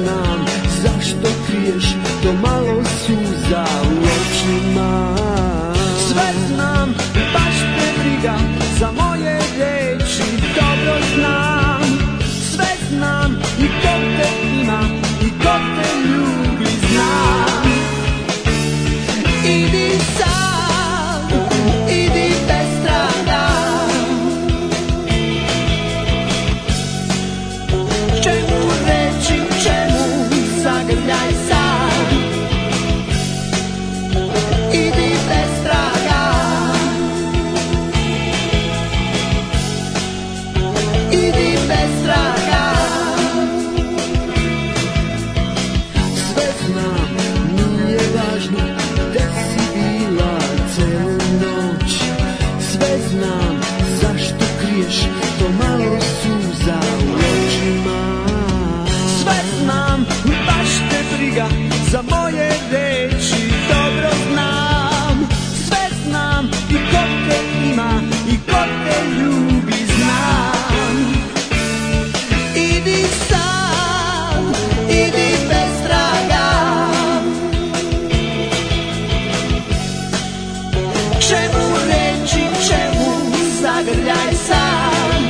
znam zašto kriješ to malo suza u očima. Sve znam, baš te briga za moje reči, dobro znam. Sve znam i ko te ima i ko te ljubi znam. Idi sad, idi bez traga. Čemu reći, čemu zagrljaj sad. Idi bez traga. Idi bez traga. Sve znam, nije važno gde si bila celu noć. Sve znam, zašto kriješ to malo suza u očima. Sve znam, baš te briga za moje reči, dobro znam. Sve znam i ko te ima i ko te ljubi znam. Idi sam, idi bez traga. Čemu reći, čemu zagrljaj sam.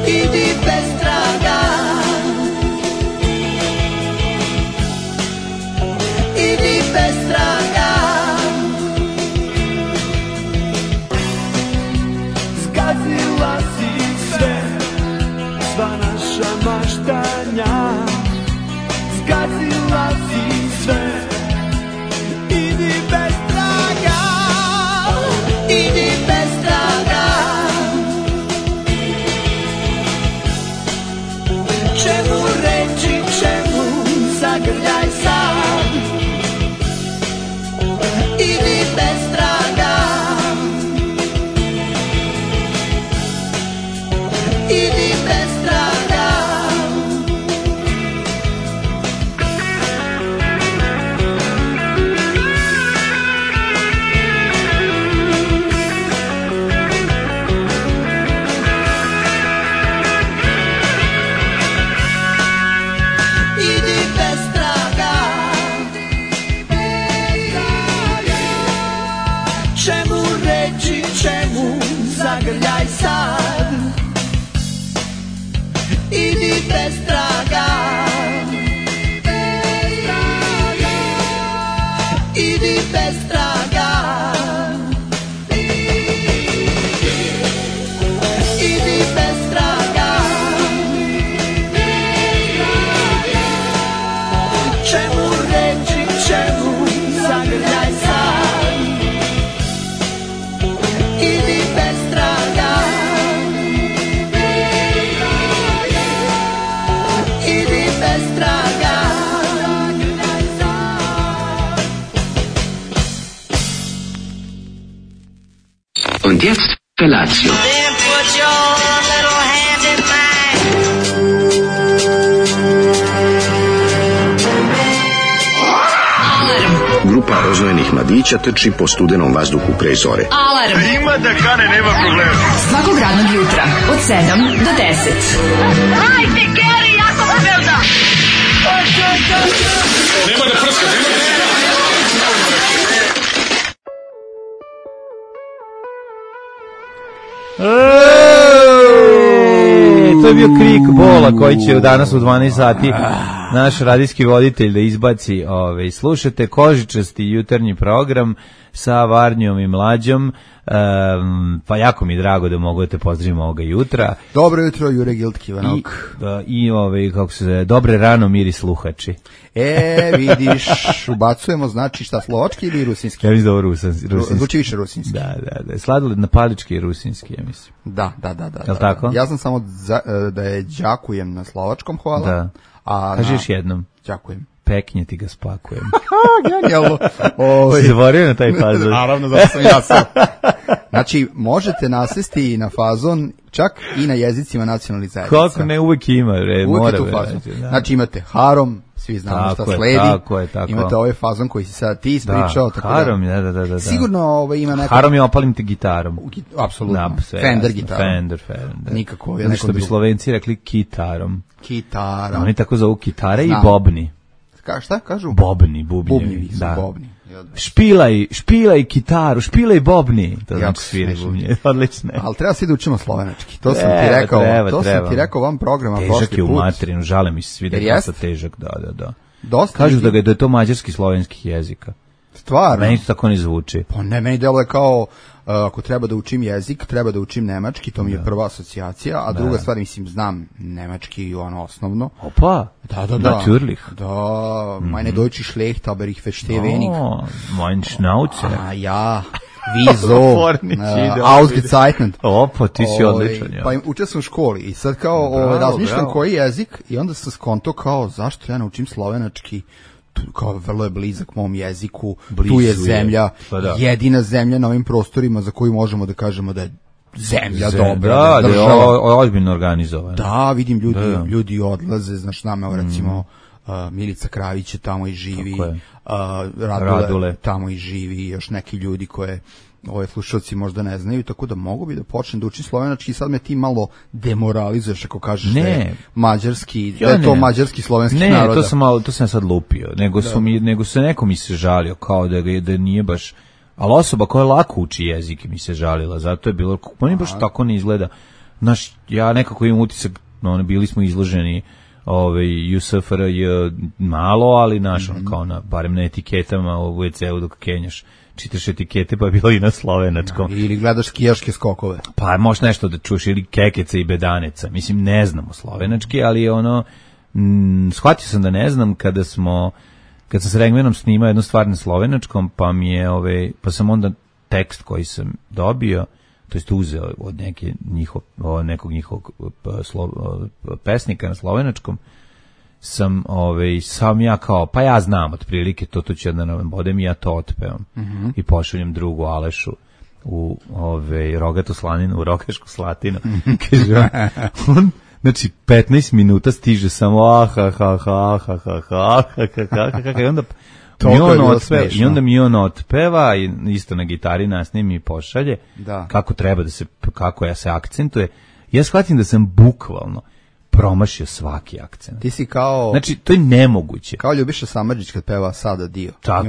Idi bez traga. Idi bez traga. Zgazila si sve, sva naša maštanja. Zgazila si sve. Idi bez traga. Idi bez traga. Čemu reći, čemu zagrljaj sad. Idi bez traga. Idi bez traga. Idi bez traga. Čemu reći, čemu zagrljaj sad. Idi bez traga. Idi bez traga. Idi bez traga. Čemu reći, čemu zagrljaj sad. Idi bez traga. Idi bez traga. Und jetzt Felatio. Then put your little hand in mine. Grupa rozvojenih mladića trči po studenom vazduhu pre zore. Alarm. Ima da kane, nema problema. Svakog radnog jutra od 7 do 10. Hajde, Geri, jako se velda. Nema da prska, nema da prska. To je bio krik bola koji će danas u 12 sati naš radijski voditelj da izbaci. Slušate Kožičasti jutarnji program sa Varnjom i Mlađom. Pa jako mi je drago da mogu da te pozdravim ovoga jutra. Dobro jutro, Jure Giltkivanok. I kako se zove, dobre rano miri sluhači. Vidiš, ubacujemo, znači šta, slovački ili rusinski? Ja mislim da ovo rusinski. Zvuči više rusinski. Da. Sladoled na palički je rusinski, ja mislim. Da. Jel tako? Ja znam samo da je đakujem na slovačkom, hvala. Da. Kaži još jednom. Đakujem. Peknje ti ga spakujem. Genijalno. Si zaborio na taj fazon? Naravno, zato sam ja sam. Znači, možete nasesti na fazon čak i na jezicima nacionalnih zajednica. Kako ne, uvek ima, uvek je tu fazon. Znači, imate harom, svi znamo šta sledi. Tako je. Imate ovaj fazon koji si sad ti ispričao. Da, harom, da. Sigurno ima neka... Harom je opalim te gitarom. Apsolutno. Fender gitarom. Fender. Nikako. Što bi Slovenci rekli kitarom. Kitarom. Oni tako zovu kitare i bobni. Šta kažu? Bobni. Špilaj kitaru, špilaj bobni. To znači sviri bubnje. Odlično. Ali treba svi da učimo slovenački. To sam ti rekao. To sam ti rekao vam programa prošli put. Težak je u materinu, žale mi se svi da je dosta težak. Da. Dosta. Kažu da je to mađarski slovenskih jezika. Stvarno? Meni to tako ne zvuči. Pa ne, meni deluje kao ako treba da učim jezik, treba da učim nemački, to mi je prva asocijacija, a druga stvar, mislim, znam nemački osnovno. Opa, da. Natürlich. Da, meine Deutsch ist schlecht, aber ich verstehe wenig. Mein Schnauzer. Ja, wieso? Ausgezeichnet. Opa, ti si odličan. Pa učio sam u školi i sad kao razmišljam koji jezik i onda sam skonto kao zašto ja naučim slovenački, kao vrlo je blizak mom jeziku, tu je zemlja, jedina zemlja na ovim prostorima za koju možemo da kažemo da je zemlja dobra, da je ozbiljno organizovana. Da, vidim ljudi odlaze, znaš, nama recimo Milica Kravić je tamo i živi, Radule tamo i živi, još neki ljudi koje ove slušalci možda ne znaju, tako da mogu bi da počnem da učim slovenački i sad me ti malo demoralizuješ ako kažeš da je mađarski, da je to mađarski slovenski naroda. Ne, to sam sad lupio, nego se neko mi se žalio kao da nije baš, ali osoba koja lako uči jezik mi se žalila, zato je bilo, oni baš tako ne izgleda. Znaš, ja nekako imam utisak, bili smo izloženi u SFRJ malo, ali naš, kao barem na etiketama u WC-u dok kenjaš, čitaš etikete, pa je bilo i na slovenačkom. Ili gledaš skijaške skokove. Pa možeš nešto da čuješ, ili kekeca i bedaneca. Mislim, ne znamo slovenački, ali shvatio sam da ne znam kad sam s Regmenom snimao jednu stvar na slovenačkom, pa sam onda tekst koji sam dobio, to jest uzeo od nekog njihovog pesnika na slovenačkom, sam ja kao, pa ja znam otprilike, to ću jedna bodem i ja to otpevam. I pošaljem drugu Alešu u Rogatu slaninu, u Rogašku slatinu. Kaže on, znači 15 minuta stiže samo i onda mi on otpeva i isto na gitari nasnimi i pošalje kako treba kako ja se akcentuje. Ja shvatim da sam bukvalno promašio svaki akcent. Ti si kao... Znači, to je nemoguće. Kao Ljubiša Samardžić kad peva Sada dio. Tako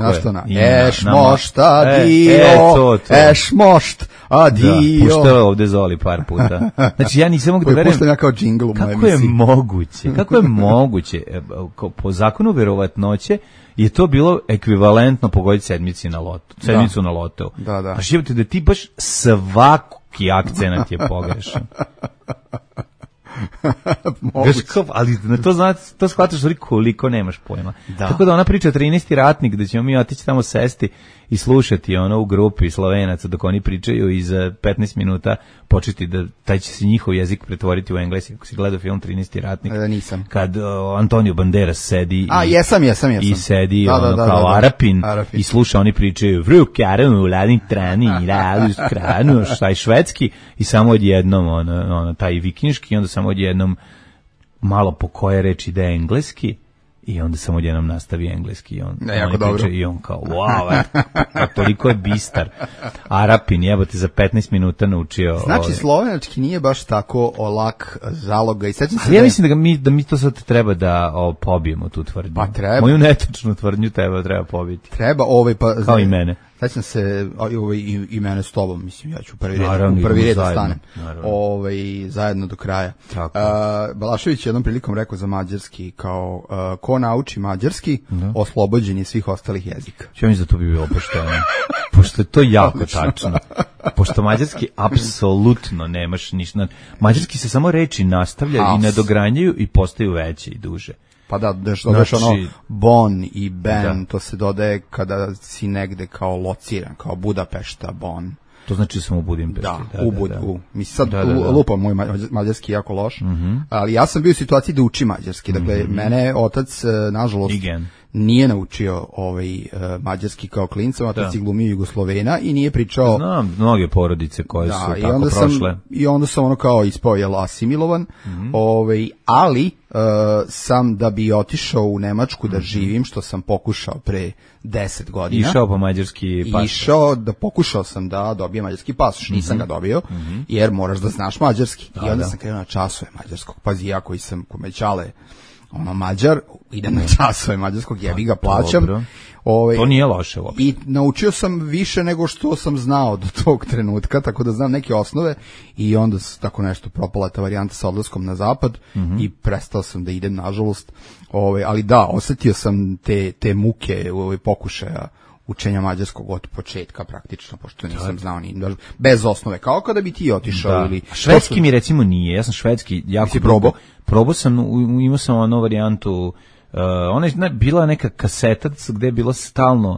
je. Eš mošt, a dio, eš mošt, a dio. Da, puštao je ovde Zoli par puta. Znači, ja nisam mogu da verujem... Puštam ja kao džingl u mojoj emisiji. Kako je moguće? Po zakonu verovatnoće je to bilo ekvivalentno pogoditi sedmicu na lotu. Da. A živite da ti baš svaki akcenat je pogrešan. Ali na to shvataš koliko nemaš pojma. Tako da ona priča 13. ratnik, da ćemo mi otići tamo sesti i slušati u grupi Slovenaca dok oni pričaju i za 15 minuta početi da taj će se njihov jezik pretvoriti u engleski. Ako si gledao film 13. ratnik, nisam. Kad Antonio Banderas sedi jesam. I sedi kao Arapin i sluša, oni pričaju vrukaranu, ladin trani, kranu, šta je švedski i samo odjednom taj vikinški i onda samo odjednom malo po koje reči ide engleski i onda samo odjednom nastavi engleski i on priča i on kao wow, toliko je bistar Arapin, jebote, za 15 minuta naučio. Znači slovenački nije baš tako lak zaloga i sećam se. Ja mislim da mi to sad treba da pobijemo tu tvrdnju. Pa treba. Moju netočnu tvrdnju treba pobiti. Treba pa kao i mene. Sećam se i mene s tobom, mislim, ja ću prvi red da stanem. Zajedno do kraja. Balašević je jednom prilikom rekao za mađarski, kao ko nauči mađarski, oslobođen je svih ostalih jezika. Ja mislim da to bi bilo pošteno. Pošto je to jako tačno. Pošto mađarski apsolutno nemaš ništa. Mađarski se samo reči nastavljaju i nadogranjaju i postaju veće i duže. Pa da, dodaš bon i ben, to se dodaje kada si negde kao lociran, kao Budapešta, bon. To znači da sam u Budimpešti. Mislim, sad lupam, moj mađarski jako loš, ali ja sam bio u situaciji da učim mađarski. Dakle, mene otac, nažalost, nije naučio mađarski kao klinca, otac je glumio Jugoslovena i nije pričao. Znam mnoge porodice koje su tako prošle. I onda sam ono kao ispao asimilovan, ali sam da bi otišao u Nemačku da živim, što sam pokušao pre 10 godina. Išao po mađarski pasoš. Pokušao sam da dobijem mađarski pasoš, nisam ga dobio, jer moraš da znaš mađarski. I onda sam krenuo na časove mađarskog. Pazi, ja koji sam komećale Mađar, idem na časove mađarskog, jebi ga, plaćam. To nije loše uopšte. I naučio sam više nego što sam znao do tog trenutka, tako da znam neke osnove i onda tako nešto propala ta varijanta sa odlaskom na zapad i prestao sam da idem, nažalost. Ali da, osetio sam te muke pokušaja učenja mađarskog od početka praktično, pošto nisam znao ni bez osnove, kao kada bi ti otišao ili švedski mi recimo nije, ja sam švedski jako probao sam, imao sam onu varijantu, bila neka kaseta gde je bilo stalno,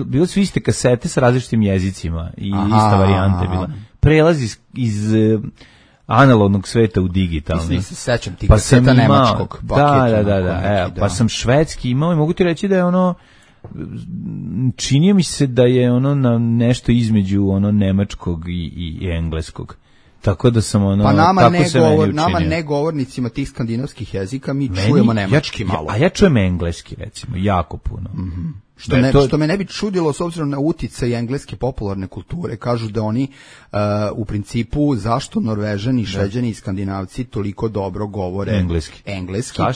bilo su iste kasete sa različitim jezicima i ista varijanta je bila. Prelaz iz analognog sveta u digitalni. Se sećam ti kaseta nemačkog. Pa sam švedski imao i mogu ti reći da je činio mi se da je na nešto između nemačkog i engleskog. Tako da sam pa nama negovornicima tih skandinavskih jezika mi čujemo nemački malo. A ja čujem engleski recimo, jako puno. Što me ne bi čudilo s obzirom na uticaj engleske popularne kulture. Kažu da oni u principu zašto Norvežani, Šveđani i Skandinavci toliko dobro govore engleski.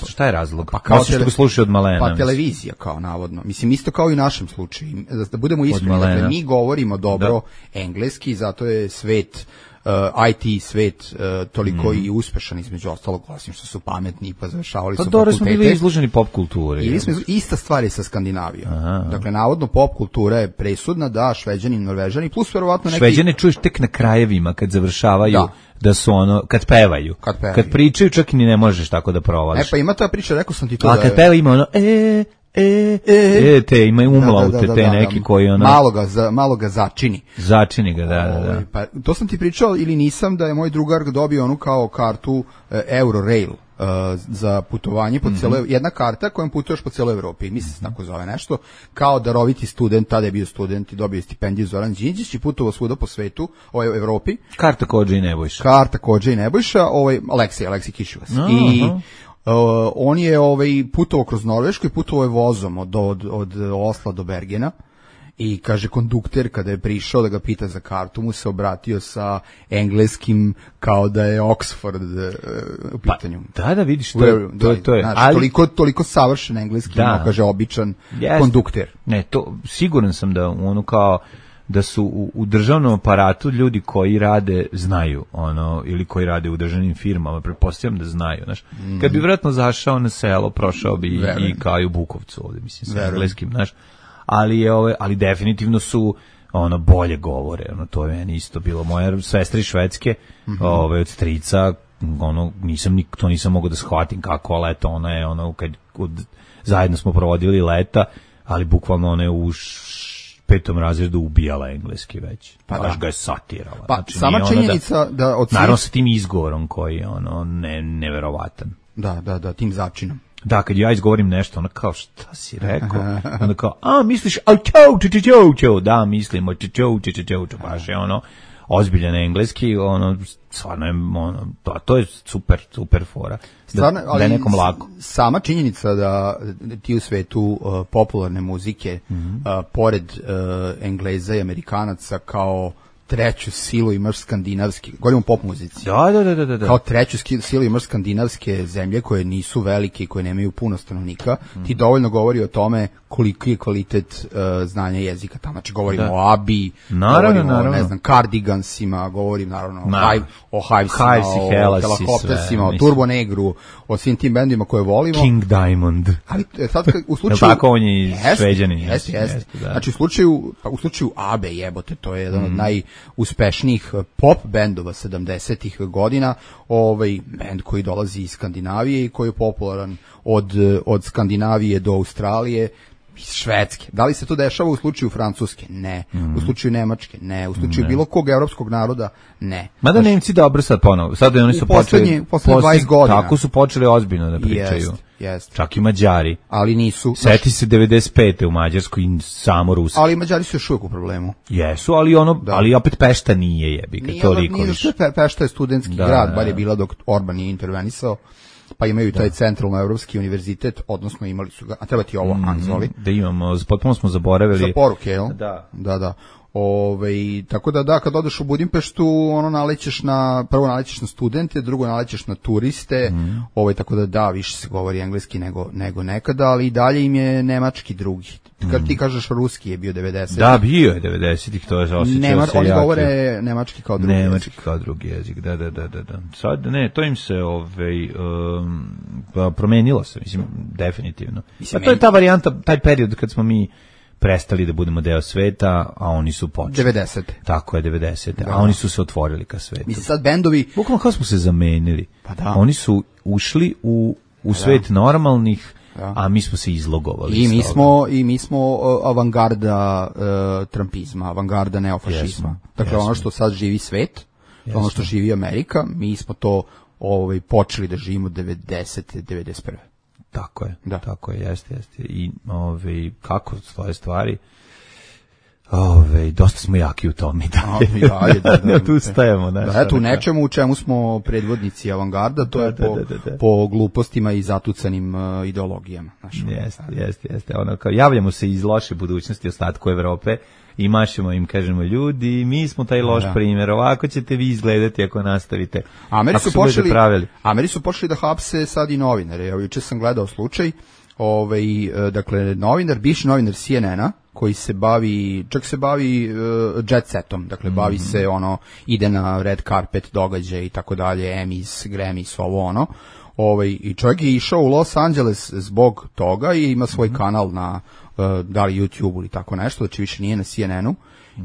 Šta je razlog? Pa što ga slušaju od malena. Pa televizija kao navodno. Mislim isto kao i u našem slučaju. Da budemo iskreni, dakle mi govorimo dobro engleski, zato je svet IT svet toliko i uspešan, između ostalog, osim što su pametni i pa završavali su fakultete. Smo bili izloženi pop kulturi. Ista stvar je sa Skandinavijom. Dakle, navodno pop kultura je presudna, da, Šveđani i Norvežani, plus verovatno neki... Šveđane čuješ tek na krajevima kad završavaju, da su kad pevaju. Kad pričaju čak i ni ne možeš tako da provališ. Pa ima ta priča, rekao sam ti to da... A kad peva ima te imaju umlaute, te neki koji malo ga začini. Začini ga, da. Pa to sam ti pričao ili nisam, da je moj drugar dobio onu kao kartu Eurorail za putovanje po cijeloj, jedna karta kojom putuješ po cijeloj Evropi, mislim se tako zove nešto, kao daroviti student, tada je bio student i dobio stipendiju Zoran Đinđić i putovao svuda po svetu, u Evropi. Karta Kodža i Nebojša. Aleksij Kišuvac. I on je putovao kroz Norvešku i putovao je vozom od Osla do Bergena i kaže kondukter kada je prišao da ga pita za kartu mu se obratio sa engleskim kao da je Oxford u pitanju. Da vidiš, to je. Ali toliko savršen engleski, kaže običan kondukter. Ne, to siguran sam da kao da su u državnom aparatu ljudi koji rade znaju ili koji rade u državnim firmama, pretpostavljam da znaju, znaš. Kad bi vjerojatno zašao na selo, prošao bi i kao i u Bukovcu ovdje, mislim, sa engleskim, znaš. Ali definitivno su bolje govore, to je meni isto bilo. Moja sestra iz Švedske, od strica, to nisam mogao da shvatim kako leto, ona je kad zajedno smo provodili leta, ali bukvalno ona je u 5. razredu ubijala engleski već. Baš ga je satirala. Pa znači, sama činjenica da naravno sa tim izgovorom koji je neverovatan. Da, tim začinom. Da, kad ja izgovorim nešto, kao šta si rekao? Onda kao, misliš, da, mislimo, baš je ozbiljan engleski, stvarno je, to je super fora. Stvarno, da je nekom lako. Sama činjenica da ti u svetu popularne muzike, pored Engleza i Amerikanaca, kao treću silu imaš skandinavski, govorimo o pop muzici. Da. Kao treću silu imaš skandinavske zemlje koje nisu velike i koje nemaju puno stanovnika. Ti dovoljno govori o tome koliki je kvalitet znanja jezika tamo. Znači govorimo o ABBI, govorimo o, ne znam, Cardigansima, govorim naravno o Hivesima, o Helicoptersima, o Turbo Negru, o svim tim bendima koje volimo. King Diamond. Ali sad u slučaju... Tako on je Šveđanin. Jeste. Znači u slučaju ABBE, jebote, to je jedan od najuspešnijih pop bendova 70-ih godina, bend koji dolazi iz Skandinavije i koji je popularan od Skandinavije do Australije, iz Švedske. Da li se to dešava u slučaju Francuske? Ne. U slučaju Nemačke? Ne. U slučaju bilo kog evropskog naroda? Ne. Mada Nemci dobro sad ponovo. Sad oni su počeli... Poslednje 20 godina. Tako su počeli ozbiljno da pričaju. Čak i Mađari. Ali nisu. Seti se 95. u Mađarskoj i samo Rusi. Ali Mađari su još uvijek u problemu. Jesu, ali opet Pešta nije jebika, toliko više. Pešta je studentski grad, bar je bila dok Orban je intervenisao. Pa imaju taj centralno-evropski univerzitet, odnosno imali su ga, a treba ti ovo, Anzoli. Da imamo, potpuno smo zaboravili. Za poruke, jel? Da. Tako da, kad odeš u Budimpeštu, prvo nalećeš na studente, drugo nalećeš na turiste, tako da, više se govori engleski nego nekada, ali i dalje im je nemački drugi. Kad ti kažeš ruski je bio 90. Da, bio je 90-ih, to je osjećao se oni govore nemački kao drugi jezik. Kao drugi jezik, da. Sad, to im se promenilo se, mislim, definitivno. Pa to je ta varijanta, taj period kad smo mi prestali da budemo deo sveta, a oni su počeli. 90. Tako je, 90. A oni su se otvorili ka svetu. Mislim, sad bendovi... Bukvalno kao smo se zamenili. Pa da. Oni su ušli u svet normalnih, a mi smo se izlogovali. I mi smo avangarda trumpizma, avangarda neofašizma. Dakle, ono što sad živi svet, ono što živi Amerika, mi smo to počeli da živimo 90. 91. Tako je, jeste. I kako stoje stvari, dosta smo jaki u tome. Ne odustajemo. Eto, u nečemu u čemu smo predvodnici avangarda, to je po glupostima i zatucanim ideologijama. Jeste. Javljamo se iz loše budućnosti ostatku Evrope i mašemo im, kažemo, ljudi, mi smo taj loš primjer, ovako ćete vi izgledati ako nastavite. Ameri su počeli da hapse sad i novinare. Juče sam gledao slučaj, dakle, bivši novinar CNN-a, koji se bavi jet setom, dakle, bavi se ide na red carpet događaj i tako dalje, Emmys, Grammys, i čovjek je išao u Los Angeles zbog toga i ima svoj kanal na da li YouTube ili tako nešto, znači više nije na CNN-u,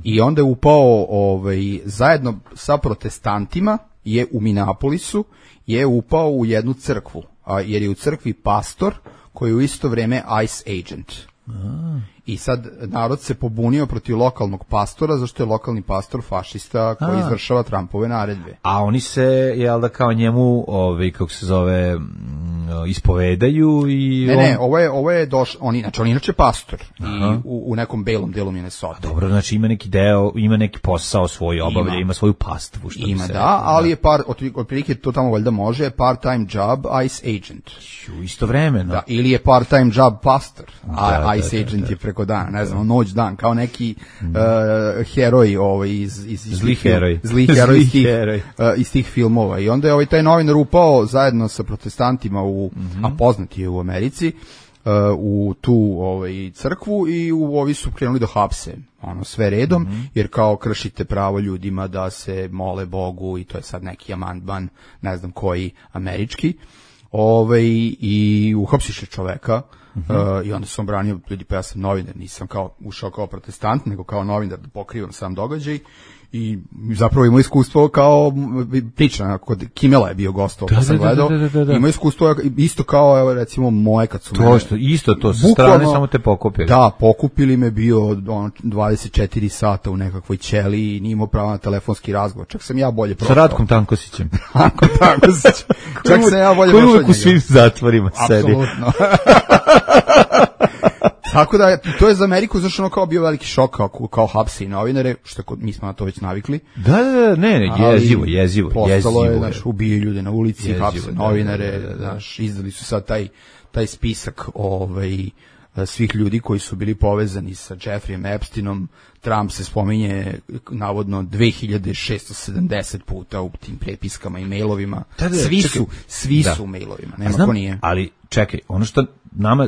i onda je upao zajedno sa protestantima je u Minneapolisu je upao u jednu crkvu, jer je u crkvi pastor koji je u isto vrijeme ICE agent. I sad narod se pobunio protiv lokalnog pastora, zašto je lokalni pastor fašista koji izvršava Trumpove naredbe. A oni se, jel da, kao njemu, kako se zove, ispovedaju i... Ne, ovo je on inače pastor i u nekom belom delu Minnesota. Dobro, znači ima neki deo, ima neki posao svoj obavlja, ima svoju pastvu. Ali je otprilike to tamo valjda može, part-time job, ICE agent. Istovremeno. Da, ili je part-time job pastor, a ICE agent je preko dana, ne znam, noć dan, kao neki heroj zli heroj iz tih filmova. I onda je taj novinar upao zajedno sa protestantima a poznati je u Americi, u tu crkvu, i ovi su krenuli da hapse sve redom, jer kao kršite pravo ljudima da se mole Bogu, i to je sad neki amandman, ne znam koji, američki, i uhapsiše čoveka. I onda sam branio ljudi, pa ja sam novinar, nisam ušao kao protestant, nego kao novinar da pokrivam sam događaj, i zapravo imao iskustvo kao priča, kod Kimela je bio gost, pa sam gledao, imao iskustvo isto kao, recimo, moje kad su isto to, sa strane samo te pokupili. Da, pokupili me, bio 24 sata u nekakvoj ćeliji i nije imao pravo na telefonski razgovor, čak sam ja bolje prošao. Sa Ratkom Tankosićem. Čak sam ja bolje prošao. Koji uvijek u svim zatvorima sedi. Apsolutno. Tako da, to je za Ameriku zašto kao bio veliki šok kao hapse i novinare, što mi smo na to već navikli. Da, jezivo. Postalo je, ubije ljude na ulici, hapse novinare, izdali su sad taj spisak svih ljudi koji su bili povezani sa Jeffreyem Epsteinom. Trump se spominje navodno 2670 puta u tim prepiskama i mailovima. Svi su u mailovima, nema ko nije. Ali čekaj, ono što nama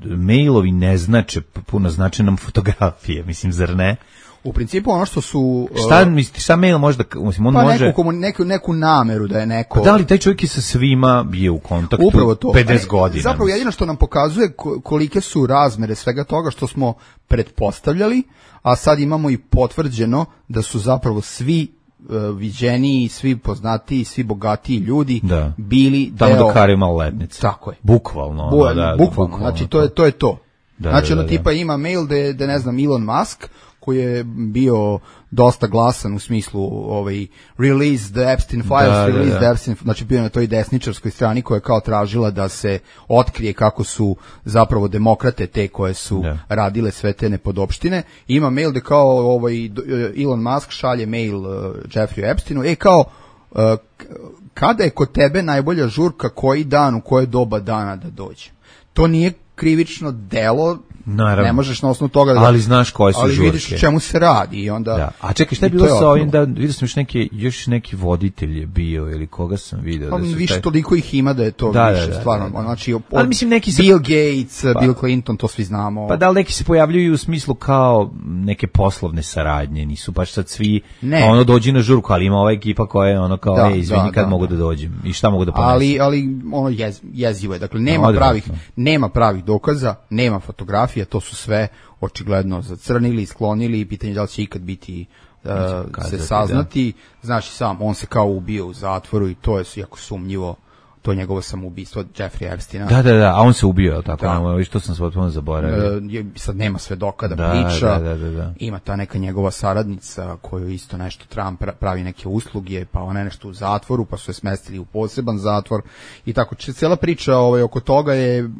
mailovi ne znače, puno znače nam fotografije, mislim, zar ne? U principu ono što su... Šta mail može da... Mislim, on može... neku nameru da je neko... Pa da li taj čovjek je sa svima je u kontaktu 50 godina? Zapravo jedino što nam pokazuje kolike su razmere svega toga što smo pretpostavljali, a sad imamo i potvrđeno da su zapravo svi viđeniji, svi poznatiji, svi bogatiji ljudi bili deo... Tamo dok Harry maloletnice. Tako je. Bukvalno. Bukvalno, znači to je to. Znači tipa ima mail da ne znam, Elon Musk, koji je bio dosta glasan u smislu release the Epstein files, the Epstein, znači bio na toj desničarskoj strani koja je kao tražila da se otkrije kako su zapravo demokrate te koje su radile sve te nepodopštine. Ima mail da kao Elon Musk šalje mail Jeffrey Epsteinu, kao kada je kod tebe najbolja žurka, koji dan, u koje doba dana da dođe. To nije krivično delo, naravno. Ne možeš na osnovu toga ali znaš koje su žurke. Ali vidiš o čemu se radi i onda... Da. A čekaj, šta je bilo sa ovim, vidio sam još neki voditelj je bio ili koga sam vidio. Pa više toliko ih ima da je to više, stvarno. Znači, ali mislim neki Bill Gates, Bill Clinton, to svi znamo. Pa da li neki se pojavljuju u smislu kao neke poslovne saradnje, nisu baš sad svi, dođi na žurku, ali ima ova ekipa koja je kao, izvini kad mogu da dođem i šta mogu da ponesem. Ali jezivo je, dakle, nema pravih dokaza, nema fotografija, to su sve očigledno zacrnili, sklonili i pitanje da li će ikad biti se saznati. Znaš i sam, on se kao ubio u zatvoru i to je jako sumnjivo, to je njegovo samoubistvo Jeffrey Epsteina. Da, a on se ubio, je li tako? Što sam potpuno zaboravio. Sad nema svedoka da priča. Ima ta neka njegova saradnica koju isto nešto pravi neke usluge, pa ona je nešto u zatvoru, pa su je smestili u poseban zatvor i tako. Cijela priča oko toga je,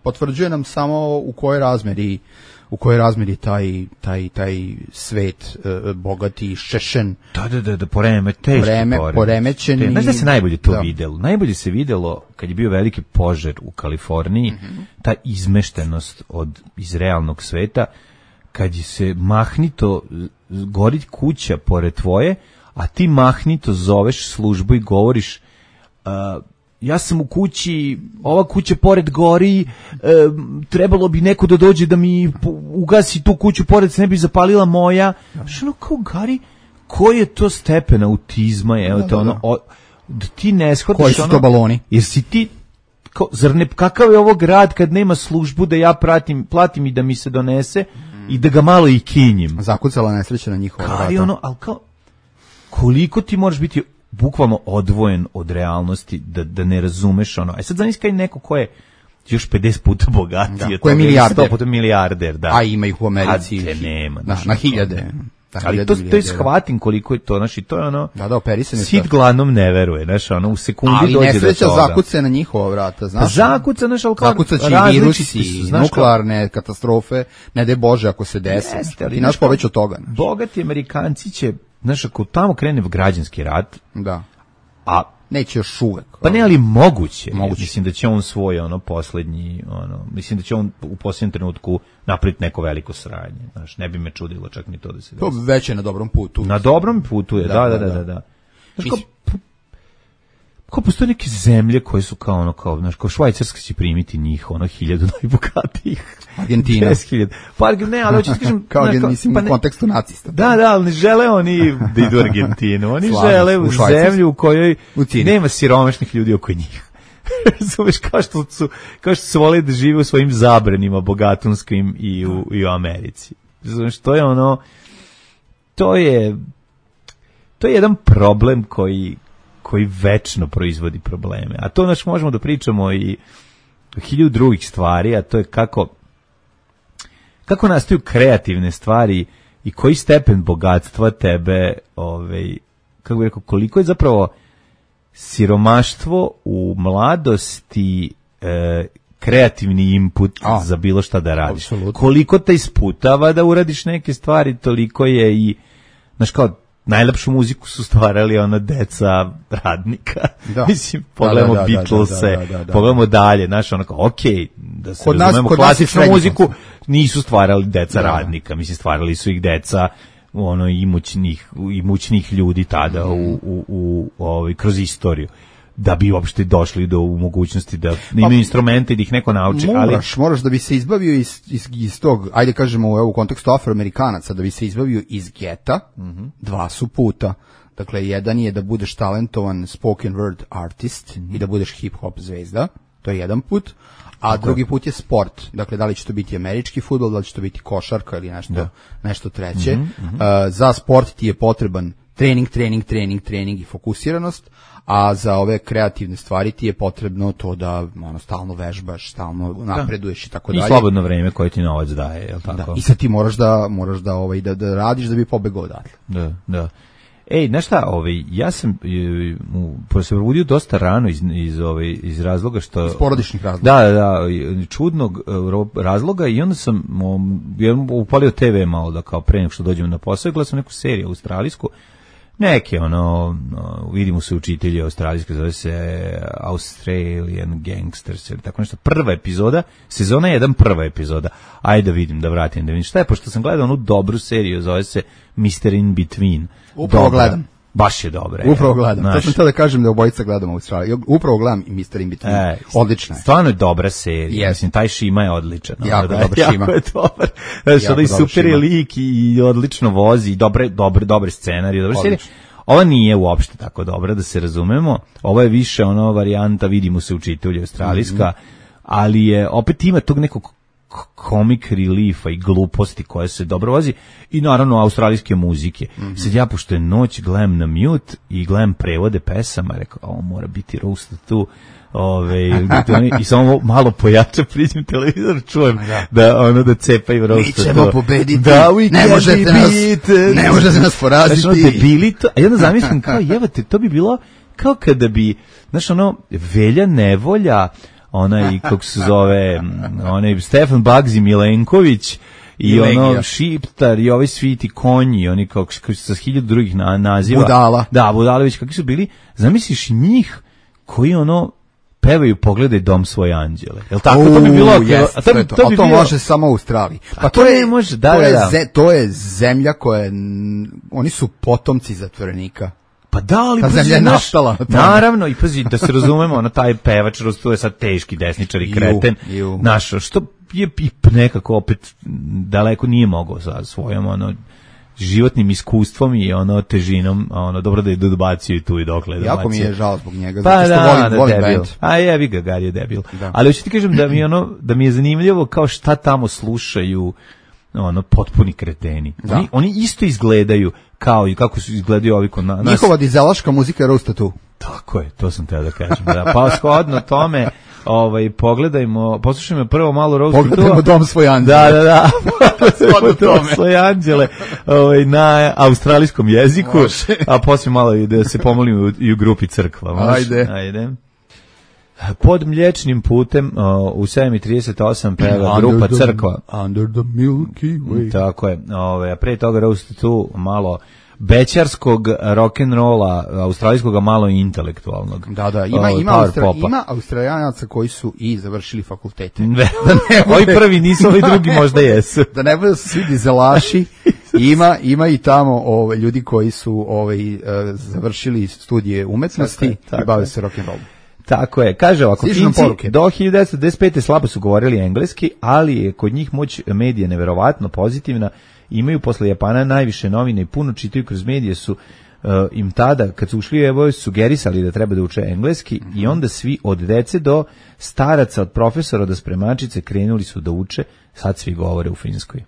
potvrđuje nam samo u kojoj razmeri taj svet bogati, šešen. Da, poremećen. Znaš da se najbolje to videlo? Najbolje se videlo kad je bio veliki požar u Kaliforniji, ta izmeštenost iz realnog sveta, kad je se mahnito gori kuća pored tvoje, a ti mahnito zoveš službu i govoriš ja sam u kući, ova kuća pored gori, trebalo bi neko da dođe da mi ugasi tu kuću pored, se ne bi zapalila moja. Što kao Gari, koji je to stepen autizma, da ti ne shvataš koji su to baloni? Jer si ti, kakav je ovo grad kad nema službu da ja platim i da mi se donese i da ga malo i kinjim. Zakucala nesreća na njihova vrata. Ali kao, koliko ti moraš biti bukvalno odvojen od realnosti, da ne razumeš sad zamisli kaj neko ko je još 50 puta bogatiji, ko je milijarder. 100 puta milijarder, da. A ima ih u Americi. Nema. Na hiljade. Ali to je shvatim koliko je to, i to je operisan je. Sit gladnom ne veruje, u sekundi dođe do toga. Ali nesreća zakuce na njihova vrata, znaš. Zakuca, zakucaće i virusi, nuklearne katastrofe, ne daj Bože ako se desi. Ti naš poveć od toga. Bogati Amerikanci će, ako tamo krene građanski rat, a neće još uvek. Pa ne, ali moguće. Mislim da će on svoj poslednji, mislim da će on u posljednjem trenutku napraviti neko veliko sranje. Ne bi me čudilo čak ni to da se desi. To već je na dobrom putu. Na dobrom putu je, da. Kao postoje neke zemlje koje su kao Švajcarska će primiti njih, 1000 najbogatijih. Argentina. 10.000. Pa ne, ali hoću ti kažem... Kao mislim u kontekstu nacista. Da, ali ne žele oni da idu u Argentinu. Oni žele u zemlju u kojoj nema siromašnih ljudi oko njih. Razumeš, kao što su vole da žive u svojim zabranima bogatunskim i u Americi. Razumeš, to je to je jedan problem koji večno proizvodi probleme. A to možemo da pričamo i o 1000 drugih stvari, a to je kako nastaju kreativne stvari i koji stepen bogatstva tebe, kako bih rekao, koliko je zapravo siromaštvo u mladosti kreativni input za bilo šta da radiš. Absolutno. Koliko te isputava da uradiš neke stvari, toliko je i, kao, najlepšu muziku su stvarali deca radnika. Mislim, pogledamo Beatlese, pogledamo dalje, okej, da se razumemo, klasičnu muziku nisu stvarali deca radnika, mislim, stvarali su ih deca imućnih ljudi tada kroz istoriju, da bi uopšte došli do mogućnosti da imaju instrumente i da ih neko nauči. Moraš da bi se izbavio iz tog, ajde kažemo u kontekstu Afroamerikanaca, da bi se izbavio iz geta, dva su puta. Dakle, jedan je da budeš talentovan spoken word artist i da budeš hip-hop zvezda, to je jedan put, a drugi put je sport. Dakle, da li će to biti američki fudbal, da li će to biti košarka ili nešto treće. Za sport ti je potreban trening i fokusiranost, a za ove kreativne stvari ti je potrebno to da stalno vežbaš, stalno napreduješ i tako dalje. I slobodno vreme koje ti novac daje, je li tako? Da, i sad ti moraš da radiš da bi pobegao odatle. Da. Ej, znaš šta, ja sam se probudio dosta rano iz razloga što... Iz porodičnih razloga. Da, čudnog razloga i onda sam upalio TV malo da kao pre nego što dođem na posao i gledao sam neku seriju australijsku, neke vidimo se učitelji australijske, zove se Australian Gangsters ili tako nešto, prva epizoda, sezona 1, prva epizoda, ajde da vidim, da vidim šta je, pošto sam gledao onu dobru seriju, zove se Mr. In Between. Upravo gledam. Baš je dobra. Upravo gledam. To sam htio da kažem da obojica gledamo Australiju. Upravo gledam i Mr. In Between. Odlična je. Stvarno je dobra serija. Mislim, taj Šima je odličan. Jako dobar Šima. Jako je dobar. Znači, super je lik i odlično vozi, dobre scenarije, dobre serije. Ova nije uopšte tako dobra, da se razumemo. Ova je više varijanta, vidimo se učitelji australijska, ali je, opet ima tog nekog comic reliefa i gluposti koja se dobro vozi i naravno australijske muzike. Sad ja, pošto je noć, gledam na mute i gledam prevode pesama, rekao, ovo mora biti roast tu, i samo malo pojača, priđem televizor, čujem da cepaju roast. Mi ćemo pobediti, ne možete nas poraziti. Znači, debili to, a ja onda zamislim kao, jevate, to bi bilo kao kada bi, znaš, Velja Nevolja, kako se zove, Stefan Bagzi Milenković i Šiptar i ovi sviti konji, oni kao sa 1000 drugih naziva. Budala. Da, Budalović, kakvi su bili, zamisliš njih koji pevaju Pogledaj dom svoje anđele. Jel tako? To bi bilo... To može samo u Australiji. Pa to ne može, to je zemlja koja, oni su potomci zatvorenika. Pa da, ali... Ta zemlja je nastala. Naravno, i pazi, da se razumemo, taj pevač, to je sad teški desničar i kreten. Naš, što je nekako opet daleko nije mogao sa svojom, životnim iskustvom i težinom, dobro da je dobacio i tu i dokle. Jako mi je žao zbog njega, pa zato što volim band. A jevi ga, Gari je debil. Da. Ali hoću ti kažem da mi je zanimljivo kao šta tamo slušaju potpuni kreteni. Oni isto izgledaju kao i kako su izgledaju ovi kod nas. Njihova dizelaška muzika je roasta tu. Tako je, to sam teo da kažem. Da. Pa shodno tome, poslušajmo prvo malo roast. Pogledajmo Dom svoj anđele. Da. Pogledajmo Dom svoj anđele na australijskom jeziku, a poslije malo da se pomolimo i u grupi crkva. Ajde. Pod Mliječnim putem u 7:38 peva grupa Crkva. Under the Milky Way. Tako je. A pre toga roast tu malo bećarskog rock'n'rolla, australijskog, a malo intelektualnog. Da, ima Australijanaca koji su i završili fakultete. Ovi prvi nisu, ovi drugi možda jesu. Da ne budu svi dizelaši, ima i tamo ljudi koji su završili studije umetnosti i bave se rock'n'rollom. Tako je, kaže ovako, Finci do 1995. slabo su govorili engleski, ali je kod njih moć medija neverovatno pozitivna, imaju posle Japana najviše novine i puno čitaju kroz medije, su im tada, kad su ušli, sugerisali da treba da uče engleski i onda svi od dece do staraca, od profesora do spremačice krenuli su da uče, sad svi govore u Finskoj.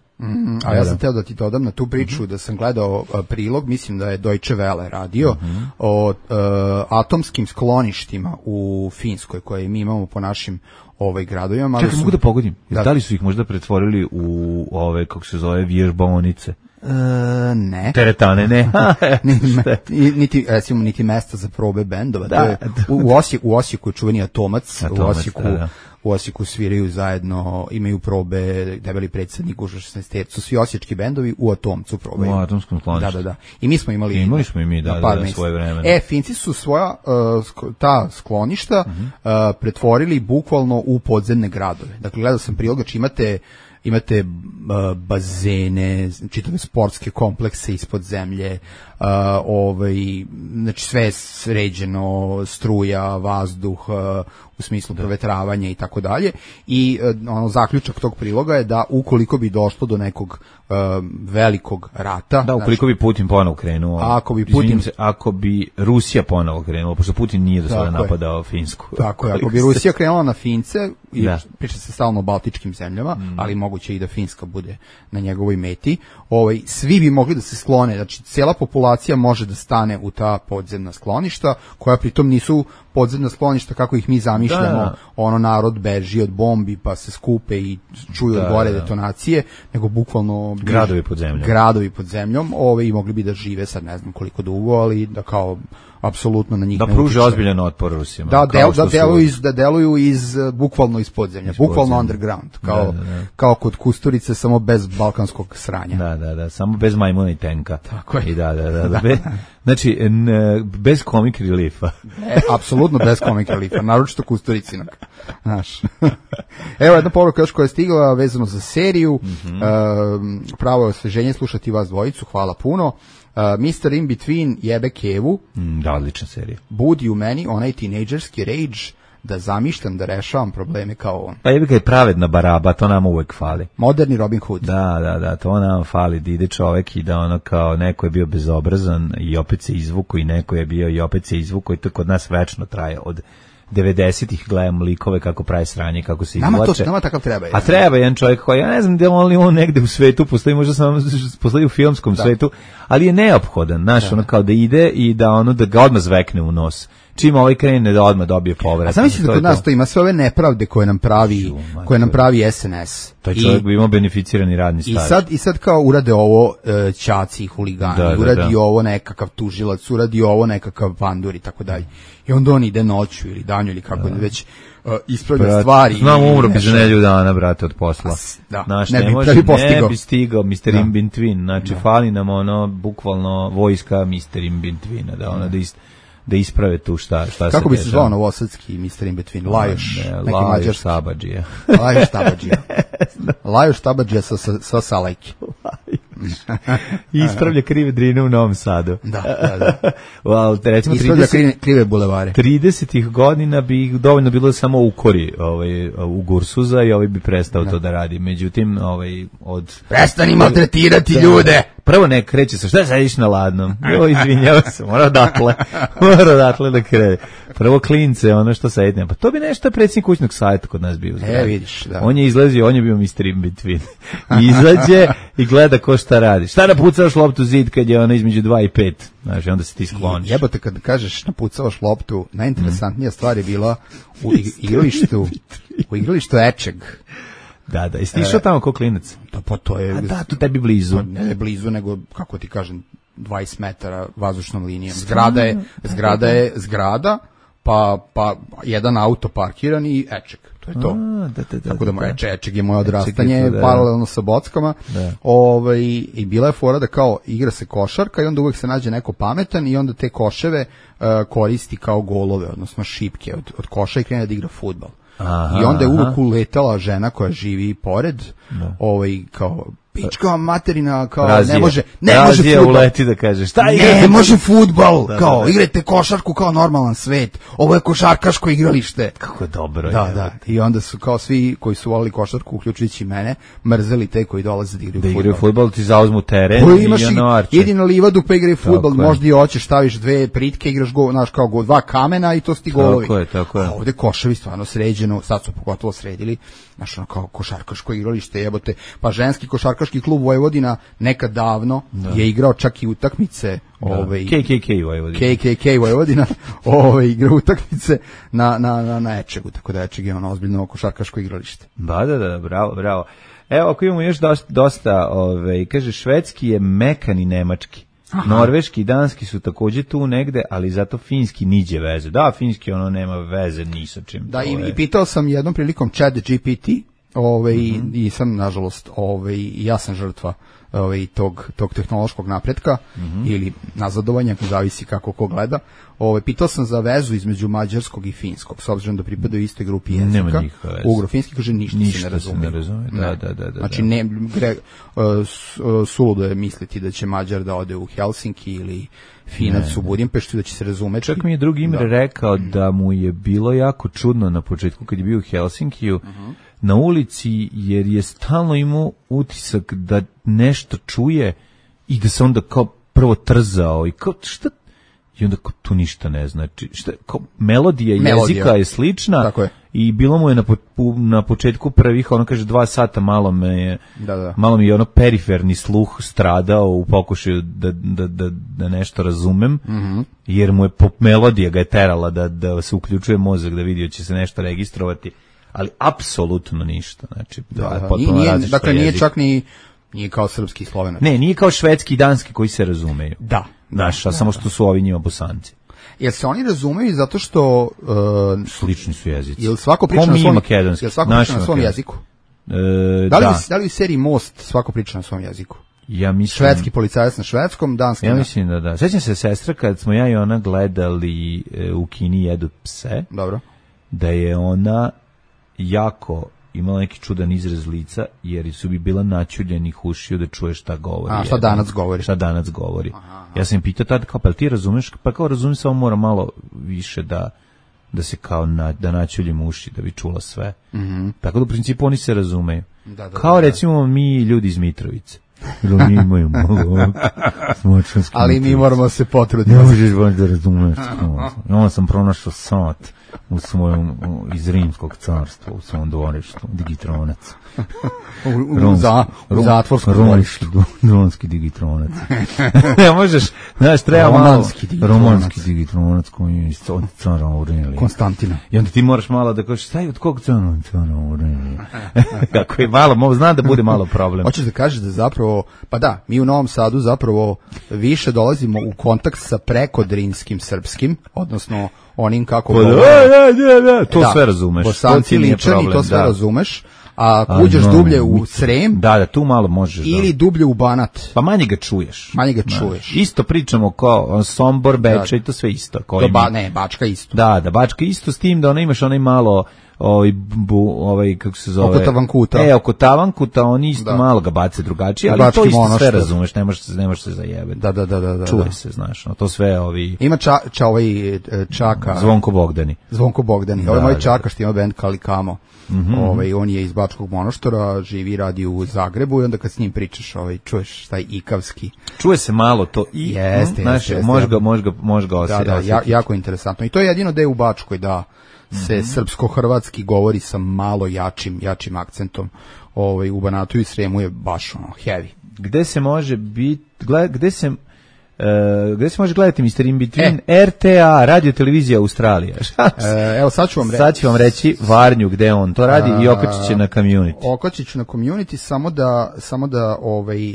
A ja sam teo da ti dodam na tu priču da sam gledao prilog, mislim da je Deutsche Welle radio, o atomskim skloništima u Finskoj koje mi imamo po našim gradovima. Čekaj, mogu da pogodim? Da li su ih možda pretvorili u kako se zove, vježbaonice? Ne. Teretane, ne. niti mesta za probe bendova. U Osijeku je čuveni Atomac, u Osijeku sviraju zajedno, imaju probe, Debeli predsjednik, Gužva 16, su svi osječki bendovi u Atomcu probaju. U Atomskom skloništu. Da. I mi smo imali svoje vremena. Finci su svoja ta skloništa pretvorili bukvalno u podzemne gradove. Dakle, gledao sam prilogač, imate bazene, čitave sportske komplekse ispod zemlje, znači sve je sređeno, struja, vazduh, smislu provetravanja i tako dalje. I ono zaključak tog priloga je da ukoliko bi došlo do nekog velikog rata, da ukoliko bi Putin ponovo krenuo, ako bi Rusija ponovo krenula, pošto Putin nije do sada napadao Finsku. Tako je, ako bi Rusija krenula na Fince, i priča se stalno o baltičkim zemljama, ali moguće i da Finska bude na njegovoj meti, svi bi mogli da se sklone, znači cijela populacija može da stane u ta podzemna skloništa, koja pritom nisu podzemna skloništa kako ih mi zamišljamo, ono narod beži od bombi pa se skupe i čuju od gore detonacije, nego bukvalno gradovi pod zemljom, i mogli bi da žive sad ne znam koliko dugo, ali da kao apsolutno na njih da pruže ozbiljan otpor Rusima. Da deluju bukvalno iz podzemlja, bukvalno underground, kao kod Kusturice, samo bez balkanskog sranja. Da, samo bez majmuna i tenka. Tako je. I znači, bez comic reliefa. Apsolutno bez comic reliefa, naročito Kusturicinog. Znaš. Evo jedna poruka još koja je stigla vezano za seriju, pravo je osveženje slušati vas dvojicu, hvala puno. Mr. In Between jebe Kevu. Da, odlična serija. Budi u meni onaj tinejdžerski rage da zamišljam da rešavam probleme kao on. Pa jebe ga je pravedna baraba, to nam uvek fali. Moderni Robin Hood. Da, to nam fali, da ide čovek i da ono kao neko je bio bezobrazan i opet se izvuko i neko je bio i opet se izvuko i to kod nas večno traje od 90-ih gledam likove kako pravi sranje, kako se izvlače. Nama takav treba. A treba jedan čovjek koji, ja ne znam da li on negde u svetu postoji, možda samo postoji u filmskom svetu, ali je neophodan, znaš, ono kao da ide i da ono da ga odmah zvekne u nos. Čim ovaj krene da odmah dobije povrat. A znam misli da kod nas to ima sve ove nepravde koje nam pravi SNS. Taj čovjek bi imao beneficirani radni staž. I sad kao urade ovo ćaci i huligani, uradi ovo nekakav tužilac, uradi ovo nekakav pandur i tako dalje. I onda on ide noću ili danju ili kako već ispravlja stvari. Znam, umro bi za nedelju dana, brate, od posla. Ne bi stigao Mr. In Between. Znači, fali nam ono, bukvalno vojska Mr. In Betweena, da ono da isprave tu šta se kako bi se zvao novosadski Mr. In Between? Lajoš Sabadžija. Lajoš Sabadžija sa Salajke. Ispravlja krive drine u Novom Sadu. Da. Recimo, ispravlja krive bulevare. 30-ih godina bi dovoljno bilo samo ukori u Gursuza i bi prestao to da radi. Međutim, prestani maltretirati ljude! Prvo ne kreće se, šta sediš na ladnom? Izvinjava se, mora odatle da krene. Prvo klince, ono što sedne. Pa to bi nešto predsjednik kućnog savjeta kod nas bio. Vidiš, da. On je izlazio, on je bio Mr. In Between. Izađe i gleda ko šta radi. Šta napucavaš loptu zid kad je ono između 2 i 5? Znači, onda se ti skloniš. Jebote, kad kažeš napucavaš loptu, najinteresantnija stvar je bila u igralištu Ečeg. Da, jesi ti išao tamo ko klinac? Pa to je... A da, to tebi blizu. Ne blizu, nego, kako ti kažem, 20 metara vazdušnom linijom. Zgrada, pa jedan auto parkiran i Ečeg. To je to. Tako da Ečeg je moje odrastanje paralelno sa Bockama. I bila je fora da kao igra se košarka i onda uvek se nađe neko pametan i onda te koševe koristi kao golove, odnosno šipke od koša i krene da igra fudbal. I onda je uvek uletala žena koja živi pored, kao pička materina, kao ne može fudbal. Uleti da kaže, šta ne može fudbal, kao igrajte košarku kao normalan svet, ovo je košarkaško igralište. Kako je dobro. Da. I onda su kao svi koji su volili košarku, uključujući mene, mrzeli te koji dolaze da igraju fudbal, ti zauzmu teren i ono arče. Idi na livadu pa igraj fudbal, možda i hoćeš, staviš 2 pritke, igraš gol, znaš, kao 2 kamena i to su ti golovi. Tako je. A ovde koševi stvarno sređeno, sad su pogotovo sredili, znaš, ono kao košarkaško igralište, jebote, pa ženski košarkaški klub Vojvodina nekad davno je igrao čak i utakmice KKK Vojvodina igra utakmice na Ečegu, tako da Ečeg je ono ozbiljno košarkaško igralište. Da, bravo. Evo, ako imamo još dosta, kaže, švedski je mekan i nemački. Aha. Norveški i danski su također tu negde, ali zato finski niđe veze. Da, finski ono nema veze ni sa čim. Da, i pitao sam jednom prilikom ChatGPT, i sam, nažalost, ja sam žrtva tog tehnološkog napretka ili nazadovanja, zavisi kako ko gleda. Pitao sam za vezu između mađarskog i finskog, s obzirom da pripadaju istoj grupi jezika. Ugro-finski kaže ništa se ne razume. Da. Znači, suludo je misliti da će Mađar da ode u Helsinki ili Finac u Budimpeštu, da će se razumeti. Čak mi je drugi Imre rekao da mu je bilo jako čudno na početku kad je bio u Helsinkiju, na ulici, jer je stalno imao utisak da nešto čuje i da se onda kao prvo trzao i kao šta, i onda kao tu ništa ne znači. Šta, kao melodija jezika je slična i bilo mu je na početku prvih, ono kaže 2 sata malo mi je ono periferni sluh stradao u pokušaju da nešto razumem, jer mu je melodija ga je terala da se uključuje mozak, da vidi će se nešto registrovati. Ali apsolutno ništa. Znači, nije čak nije kao srpski i slovenac. Ne, nije kao švedski i danski koji se razumeju. Da. Samo što su ovi njima Bosanci. Jer se oni razumeju zato što slični su jezici. Jel svako priča na svom jeziku? Da li u seriji Most svako priča na svom jeziku? Ja mislim, švedski policajac na švedskom, danski. Ja mislim da. Sećam se sestra kad smo ja i ona gledali u kini Jedu pse. Dobro. Da je ona jako imala neki čudan izraz lica, jer su bi bila načuljenih ušiju da čuje šta govori. Šta danas govori. Aha. Ja sam im pitao tada, kao, pa ti razumeš? Pa kao razumem, samo mora malo više da se kao da načuljim uši, da bi čula sve. Tako da u principu oni se razumeju. Kao recimo mi ljudi iz Mitrovice. Mi imaju malo smočanski. Ali mi moramo se potruditi. Ne možeš baš da razumeš. Ja sam pronašao sat u svojom, iz Rimskog carstva, u svom dvorištu, digitronac. U zatvorskom dvorištu. Dronski digitronac. Ne možeš, znaš, treba malo romanski digitronac koji je od cara Aurelija. Konstantina. I onda ti moraš malo da kažeš, staj od kog cara Aurelija? Kako je malo, zna da bude malo problem. Hoćeš da kažeš da zapravo, pa da, mi u Novom Sadu zapravo više dolazimo u kontakt sa prekodrinskim srpskim, odnosno onim kako to sve razumeš. Bosanci ličani, to sve razumeš. A uđeš dublje u Srem, tu malo možeš. Ili dublje u Banat. Pa manje ga čuješ. Isto pričamo kao Sombor, Beča i to sve isto. Bačka isto. Da, Bačka isto, s tim da ona imaš onaj malo kako se zove? Oko Tavankuta, oni isto malo ga bace drugačije, ali to isto sve razumeš, ne možeš se zajebati. Da. Čuje se, znaš, to sve Ima Čaka. Zvonko Bogdani. Ovo je moj Čaka što ima band Kalikamo. On je iz Bačkog Monoštora, živi, radi u Zagrebu i onda kad s njim pričaš, čuješ taj ikavski. Čuje se malo to i jeste. Može ga osjetiti. Da, jako interesantno. I to je jedino da je u Bačkoj, da se srpsko-hrvatski govori sa malo jačim akcentom. U Banatu i Sremu je baš heavy. Gde se može gde se može gledati Mr. In Between? RTA, radio televizija Australija. Evo sad ću vam reći Varnju gde on to radi i okačit će na Community. Okačit ću na Community, samo da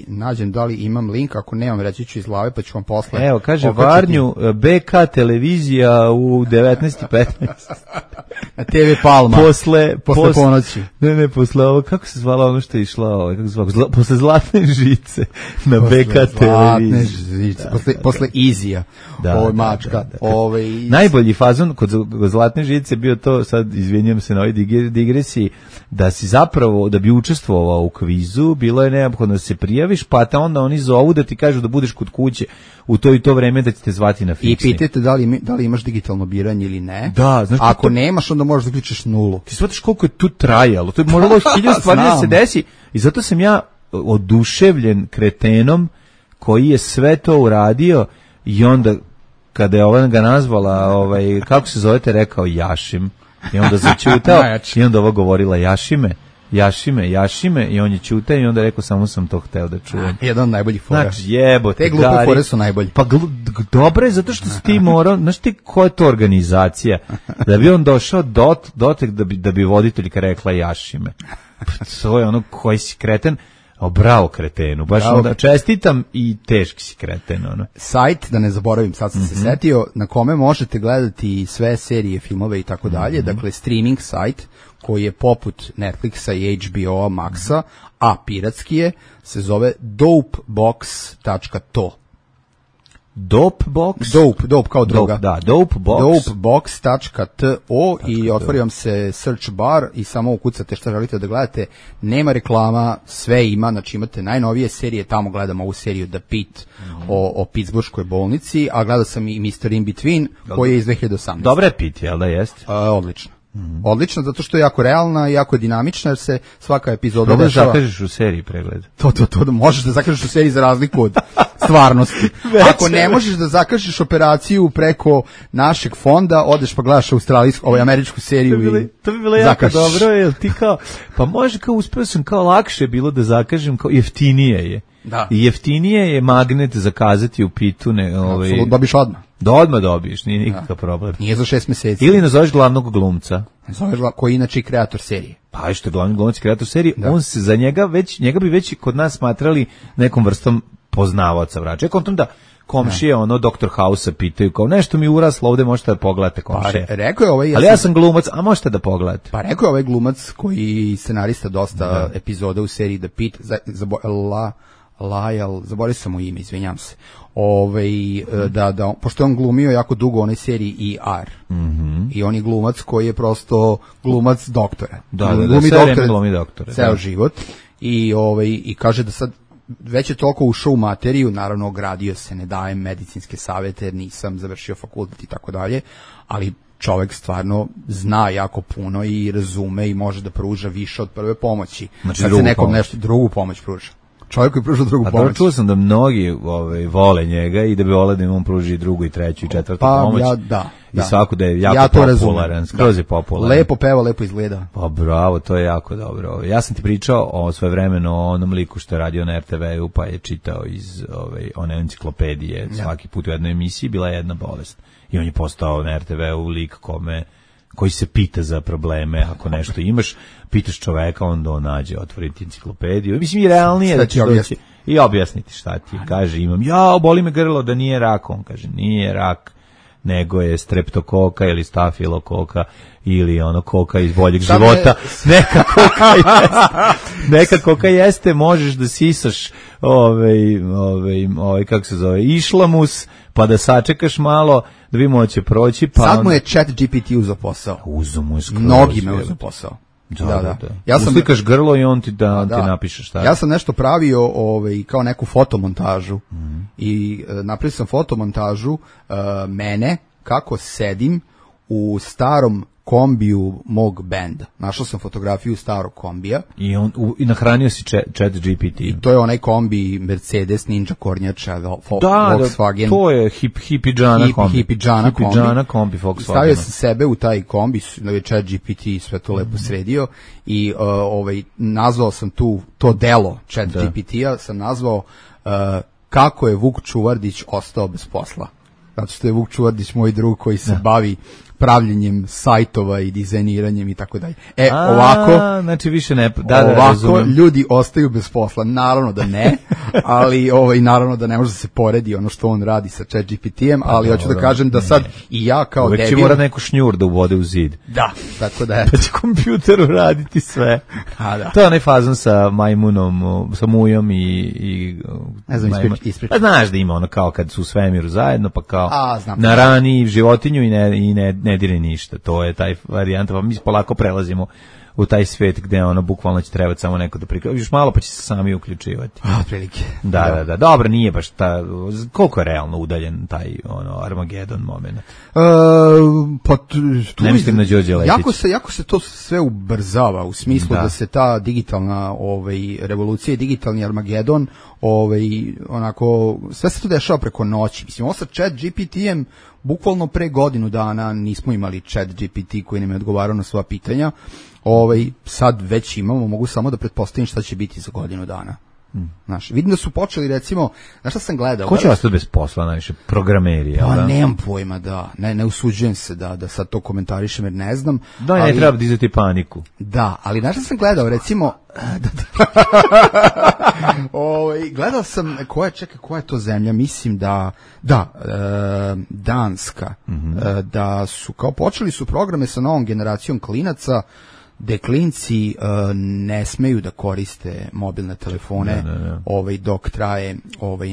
nađem da li imam link, ako nemam reći ću iz glave pa ću vam posle. Evo, kaže okačiti. Varnju, BK televizija u 19:15. Na TV Palma. Posle ponoći. Ne, posle ovo, kako se zvala ono što je išla, kako se zvala, posle Zlatne žice na BK televiziji. Posle Izija, mačka. Najbolji fazon kod Zlatne žice bio to, sad izvinjam se na ovoj digresiji, da si zapravo, da bi učestvovao u kvizu, bilo je neophodno da se prijaviš, pa onda oni zovu da ti kažu da budeš kod kuće u to i to vreme da će te zvati na fiksni. I pitajte da li imaš digitalno biranje ili ne. Da, znaš, ako nemaš, onda možeš da uključiš 0. Ti shvataš koliko je tu trajalo, to je moralo 1000 stvari da se desi i zato sam ja oduševljen kretenom koji je sve to uradio i onda kada je ova ga nazvala, kako se zovete, rekao Jašim i onda začutao i onda ova govorila Jašime i on je čutao i onda rekao samo sam to hteo da čujem. Jedan od najboljih fora. Znači jebote, te glupe fore su najbolji. Pa dobro je zato što si ti morao, znaš ti koja je to organizacija, da bi on došao dotek da bi voditeljka rekla Jašime. To je ono koji si kreten. Bravo kretenu, baš onda čestitam i teški si kreten. Sajt, da ne zaboravim, sad sam se setio, na kome možete gledati sve serije, filmove i tako dalje, dakle streaming sajt koji je poput Netflixa i HBO-a Maxa, a piratski je, se zove dopebox.to. Dopebox? Dope kao droga. Da, Dopebox. Dopebox.to i otvori vam se search bar i samo ukucate šta želite da gledate. Nema reklama, sve ima, znači imate najnovije serije, tamo gledam ovu seriju The Pit o Pittsburghskoj bolnici, a gledao sam i Mr. In Between koji je iz 2018. Dobra je Pit, jel da jeste? Odlično. Odlično, zato što je jako realna i jako dinamična, jer se svaka epizoda dešava. dešava. Da zakažeš u seriji pregled. To, možeš da zakažeš u seriji za razliku od stvarnosti. Ako ne možeš da zakažeš operaciju preko našeg fonda, odeš pa gledaš američku seriju to bi bilo jako dobro, jel ti kao, pa može kao uspeo sam, kao lakše je bilo da zakažem, kao jeftinije je. Da. I jeftinije je magnet zakazati u Pitu. Apsolutno, dobiš odmah. Da odmah dobiješ, nije nikakav problem. Nije za 6 meseci. Ili nazoveš glavnog glumca. Koji je inače kreator serije. Pa što je glavni glumac kreator serije, on se za njega bi već kod nas smatrali nekom vrstom poznavaoca vraća. Ja kontam da komšije, Dr. House-a pitaju, kao nešto mi uraslo ovde, možete da pogledate komšije. Pa rekao je ovaj... Ali ja sam glumac, a možete da pogledate. Pa rekao je ovaj glumac koji scenarista dosta epizoda u seriji The Pit, Lajal, zaboravio sam mu ime, izvinjam se. Da, pošto je on glumio jako dugo u onoj seriji ER. I on je glumac koji je prosto glumac doktora. Glumi doktore. Ceo život. I kaže da sad već je toliko ušao u materiju, naravno ogradio se, ne dajem medicinske savete jer nisam završio fakultet i tako dalje, ali čovjek stvarno zna jako puno i razume i može da pruža više od prve pomoći. Znači kad se nekom nešto drugu pomoć pruža. Čovjek koji pruža drugu pomoć. Čuo sam da mnogi vole njega i da bi voleli da im on pruži drugu i treću i četvrtu pomoć. I svako da je jako popularan, skroz je popularan. Lepo peva, lepo izgleda. Pa bravo, to je jako dobro. Ja sam ti pričao o svojevremeno o onom liku što je radio na RTV-u, pa je čitao iz one enciklopedije svaki put u jednoj emisiji, bila je jedna bolest. I on je postao na RTV-u lik koji se pita za probleme, ako nešto imaš, pitaš čoveka, onda on nađe, otvoriti enciklopediju. Mislim, i realnije da će doći i objasniti šta ti. Kaže, boli me grlo, da nije rak. On kaže, nije rak, nego je streptokoka ili stafilokoka ili koka iz boljeg života. Neka koka jeste, možeš da sisaš kako se zove, išlamus, pa da sačekaš malo, da vidimo da će proći. Pa sad mu je ChatGPT uzeo posao. Mnogi me uzeo posao. Da. Ja sam uslikaš grlo i on ti ti napiše šta. Ja sam nešto pravio kao neku fotomontažu i napravio sam fotomontažu mene kako sedim u starom kombiju mog benda. Našao sam fotografiju starog kombija. I nahranio si ChatGPT. I to je onaj kombi Mercedes, Ninja Kornjača, Volkswagen. Da, to je hipidžana kombi Volkswagen. Stavio sam sebe u taj kombi, ChatGPT sve to lepo sredio i nazvao sam to delo ChatGPT-a, sam nazvao kako je Vuk Čuvardić ostao bez posla. Zato što je Vuk Čuvardić moj drug koji se bavi pravljenjem sajtova i dizajniranjem i tako dalje. Ovako, znači više ne, ovako ljudi ostaju bez posla. Naravno da ne, ali naravno da ne može da se poredi ono što on radi sa ChatGPT-em, ali hoću da kažem da sad i ja kao debil... Uvek će mora neku šnjur da uvode u zid. Da, tako da pa će kompjuteru raditi sve. To je onaj fazon sa majmunom, sa mujom i ne znam, ispričati. Pa znaš da ima kao kad su u svemiru zajedno, pa kao narani životinju i ne dire ništa, to je taj varijanta, pa mi polako prelazimo u taj svet gde bukvalno će trebati samo neko da prikaže, još malo pa će se sami uključivati. Prilike. Da, dobro, nije baš koliko je realno udaljen taj Armagedon moment? Ne mislim na Đorđe Letić. Jako se to sve ubrzava u smislu da se ta digitalna revolucija i digitalni Armagedon sve se to dešava preko noći. Mislim, ovo sa ChatGPT-em bukvalno pre godinu dana nismo imali ChatGPT koji nam je odgovarao na sva pitanja. Sad već imamo, mogu samo da pretpostavim šta će biti za godinu dana. Znaš, vidim da su počeli, recimo, znaš šta sam gledao? Ko će ostati bez posla najviše? Programeri, jel da? Nemam pojma, ne usuđujem se da sad to komentarišem jer ne znam. Ne treba dizati paniku. Da, ali znaš šta sam gledao, recimo... gledao sam, koja je to zemlja, mislim Danska, da su, kao počeli su programe sa novom generacijom klinaca, gde klinci ne smeju da koriste mobilne telefone dok traje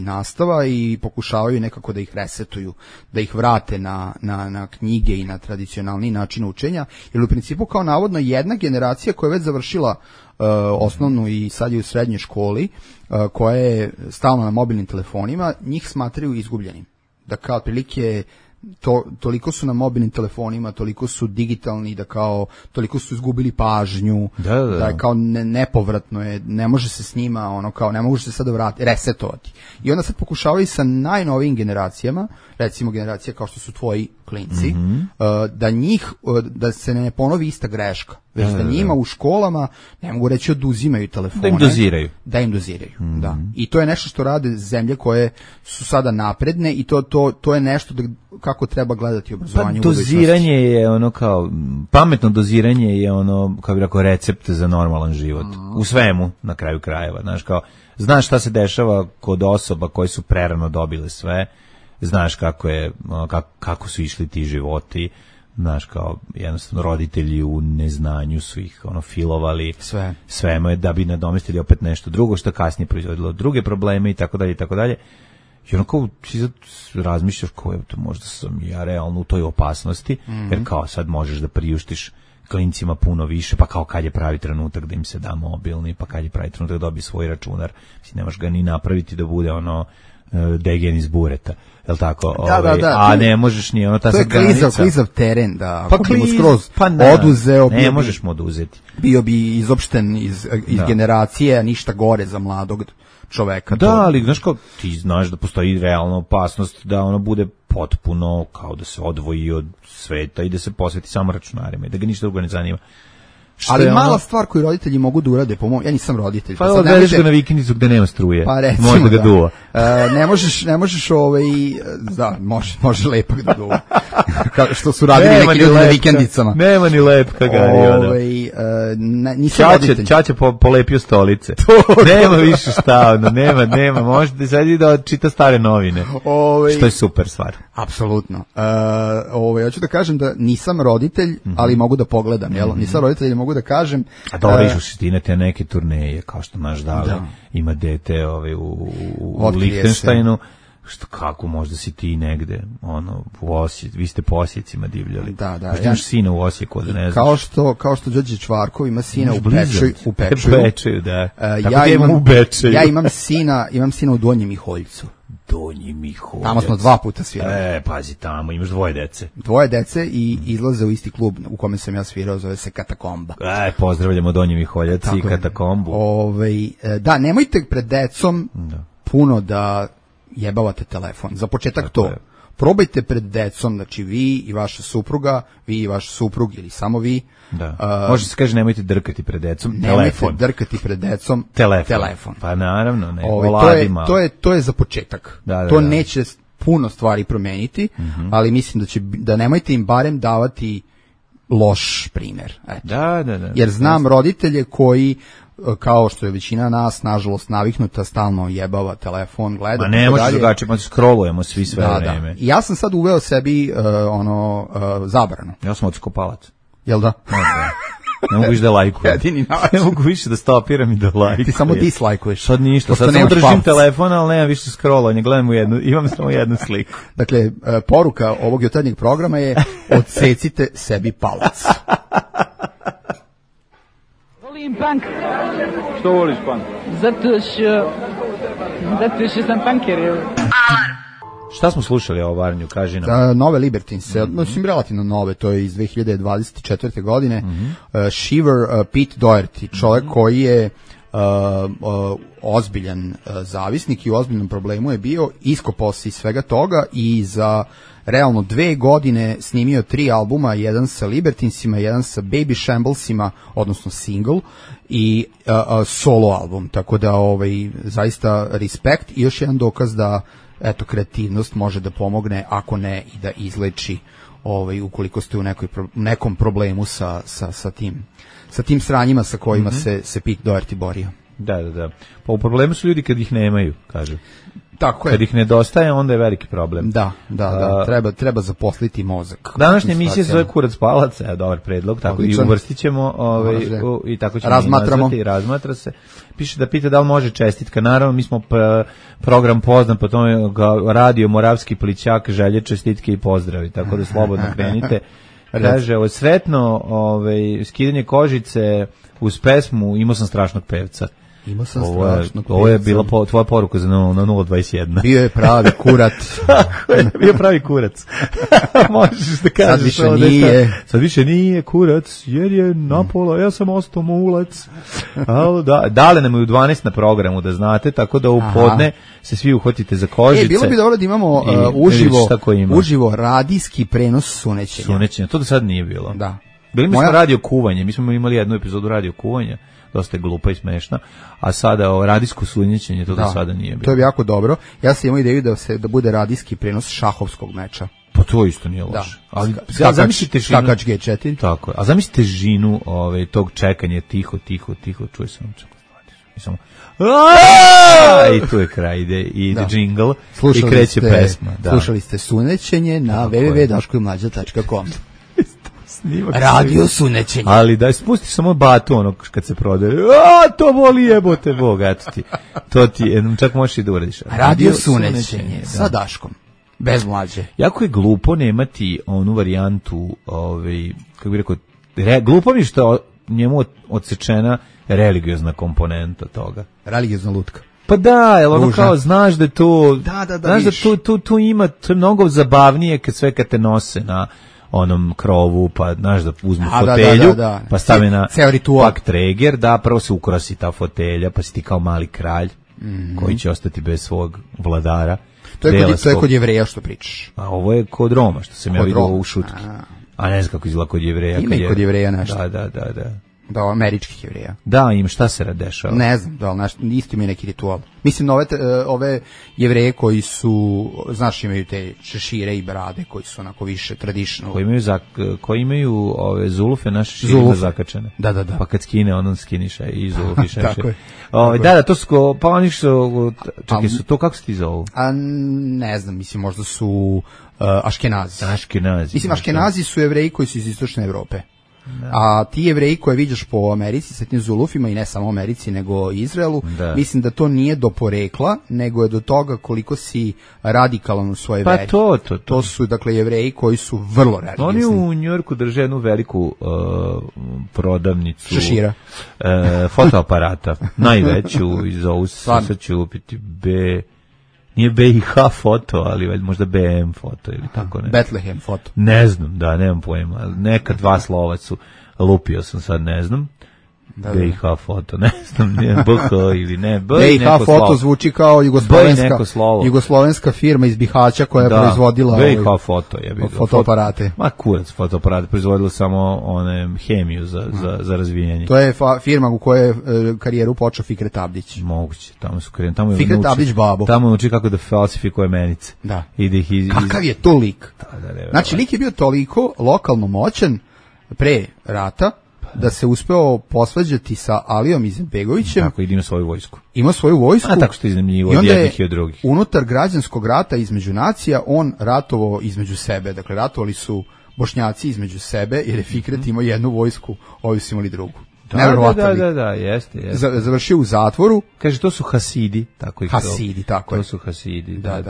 nastava i pokušavaju nekako da ih resetuju, da ih vrate na knjige i na tradicionalni način učenja, jer u principu kao navodno jedna generacija koja je već završila osnovnu i sad je u srednjoj školi, koja je stalno na mobilnim telefonima, njih smatraju izgubljenim. Da kao otprilike toliko su na mobilnim telefonima, toliko su digitalni, da kao toliko su izgubili pažnju, da je kao nepovratno je, ne može se s njima, kao ne može se sada vratiti, resetovati. I onda sad pokušavaju sa najnovijim generacijama, recimo generacija kao što su tvoji klinci, da se ne ponovi ista greška. Već da njima u školama, ne mogu reći oduzimaju telefone. Da im doziraju. Da. I to je nešto što rade zemlje koje su sada napredne i to je nešto kako treba gledati obrazovanje u budućnosti. Doziranje je pametno doziranje je kao bi rekao, recept za normalan život. U svemu, na kraju krajeva. Znaš šta se dešava kod osoba koje su prerano dobile sve, znaš kako su išli ti životi, znaš, kao jednostavno roditelji u neznanju su ih filovali sve da bi nadomestili opet nešto drugo što kasnije proizvodilo druge probleme i tako dalje i tako dalje. I kao ti razmišljaš možda sam ja realno u toj opasnosti, jer kao sad možeš da priuštiš klincima puno više, pa kao kad je pravi trenutak da im se da mobilni, pa kad je pravi trenutak da dobije svoj računar, ne možeš ga ni napraviti da bude degen iz bureta, jel tako? A ne možeš ni ta sad granica. To je klizav teren, da ako bi mu skroz oduzeo, ne možeš mu oduzeti. Bio bi izopšten iz generacije, ništa gore za mladog čoveka. Da, ali znaš kao, ti znaš da postoji realna opasnost da bude potpuno kao da se odvoji od sveta i da se posveti samo računarima i da ga ništa drugo ne zanima. Ali mala stvar koju roditelji mogu da urade, ja nisam roditelj. Pa odvedeš ga na vikendicu gde nema struje, pa recimo, može da ga duva. Ne možeš može lepak da duva. Što su radili neki ljudi na vikendicama. Nema ni lepka gari. Nisam roditelj. Ćaća polepio stolice. Nema više šta, nema. Možete sad i da čita stare novine. Što je super stvar. Apsolutno. Hoću da kažem da nisam roditelj, ali mogu da pogledam, jel? Nisam roditelj, mogu da kažem. A dobro, išli ti na te neke turneje, kao što naš Dale ima dete u Lihtenštajnu. Kako možda si ti negde, vi ste po Osjecima divljali. Da. Možda imaš sina u Osijeku, da ne znaš. Kao što Đorđe Čvarkov ima sina u Bečeju, da. Ja imam sina u Donjem Miholjcu. Donji Miholjac. Tamo smo 2 puta svirali. Pazi, tamo imaš 2 dece. 2 dece i izlaze u isti klub u kome sam ja svirao, zove se Katakomba. Pozdravljamo Donji Miholjac i Katakombu. Da, nemojte pred decom puno da jebavate telefon. Za početak to. Probajte pred decom, znači vi i vaša supruga, vi i vaš suprug ili samo vi. Da. Može se kaže nemojte drkati pred decom. Nemojte drkati pred decom. Telefon. Pa naravno, ne. To je za početak. To neće puno stvari promeniti, ali mislim da nemojte im barem davati loš primjer. Da. Jer znam roditelje koji, kao što je većina nas, nažalost, naviknuta, stalno jebava telefon, gleda. Ma ne možeš drugačije, pa scrollujemo svi sve vreme. I ja sam sad uveo sebi zabranu. Ja sam odskopalac. Jel da? Ne mogu više da lajkujem. Ne mogu više da stopiram i da lajkujem. Ti samo dislajkuješ. Sad ništa, sad samo držim telefon, ali nemam više scrollovanja, gledam imam samo jednu sliku. Dakle, poruka ovog jutarnjeg programa je odsecite sebi palac. Volim punk. Što voliš punk? Zato što sam punker. Alarm. Šta smo slušali ovo, Varnju, kaži nam? Nove Libertines, mislim relativno nove, to je iz 2024. godine. Shiver, Pete Doherty, čovjek koji je ozbiljan zavisnik i u ozbiljnom problemu je bio, iskopao se iz svega toga i za realno 2 godine snimio 3 albuma, jedan sa Libertinesima, jedan sa Baby Shamblesima, odnosno single, i solo album, tako da zaista respekt i još jedan dokaz da kreativnost može da pomogne, ako ne i da izleči ukoliko ste u nekom problemu sa tim sranjima sa kojima se Pete Doherty borio. Da. Pa u problemu su ljudi kad ih nemaju, kažu. Tako je. Kad ih nedostaje, onda je veliki problem. Da. Treba zaposliti mozak. Današnja emisija se zove Kurac palac, dobar predlog, tako i uvrstit ćemo, i tako ćemo razmatramo. I razmatra se. Piše da pita da li može čestitka. Naravno, mi smo program poznat, po tome radio Moravski plićak, želje, čestitke i pozdravi, tako da slobodno krenite. Kaže, sretno skidanje kožice uz pesmu Imao sam strašnog pevca. Imao sam strašnog pevca. Ovo je bila tvoja poruka za 021. Bio je pravi kurat. Tako je, bio pravi kurac. Možeš da kažeš. Sad više nije kurac, jer je napola, ja sam ostao mulac. Dale nam je u 12 na programu, da znate, tako da u podne se svi uhvatite za kožice. Bilo bi dobro da imamo uživo radijski prenos sunećenja. To do sad nije bilo. Da. Bili mi smo radio kuvanje, mi smo imali jednu epizodu radio kuvanja, dosta je glupa i smešna, a sada radijsko sunjećenje, to do sada nije bilo. To je jako dobro. Ja sam imao ideju da bude radijski prenos šahovskog meča. Pa to isto nije loše. Ali skakač G4. Tako je. A zamislite žinu tog čekanja, tiho, čuje se samo i tu je kraj, ide džingl i kreće pesma. Slušali ste sunećenje na www.daškomlađa.com. Radio sunećenje. Ali da spustiš samo batu onog kad se prodaje. To voli jebote Bog, eto ti. To ti čak možeš i da uradiš. Radio sunećenje sa Daškom. Bez Mlađe. Jako je glupo nemati onu varijantu, kako bih rekao, glupo mi što njemu odsečena religiozna komponenta toga. Religiozna lutka. Pa da, jel ono kao, znaš da to, znaš da tu ima, to je mnogo zabavnije kad te nose na onom krovu, pa znaš da uzmu fotelju, pa stave na pak treger, da, prvo se ukrasi ta fotelja, pa si ti kao mali kralj, koji će ostati bez svog vladara. To je kod Jevreja što pričaš. A ovo je kod Roma, što sam ja vidio u šutki. A ne znam kako izgleda kod Jevreja. Ima i kod Jevreja nešto. Da. Da, američkih Jevreja. Da, im šta se dešava? Ne znam, isto imaju neki ritual. Mislim, ove Jevreje koji su, znaš, imaju te šešire i brade, koji su onako više traditional. Koji imaju ove zulufe, naše šešire zakačene. Da. Pa kad skine, on skiniš i zulufi šešire. Tako je. Da, to su, pa oni su, čekaj, su to, kako se ti zovu? Ne znam, mislim, možda su Aškenazi. Mislim, Aškenazi su Jevreji koji su iz istočne Evrope. A ti Jevreji koje vidiš po Americi sa tim zulufima, i ne samo Americi nego i Izraelu, mislim da to nije do porekla, nego je do toga koliko si radikalan u svojoj veri. To su dakle Jevreji koji su vrlo religiozni. Oni u Njujorku drže jednu veliku prodavnicu šešira, fotoaparata, najveću, iz ovu sad ću upiti nije BiH foto, ali možda BM foto ili tako ne. Bethlehem foto. Ne znam, nemam pojma. Neka dva slova su, lupio sam sad, ne znam. BiH foto, ne znam, BH ili ne. BiH foto zvuči kao jugoslovenska firma iz Bihaća koja je proizvodila BiH foto je fotoaparate. Ma kurac fotoaparate, proizvodila samo hemiju za razvijenje. To je firma u kojoj je karijeru počeo Fikret Abdić. Moguće, tamo su karijeri. Fikret Abdić babo. Tamo uči kako da falsifikuje menice. Da. Kakav je to lik? Znači, lik je bio toliko lokalno moćan pre rata da se uspeo posvađati sa Alijom Izetbegovićem. Tako, i ima svoju vojsku. Ima svoju vojsku. A tako što iznajmljivo od jednih i od drugih. Unutar građanskog rata između nacija on ratovao između sebe. Dakle, ratovali su Bošnjaci između sebe, jer je Fikret imao jednu vojsku, ovi su imali drugu. Da, jeste. Završio u zatvoru. Kaže, to su Hasidi. Hasidi, tako je. To su Hasidi, da.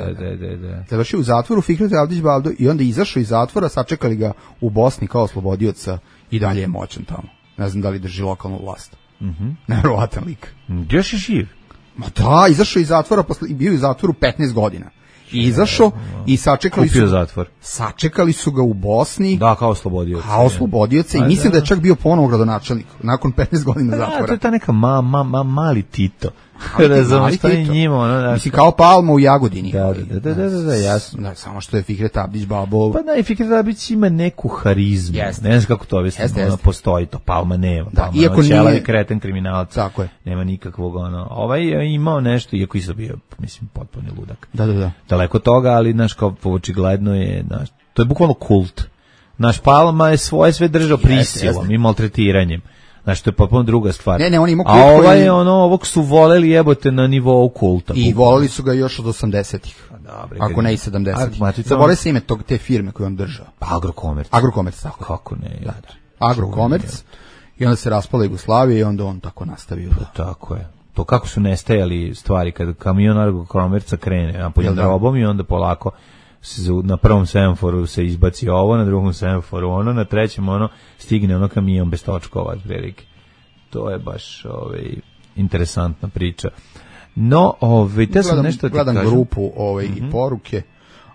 Završio u zatvoru Fikret Abdić Babo i onda izašao iz zatvora, sačekali ga u Bosni kao oslobodioca i dalje je moćan tamo. Ne znam da li drži lokalnu vlast. Nevjerovatan lik. Još je živ? Ma da, izašao iz zatvora, bio je u zatvoru 15 godina. I izašao i sačekali su ga u Bosni. Da, kao oslobodioca. I mislim da je čak bio ponovo gradonačelnik nakon 15 godina zatvora. To je ta neka mali Tito. Ne znam šta je njima. Mislim, kao Palma u Jagodini. Da, jasno. Samo što je Fikret Abdić babo. Pa i Fikret Abdić ima neku harizmu. Ne znam kako to objasniti. Postoji to, Palma nema. Iako nije kreten kriminalac. Tako je. Nema nikakvog Ovaj je imao nešto, iako je bio, mislim, potpuni ludak. Da. Daleko toga, ali, znaš, kao očigledno je, to je bukvalno kult. Naš Palma je svoje sve držao prisilom i maltretiranjem. Znači, to je potpuno druga stvar. Ne, on ima kult. A ovaj je ovog su voleli jebote na nivou kulta. I voleli su ga još od 80-ih. Ako ne i 70-ih. Zaboravio se ime te firme koju on držao. Agrokomerc, tako. Kako ne? Da. Agrokomerc. I onda se raspala Jugoslavija i onda on tako nastavio. Tako je. To kako su nestajali stvari kada kamion Agrokomerca krene napoljem robom i onda polako na prvom semaforu se izbaci ovo, na drugom semaforu ono, na trećem stigne kamion bez točkova otprilike. To je baš interesantna priča. No, te sam nešto ti kažem. Gledam grupu i poruke,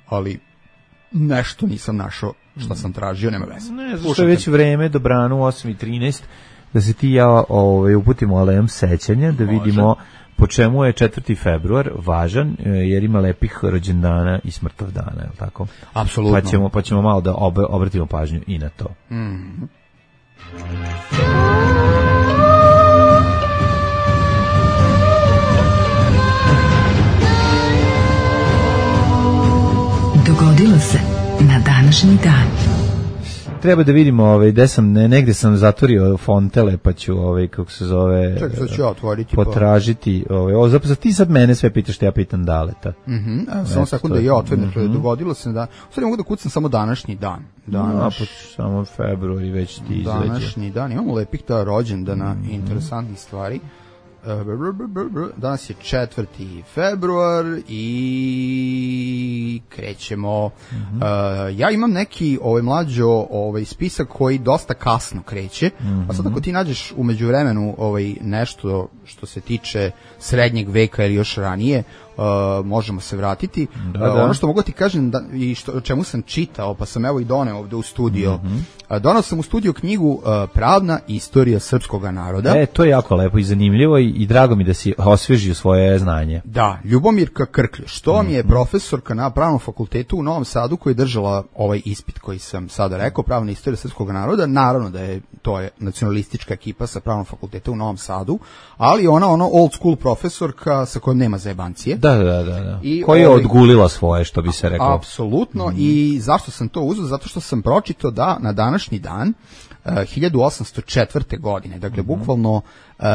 ali nešto nisam našao što sam tražio, nema veze. Ne, zašto je već vreme, dobrano, 8:13, da se ti i ja uputimo alejom sećanja, da vidimo po čemu je 4. februar važan, jer ima lepih rođendana i smrtov dana, je li tako? Apsolutno. Pa ćemo malo da obratimo pažnju i na to. Dogodilo se na današnji dan. Treba da vidimo gde sam, negde sam zatvorio fontele, pa ću kako se zove, čekaj, ću ja otvoriti, potražiti. Zapravo ti sad mene sve pitaš, što ja pitam Daleta. Samo sekund da ja otvorim, dogodilo se da, sad mogu da kucam samo današnji dan. Samo februar i već ti izađe. Današnji dan, imamo lepih rođendana i interesantnih stvari. Danas je 4. februar i krećemo. Ja imam neki mlađo spisak koji dosta kasno kreće, a sad ako ti nađeš u međuvremenu nešto što se tiče srednjeg veka ili još ranije, možemo se vratiti. Ono što mogu ti kažem i o čemu sam čitao, pa sam evo i doneo ovde u studio. Donao sam u studio knjigu Pravna istorija srpskog naroda. To je jako lepo i zanimljivo i drago mi da si osvežio svoje znanje. Da, Ljubomirka Krkljuš, to mi je profesorka na Pravnom fakultetu u Novom Sadu koja je držala ovaj ispit koji sam sada rekao, Pravna istorija srpskog naroda. Naravno da je to nacionalistička ekipa sa Pravnog fakulteta u Novom Sadu, ali ona old school profesorka sa kojom nema zajebancije. Da. Koja je odgulila svoje, što bi se reklo. Apsolutno. I zašto sam to uzeo? Zato što sam pročitao da na današnji dan 1804. godine, dakle bukvalno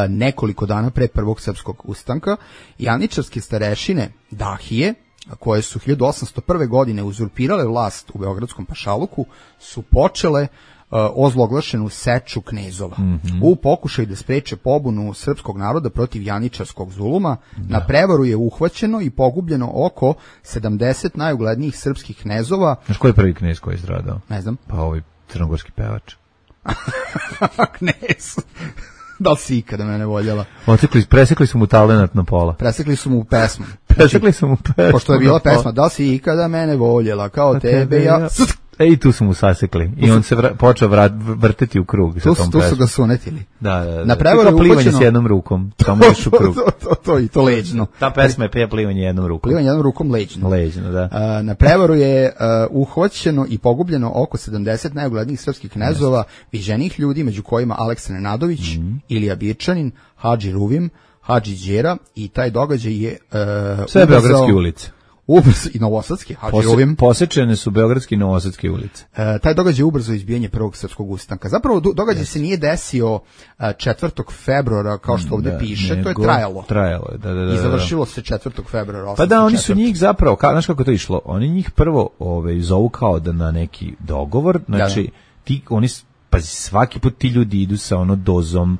nekoliko dana pre prvog srpskog ustanka, janičarske starešine Dahije, koje su 1801. godine uzurpirale vlast u Beogradskom pašaluku, su počele ozloglašenu seču knezova u pokušaju da spreče pobunu srpskog naroda protiv janičarskog zuluma. Na prevaru je uhvaćeno i pogubljeno oko 70 najuglednijih srpskih knezova. Znaš koji je prvi knez koji je stradao? Ne znam. Pa ovaj crnogorski pevač. Knez. Da li si ikada mene voljela? Presekli su mu talenat na pola. Presekli su mu pesmu. Pošto je bila pesma, da li si ikada mene voljela, kao tebe ja... I tu su mu sasekli. I on se počeo vrteti u krug. Tu su ga sunetili. Da. Na prevaru je plivanje s jednom rukom. Tamo još u krug. To leđno. Ta pesma je plivanje jednom rukom. Plivanje jednom rukom leđno. Leđno, da. Na prevaru je uhvaćeno i pogubljeno oko 70 najuglednijih srpskih knezova, viđenih ljudi, među kojima Aleksandar Nadović, Ilija Birčanin, Hadži Ruvim, Hadži Đera, i taj događaj je sve beogradske ulice. I novosadske, Hadži Ruvim. Posečene su beogradske i novosadske ulice. Taj događaj je ubrzo izbijanje prvog srpskog ustanka. Zapravo događaj se nije desio 4. februara, kao što ovde piše, to je trajalo. Trajalo je, da. I završilo se 4. februara. Pa da, oni su njih zapravo, znaš kako to išlo, oni njih prvo zovu kao da na neki dogovor, znači, pazi, svaki put ti ljudi idu sa dozom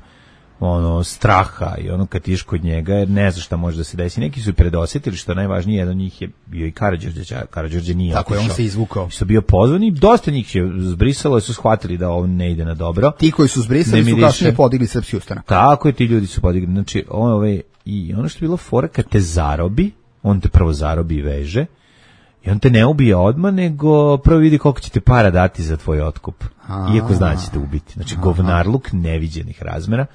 straha i kad tiš kod njega, jer ne zna šta može da se desi. Neki su predosjetili, što najvažnije, jedan od njih je bio i Karađorđe nije tako otišao. Je, on se izvukao. Su bio pozvani, dosta njih je zbrisalo, su shvatili da ovo ne ide na dobro. Ti koji su zbrisali su kasnije podigli srpski ustanak. Tako je, ti ljudi su podigli. Znači, i ono što je bilo fora, kad te zarobi, on te prvo zarobi i veže, i on te ne ubije odmah, nego prvo vidi koliko će te para dati za tvoj otkup. Iako zna da će te ubiti. Znači, govnarluk neviđenih razmera.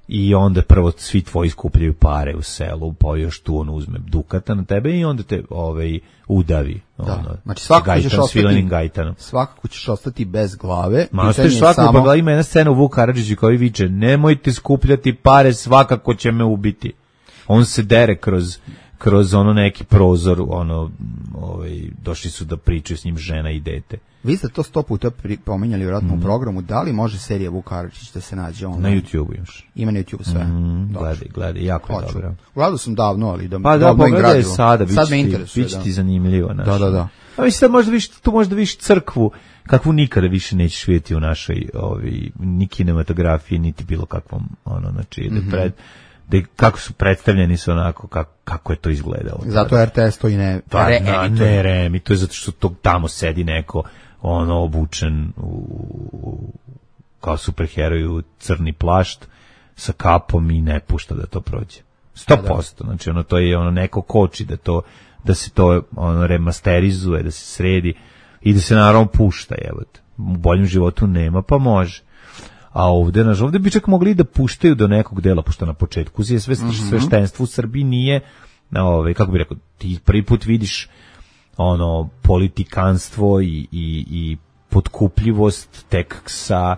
I onda prvo svi tvoji skupljaju pare u selu, pa još tu on uzme dukata na tebe i onda te udavi. Znači svakako ćeš ostati bez glave. Pa ima jedna scena u Vuk Karadžiću koji viče: nemojte skupljati pare, svakako će me ubiti. On se dere kroz ono neki prozor, došli su da pričaju s njim žena i dete. Vi ste to 100 puta pominjali vjerojatno u programu, da li može serija Vuk Karadžić da se nađe online? Na YouTube imaš. Ima na YouTube sve. Gledaj, jako je dobro. Gledao sam davno, ali da pogledaj sada, sad me interesuje. Biće ti zanimljivo. Da. A mislim, tu možda vidiš crkvu, kakvu nikada više nećeš vidjeti u našoj ni kinematografiji, niti bilo kakvom, znači, kako su predstavljeni su onako, kako je to izgledalo. Zato RTS to i ne reemituje. To je zato što tamo sedi neko, obučen kao superheroj u crni plašt, sa kapom i ne pušta da to prođe. 100%. Znači, to je neko koči da se to remasterizuje, da se sredi i da se naravno pušta, jebote. U boljem životu nema, pa može. A ovde bi čak mogli da puštaju do nekog dela, pošto na početku je sveštenstvo u Srbiji nije, kako bi rekao, ti prvi put vidiš politikanstvo i potkupljivost tek sa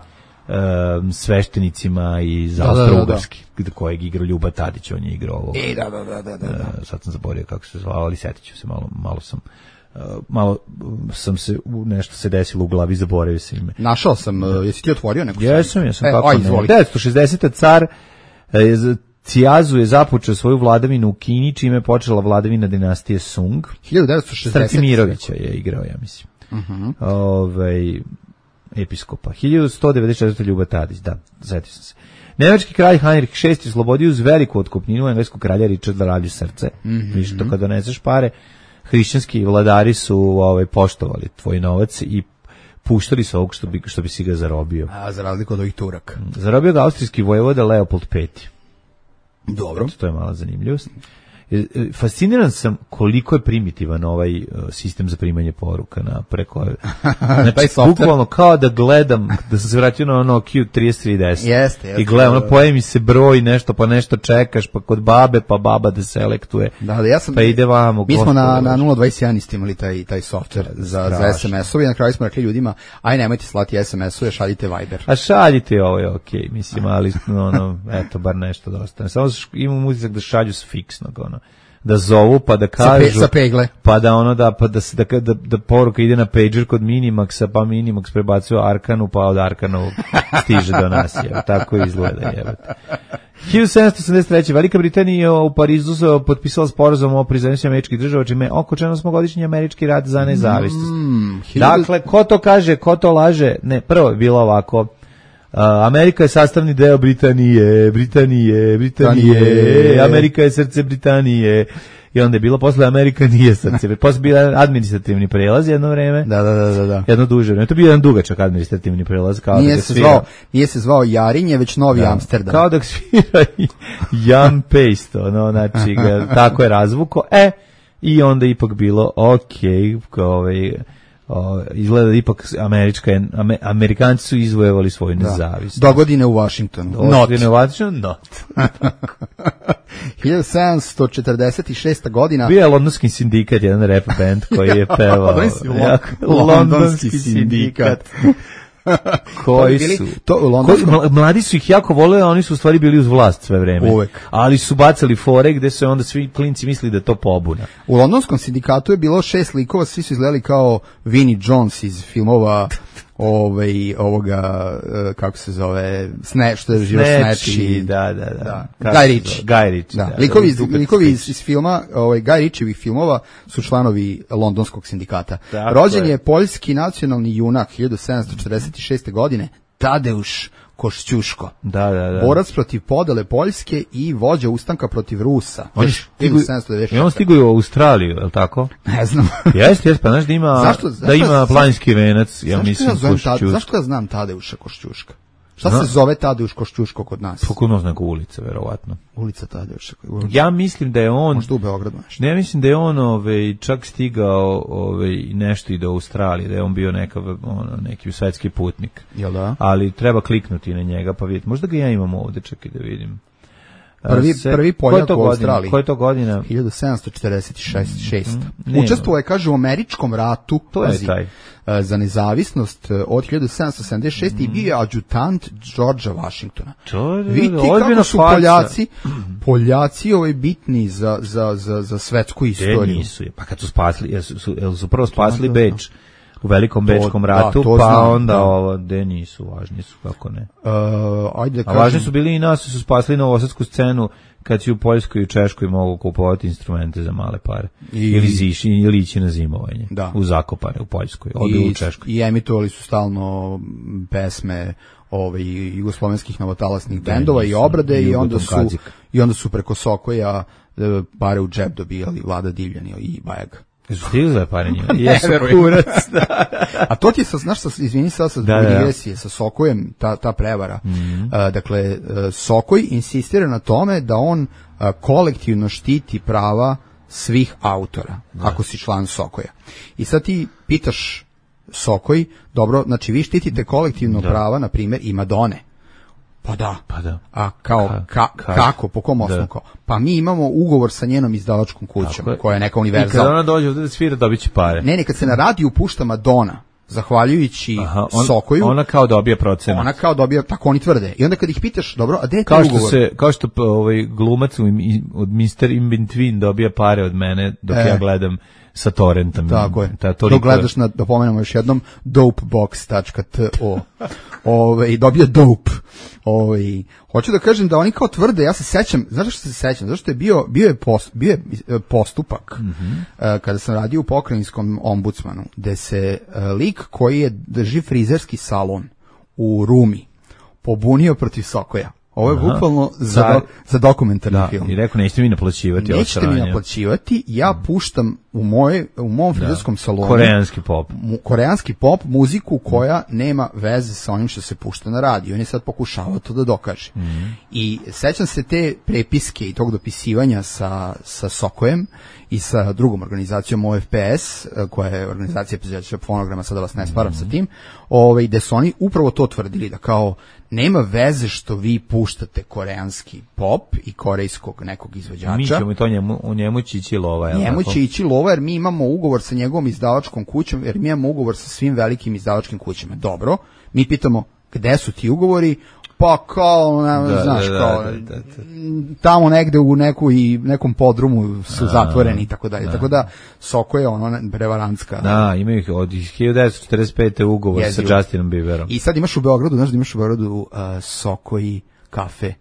sveštenicima iz Austro-Ugarski, kojeg igrao Ljuba Tadić, on je igrao ovo. Da. Sad sam zaboravio kako se zvao, ali setit ću se, malo sam se, nešto se desilo u glavi, zaboravio se ime. Našao sam, jesi ti otvorio neku? Jesam, kako ne. 1960. car Cijazu je započeo svoju vladavinu u Kini, čime je počela vladavina dinastije Sung. 1960. Stracimirovića je igrao, ja mislim. Episkopa. 1194. Ljuba Tadić, da, zetio sam se. Nemački kralj Heinrich VI oslobodio uz veliku otkupninu engleskog kralja Richarda Ravlju srce. Viš to kada doneseš pare, hrišćanski vladari su poštovali tvoj novac i puštali su ovog što bi si ga zarobio. A za razliku od ovih Turaka. Zarobio ga austrijski vojvoda Leopold V. Dobro. To je mala zanimljivost. Fasciniran sam koliko je primitivan ovaj sistem za primanje poruka preko. Znači, bukvalno kao da gledam, da sam se vratio na Nokia 3310. Jeste. I gledam, pojavi mi se broj nešto, pa nešto čekaš, pa kod babe, pa baba da selektuje. Da, ja sam, pa ide vamo. Mi smo na 021 istimali taj software za SMS-ove i na kraju smo rekli ljudima, aj nemojte slati SMS-ove, šaljite Viber. A šaljite, ovo je okej, mislim, ali eto, bar nešto da ostane. Samo imam utisak da šalju s fiksnog, da zovu pa da kažu sa pegle, pa da da poruka ide na pager kod Minimaxa, pa Minimax prebacuje Arkanu, pa od Arkanovog stiže do nas, tako izgleda, jebote. 1783. Velika Britanija u Parizu potpisala sporazum o priznanju američkih država, čime okončan 8-godišnji američki rat za nezavisnost. Dakle, ko to kaže, ko to laže? Ne, prvo je bilo ovako. Amerika je sastavni deo Britanije, Amerika je srce Britanije. I onda je bilo posle Amerika nije srce. Posle bio administrativni prelaz jedno vreme. Da. Jedno duže vreme. To je bio jedan dugačak administrativni prelaz. Kao nije se zvao Jarinje, već Novi Amsterdam. Kao da svira Jan Paste, znači tako je razvuko. I onda ipak bilo izgleda da ipak Amerikanci su izvojevali svoju nezavisnost. Dogodine u Washingtonu. Not. 1746. godina. Bio je Londonski sindikat, jedan rap band koji je pevao. Londonski sindikat. Koji su? Mladi su ih jako voleli, a oni su u stvari bili uz vlast sve vreme. Uvek. Ali su bacali fore gde su onda svi klinci mislili da je to pobuna. U londonskom sindikatu je bilo 6 likova, svi su izgledali kao Vinnie Jones iz filmova ovoga, kako se zove, što je živo Snatch. Da. Guy Ritchie. Likovi iz filma, Guy Ritchievih filmova su članovi londonskog sindikata. Rođen je poljski nacionalni junak 1746. godine, Tadeusz Košćuško. Da. Borac protiv podele Poljske i vođa ustanka protiv Rusa. I on stiguje u Australiju, je li tako? Ne znam. Jeste, pa znaš da ima planinski venac, ja mislim Košćuško. Zašto ja znam Tadeuša Košćuška? Šta se zove Tadeusz Košćuško kod nas? Pokuno neka ulica, verovatno. Ulica Tadeuša. Ja mislim da je on... Možda u Beogradu nešto. Ne, mislim da je on čak stigao nešto i do Australije, da je on bio neki svetski putnik. Jel da? Ali treba kliknuti na njega pa vidjeti. Možda ga ja imam ovde, čekaj da vidim. Prvi Poljak u Australiji. Koja je to godina? 1746. Učestvovao je, kaže, u američkom ratu. To je taj. Za nezavisnost od 1776. i bio je adjutant Georgea Washingtona. Vidite kako su Poljaci bitni za svetsku istoriju. Nisu, pa kad su spasli, su prvo spasli Beč u Velikom Bečkom ratu, pa znam, onda ovo, gde nisu, važni su, kako ne. Ajde da a važni su bili i nas, su spasli novosadsku scenu kad si u Poljskoj i Češkoj mogu kupovati instrumente za male pare. Ili ići na zimovanje. U Zakopane, u Poljskoj, ovdje u Češkoj. I emitovali su stalno pesme jugoslovenskih novotalasnih bendova i obrade i onda su preko Sokoja pare u džep dobijali Vlada Divljan i Bajaga. Jesu stigli za pare njima? Jesu, kurac. A to ti je, znaš, izvini sad sa digresije, sa Sokojem, ta prevara. Dakle, Sokoj insistira na tome da on kolektivno štiti prava svih autora, ako si član Sokoja. I sad ti pitaš Sokoj, dobro, znači vi štitite kolektivno prava, na primjer, i Madone. Pa da. A kako, po kom osnovu? Pa mi imamo ugovor sa njenom izdavačkom kućom, koja je neka univerzalna. I kad ona dođe ovdje da svira, dobit će pare. Ne, kad se na radiju pušta Madonna, zahvaljujući Sokoju, ona kao dobija procenat. Ona kao dobija, tako oni tvrde. I onda kad ih pitaš, dobro, a gde je taj ugovor? Kao što glumac od Mr. In Between dobija pare od mene dok ja gledam sa torrentom. Tako je. Dok gledaš da pomenemo još jednom, dopebox.to. Dobio dope. Hoću da kažem da oni kao tvrde, ja se sećam, znaš što se sećam? Zato što je bio je postupak kada sam radio u pokrajinskom ombudsmanu, gde se lik koji drži frizerski salon u Rumi pobunio protiv Sokoja. Ovo je bukvalno za dokumentarni film. I rekao, nećete mi naplaćivati. Nećete mi naplaćivati, ja puštam u mom frizerskom salonu koreanski pop, muziku koja nema veze sa onim što se pušta na radiju. On je sad pokušavao to da dokaže. I sećam se te prepiske i tog dopisivanja sa Sokojem i sa drugom organizacijom OFPS, koja je organizacija proizvođača fonograma, sada vas ne sparam sa tim, gde su oni upravo to tvrdili, da kao nema veze što vi puštate koreanski pop i korejskog nekog izvođača. Mi ćemo to njemu će ići lova. Njemu će ići lova jer mi imamo ugovor sa njegovom izdavačkom kućom, jer mi imamo ugovor sa svim velikim izdavačkim kućama. Dobro, mi pitamo gde su ti ugovori, pa kao, znaš, kao, tamo negde u nekom podrumu su zatvoreni i tako dalje. Tako da, Soko je prevarantska. Da, imaju ih od 1945. ugovor sa Justinom Bieberom. I sad imaš u Beogradu, znaš da imaš u Beogradu Soko i kafe.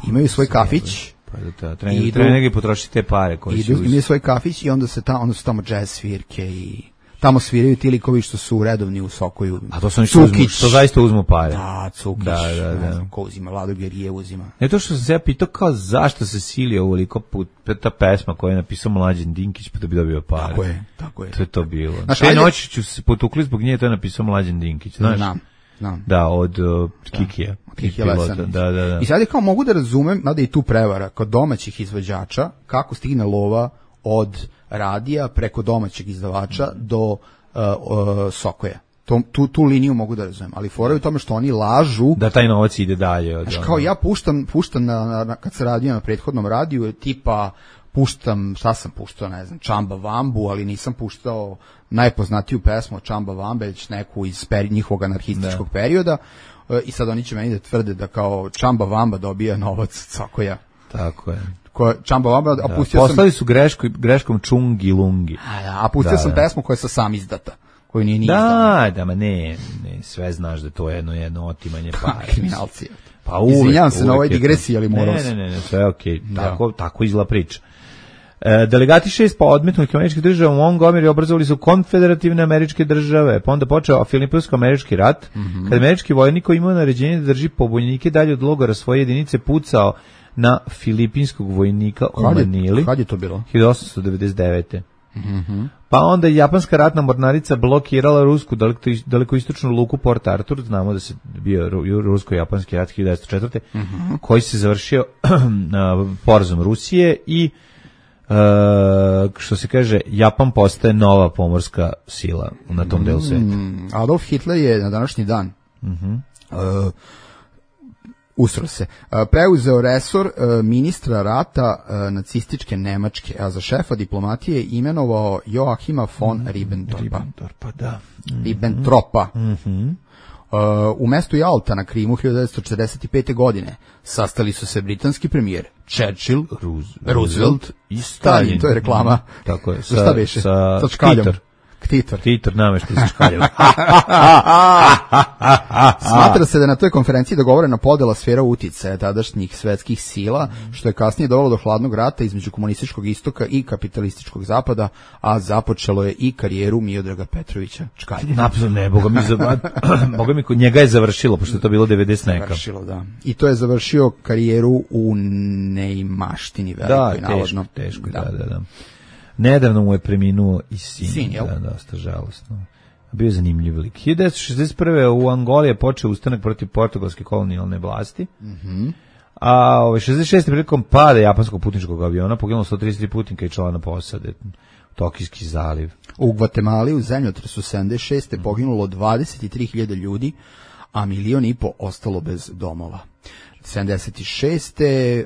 Imaju svoj kafić. Treba negdje potrošiti te pare. Imaju svoj kafić i onda su tamo jazz svirke i tamo sviraju ti likovi što su redovni u Sokoju. A to su oni što zaista uzmu pare. Da, Cukić, ne znam ko uzima, Vlado Gerije uzima. Ne, to što sam se ja pitao kao zašto se silio ovoliko put ta pesma koju je napisao Mlađan Dinkić pa da bi dobio pare. Tako je. To je to bilo. Te noći ću se potukli zbog nje, to je napisao Mlađan Dinkić, znaš? Znam. Da, od Kikija. Da. I sad je kao mogu da razumem, nada i tu prevara, kod domaćih izvođača, kako stigne lova od radija preko domaćeg izdavača do Sokoja. Tu liniju mogu da razumem, ali fora je u tome što oni lažu da taj novac ide dalje. Kao ja puštam kad se radio na prethodnom radiju, tipa puštam, šta sam puštao, ne znam, Čamba Vambu, ali nisam puštao najpoznatiju pesmu od Čamba Vambe, već neku iz njihovog anarhističkog perioda, i sad oni će meni da tvrde da kao Čamba Vamba dobija novac od Sokoja. Tako je. Čamba Vamba, a pustio poslali su greškom Čungi Lungi. A pustio sam pesmu koja je sam izdata, koju nije izdana. Da, ne, sve znaš da to je jedno otimanje para. Kriminalci. Pa uvek, izvinjavam se na ovoj digresiji, ali moram se. Ne, sve je okej. Tako izgleda priča. Delegati 6 odmetnutih američkih država u Montgomery obrazovali su konfederativne američke države, pa onda počeo Filipinsko-američki rat, kad američki vojnik koji imao naređenje da drži pobunjenike dalje od logora svoje jedinice pucao na filipinskog vojnika u Manili. Kad je to bilo? 1899. Pa onda je japanska ratna mornarica blokirala rusku dalekoistočnu luku Port Arthur, znamo da se bio rusko-japanski rat 1904. Koji se završio porazom Rusije i što se kaže, Japan postaje nova pomorska sila na tom delu sveta. Adolf Hitler je na današnji dan usro se. Preuzeo resor ministra rata nacističke Nemačke, a za šefa diplomatije imenovao Joachima von Ribbentropa. Da. Ribbentropa. U mestu Jalta na Krimu 1945. godine sastali su se britanski premijer Churchill, Roosevelt i Stalin. To je reklama. Tako je. Šta beše? Sa Titor namešta sa škaljom. Smatra se da je na toj konferenciji dogovorena podela sfera uticaja tadašnjih svetskih sila, što je kasnije dovelo do hladnog rata između komunističkog istoka i kapitalističkog zapada, a započelo je i karijeru Miodraga Petrovića Čkalje. Napozor ne, boga mi kod njega je završilo, pošto je to bilo 90 neka. Završilo, da. I to je završio karijeru u neimaštini velikoj, navodno. Teško, da. Nedavno mu je preminuo i sin, da, dosta žalostno. Bio je zanimljiv lik. 1961. u Angoli je počeo ustanak protiv portugalske kolonijalne vlasti, a 66. prilikom pada japanskog putničkog aviona poginulo 133 putnika i člana posade. Tokijski zaliv. U Gvatemali u zemljotresu 76. poginulo 23.000 ljudi, a 1,5 miliona ostalo bez domova. 76.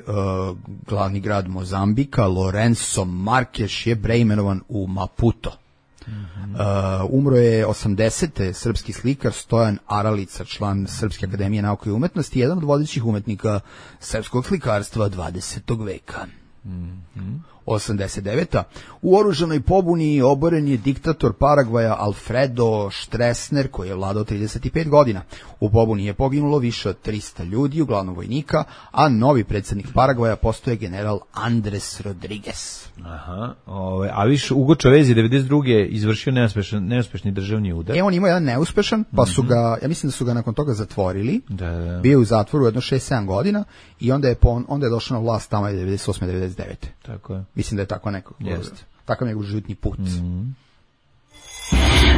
Glavni grad Mozambika, Lourenço Marques, je preimenovan u Maputo. Umro je 80. srpski slikar Stojan Aralica, član Srpske akademije nauke i umetnosti, jedan od vodećih umetnika srpskog slikarstva 20. veka. 89. U oružanoj pobuni oboren je diktator Paragvaja Alfredo Stroessner, koji je vladao 35 godina. U pobuni je poginulo više od 300 ljudi, uglavnom vojnika, a novi predsjednik Paragvaja postoje general Andres Rodriguez. A više Ugo Chavez je 92. izvršio neuspešni državni udar. On imao jedan neuspešan, pa su ga, ja mislim da su ga nakon toga zatvorili. Da. Bio u zatvoru jedno 6-7 godina i onda je došao na vlast tamo 98-99. Tako je. Mislim da je tako neko. Takav njegov životni put.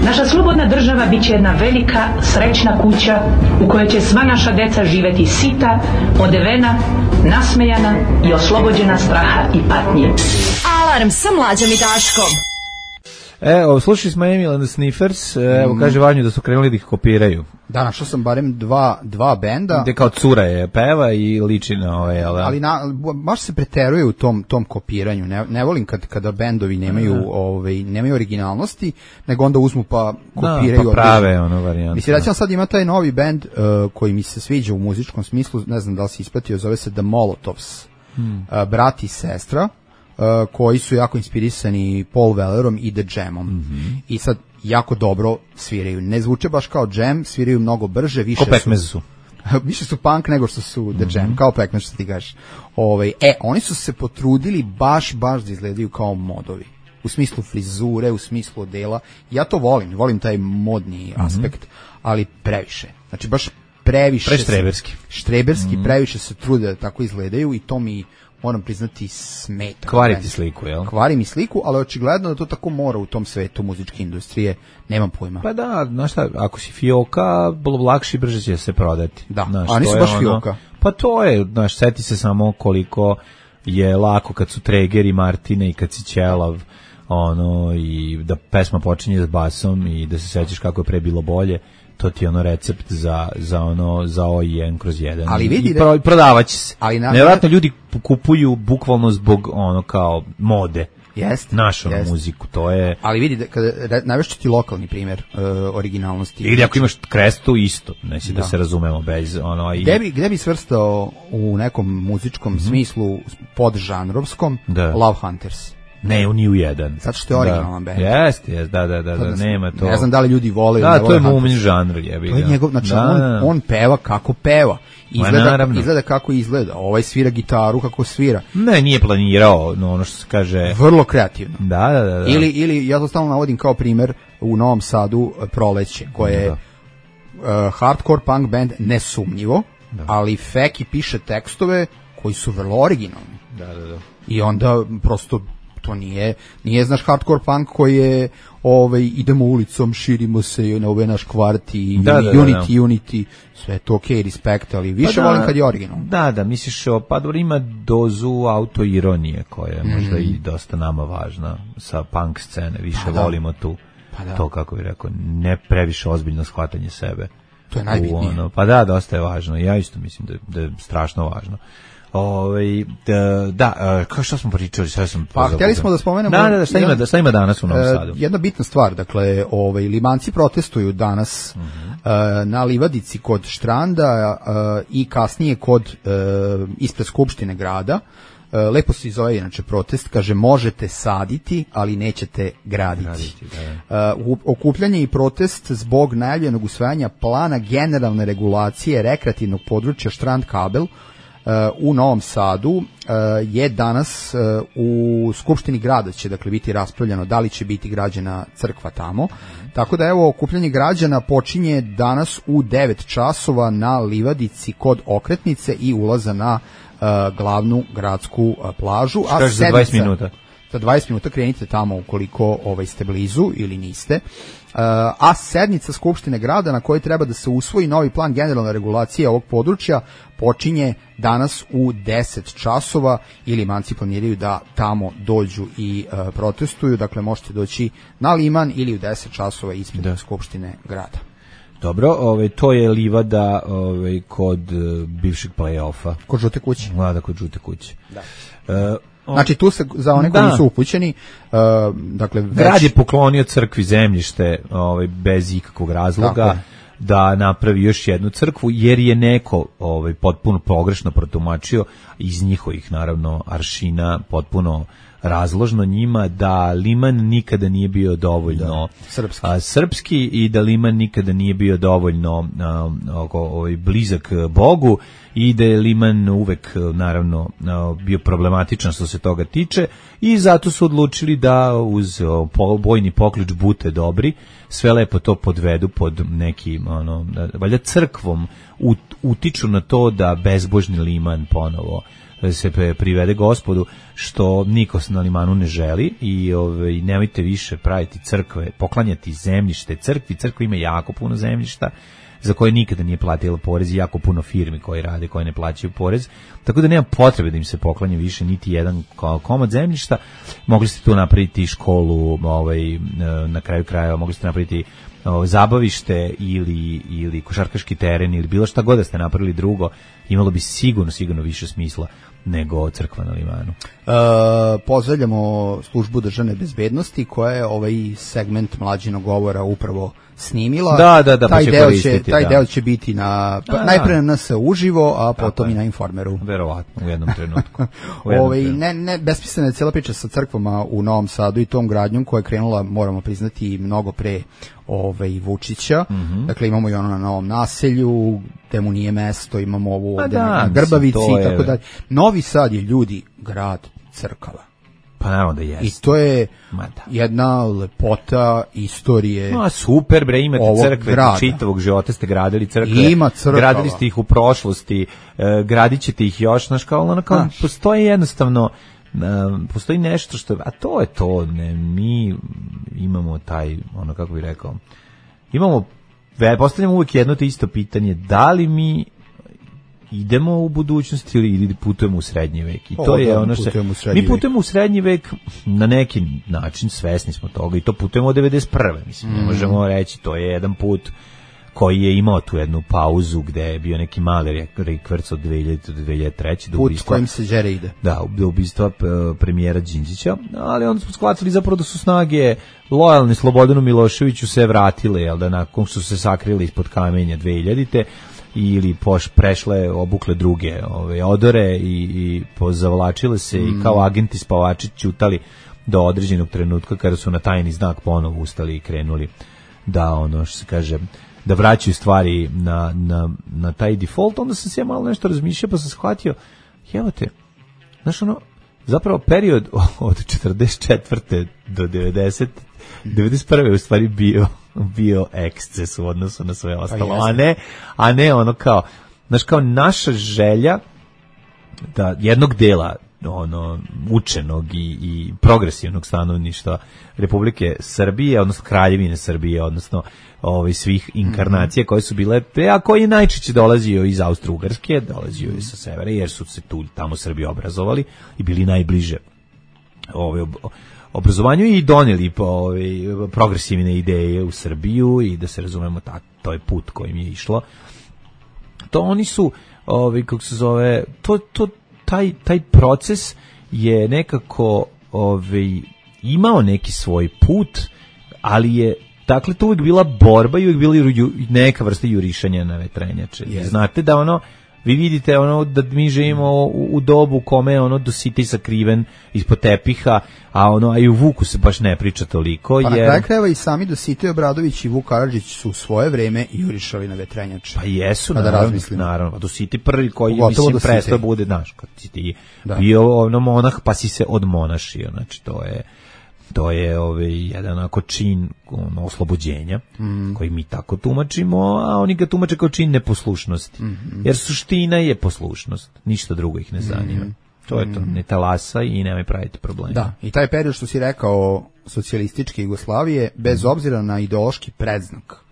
Naša slobodna država bit će jedna velika, srećna kuća u kojoj će sva naša deca živjeti sita, odevena, nasmejana i oslobođena straha i patnje. Alarm sa Mlađom i Daškom. Slušali smo Emil and the Sniffers, kaže Vanju da su krenuli da ih kopiraju. Da, našao sam barem dva benda. Gde kao cura je peva i liči na ove, ali baš se preteruje u tom kopiranju. Ne volim kada bendovi nemaju originalnosti, nego onda uzmu pa kopiraju. Pa prave ono varijantu. Mislim, recimo sad ima taj novi bend koji mi se sviđa u muzičkom smislu, ne znam da li si ispratio, zove se The Molotovs, brat i sestra, koji su jako inspirisani Paul Wellerom i The Jamom. I sad jako dobro sviraju. Ne zvuče baš kao Jam, sviraju mnogo brže, više su više su punk nego što su The Jam, kao Pekmez što ti kažeš. Oni su se potrudili baš da izgledaju kao modovi. U smislu frizure, u smislu odela. Ja to volim taj modni aspekt, ali previše. Znači baš previše. Štreberski, previše se trude da tako izgledaju i to mi, moram priznati, smeta. Kvari ti sliku, jel? Kvari mi sliku, ali očigledno da to tako mora u tom svetu muzičke industrije, nemam pojma. Pa da, znaš šta, ako si fioka, lakše i brže će se prodati. Da, a nisu baš fioka. Pa to je, znaš, seti se samo koliko je lako kad su Treger i Martine i kad si ćelav, i da pesma počinje s basom i da se sećaš kako je pre bilo bolje. To ti je recept za O1 kroz 1. Ali vidi i prodavaće se. Nevjerojatno ljudi kupuju bukvalno zbog kao mode. Našu muziku, to je. Ali vidi, navešću ti lokalni primjer originalnosti. Ili ako imaš Krestu isto, neći da se razumemo bez Gde bi svrstao u nekom muzičkom smislu podžanrovskom Love Hunters? Ne, ni u jedan. Zato što je originalan band. Jeste, da, nema to. Ne znam da li ljudi vole. Da, to je mumin žanr, jebi ga. To je njegov, znači on peva kako peva. Izgleda kako izgleda. Ovaj svira gitaru kako svira. Ne, nije planirao, ono što se kaže. Vrlo kreativno. Da. Ili ja to stalno navodim kao primjer u Novom Sadu Proleće, koje je hardcore punk band nesumnjivo, ali Feki piše tekstove koji su vrlo originalni. Da. I onda prosto to nije znaš hardcore punk koji je idemo ulicom, širimo se na ovaj naš kvart i unity, sve to respect, ali više volim kad je originalno. Da, misliš, ima dozu autoironije koja je možda i dosta nama važna sa punk scene, više volimo tu. To, kako bih rekao, ne previše ozbiljno shvatanje sebe. To je najbitnije. Pa da, dosta je važno. Ja isto mislim da je strašno važno. Kao što smo pričali, sve sam pa htjeli smo da spomenemo. Šta ima danas u Novom Sadu? Jedna bitna stvar, dakle, Limanci protestuju danas na livadici kod Štranda i kasnije kod ispred Skupštine grada. Lepo se zove inače protest, kaže možete saditi, ali nećete graditi. Okupljanje i protest zbog najavljenog usvajanja plana generalne regulacije rekreativnog područja Štrand Kabel u Novom Sadu je danas u Skupštini grada će dakle biti raspravljeno da li će biti građena crkva tamo. Tako da evo okupljanje građana počinje danas u 9 časova na livadici kod Okretnice i ulaza na glavnu gradsku plažu. A za 20 minuta? Za 20 minuta krenite tamo ukoliko ste blizu ili niste. A sednica Skupštine grada na kojoj treba da se usvoji novi plan generalne regulacije ovog područja počinje danas u 10 časova i Limanci planiraju da tamo dođu i protestuju. Dakle, možete doći na Liman ili u 10 časova ispred Skupštine grada. Dobro, to je livada kod bivšeg play-offa. Kod Žute kuće. Da, kod Žute kuće. Da. Znači tu se za one koji nisu upućeni, dakle grad je poklonio crkvi zemljište bez ikakvog razloga da napravi još jednu crkvu jer je neko potpuno pogrešno protumačio iz njihovih naravno aršina potpuno razložno njima da Liman nikada nije bio dovoljno srpski i da Liman nikada nije bio dovoljno blizak Bogu i da je Liman uvek naravno bio problematičan što se toga tiče i zato su odlučili da uz bojni poklič bute dobri sve lepo to podvedu pod neki valjda crkvom utiču na to da bezbožni Liman ponovo se privede Gospodu, što niko na Limanu ne želi i nemojte više praviti crkve, poklanjati zemljište crkvi. Crkva ima jako puno zemljišta za koje nikada nije platila porez i jako puno firmi koje rade, koje ne plaćaju porez, tako da nema potrebe da im se poklanja više niti jedan komad zemljišta. Mogli ste tu napraviti školu, na kraju krajeva mogli ste napraviti zabavište ili košarkaški teren ili bilo šta god da ste napravili drugo, imalo bi sigurno više smisla nego crkva na Limanu. Pozdravljamo službu državne bezbednosti koja je ovaj segment Mlađinog govora upravo snimila. Da, taj deo će biti najpre na NS uživo, a potom i na Informeru. Verovatno u jednom trenutku. Besmislena je cijela priča sa crkvama u Novom Sadu i tom gradnjom koja je krenula, moramo priznati, mnogo pre Vučića. Dakle, imamo i ono na Novom naselju, gde mu nije mesto, imamo ovu ovde na Grbavici i tako dalje. Novi Sad je, ljudi, grad crkava. Pa naravno da jeste. I to je jedna lepota istorije. Super bre, imate crkve čitavog života ste gradili crkve. Ima crkava. Gradili ste ih u prošlosti, gradit ćete ih još, postoji jednostavno postoji nešto što, a to je to, mi imamo taj, kako bih rekao, postavljamo uvijek jedno te isto pitanje, da li mi idemo u budućnost ili putujemo u srednji vek. I to je ono što mi putujemo u srednji vek na neki način, svesni smo toga i to putujemo od 91. Mislim, ne možemo reći, to je jedan put koji je imao tu jednu pauzu gde je bio neki mali rikverc od 2000 do 2003. Put s kojim se đere ide. Da, do ubistva premijera Đinđića, ali onda smo shvatili zapravo da su snage lojalni Slobodanu Miloševiću se vratile, jel da nakon što su se sakrili ispod kamenja 2000-te ili prešle, obukle druge odore i pozavlačile se i kao agenti spavači ćutali do određenog trenutka kada su na tajni znak ponovo ustali i krenuli da što se kaže da vraćaju stvari na taj default. Onda sam se ja malo nešto razmišljao pa sam shvatio, zapravo period od 44. do 91. je u stvari bio eksces u odnosu na sve ostalo, a ne kao naša želja da jednog dela učenog i progresivnog stanovništva Republike Srbije, odnosno Kraljevine Srbije, odnosno svih inkarnacija koje su bile, a koji je najčešće dolazio iz Austro-Ugarske, dolazio iz sa severa, jer su se tamo Srbi obrazovali i bili najbliže obrazovanju i donijeli progresivne ideje u Srbiju i da se razumemo, to je put kojim je išlo. To oni su, kako se zove, taj proces je nekako imao neki svoj put, ali je dakle to uvijek bila borba i uvijek bila neka vrsta jurišanja na vetrenjače. Znate da vi vidite da mi živimo u dobu kome je Dositej sakriven ispod tepiha, a i u Vuku se baš ne priča toliko. Pa na kraju krajeva i sami Dositej Obradović i Vuk Karadžić su u svoje vreme jurišali na vetrenjače. Pa jesu, naravno. Dositej prvi koji mislim prestao bude, znaš, kad si ti bio monah pa si se odmonašio, znači to je jedan ako čin oslobođenja koji mi tako tumačimo, a oni ga tumače kao čin neposlušnosti. Jer suština je poslušnost, ništa drugo ih ne zanima. To je to, ne talasa i nemoj praviti problema. Da, i taj period što si rekao socijalističke Jugoslavije, bez obzira na ideološki predznak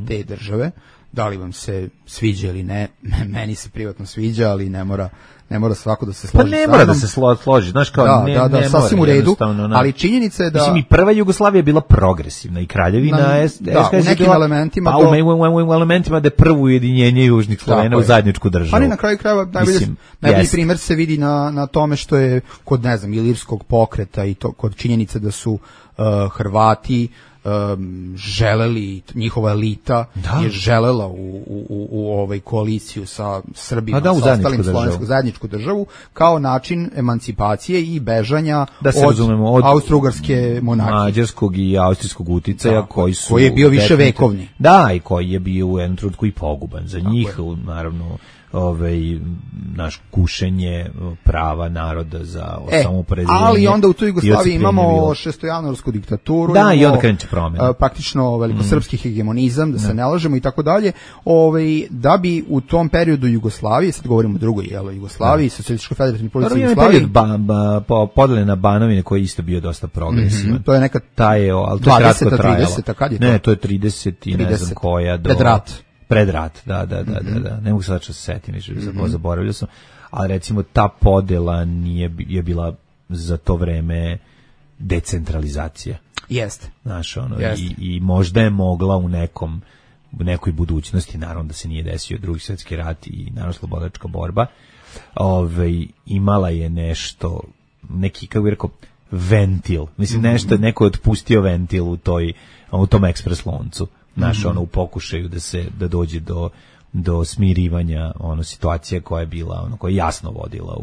te države, da li vam se sviđa ili ne, meni se privatno sviđa, ali ne mora svako da se složi. Pa ne mora da se složi, znaš kao ne sasvim u redu, ali činjenica je da... Mislim, i prva Jugoslavija je bila progresivna i kraljevina u nekim elementima... Pa u elementima da je prvo ujedinjenje južnih Slovena u zajedničku državu. Ali na kraju krajeva najbolji primjer se vidi na tome što je kod, ne znam, ilirskog pokreta i to kod činjenice da su Hrvati želeli, njihova elita je želela u ovoj koaliciju sa Srbima, sa ostalim slovenskom zajedničku državu, kao način emancipacije i bežanja od austro-ugarske monarhije. Mađarskog i austrijskog uticaja koji je bio više vekovni. Da, i koji je bio u jednom trenutku i poguban za njih, naravno, naš kušenje prava naroda za samoopredeljenje. Ali onda u toj Jugoslaviji imamo šestojanuarsku diktaturu, da, i onda kreće promjena. Praktično velikosrpski hegemonizam, da se ne lažemo i tako dalje, da bi u tom periodu Jugoslavije, sad govorimo o drugoj Jugoslaviji, Socijalističkoj federativnoj Republici Jugoslaviji, podele na Banovine koji je isto bio dosta progresivan. To je neka 20-30, kad je to? Ne, to je 30 i ne znam koja do... Pred rat, da. Ne mogu sad što se setim, zaboravio sam, ali recimo ta podela je bila za to vreme decentralizacija. Jeste. Znaš, i možda je mogla u nekoj budućnosti, naravno da se nije desio Drugi svjetski rat i naravno slobodačka borba, imala je nešto, neki, kako bih rekao, ventil. Mislim, neko je otpustio ventil u tom ekspres loncu. Znaš, u pokušaju da dođe do smirivanja situacija koja je bila, koja je jasno vodila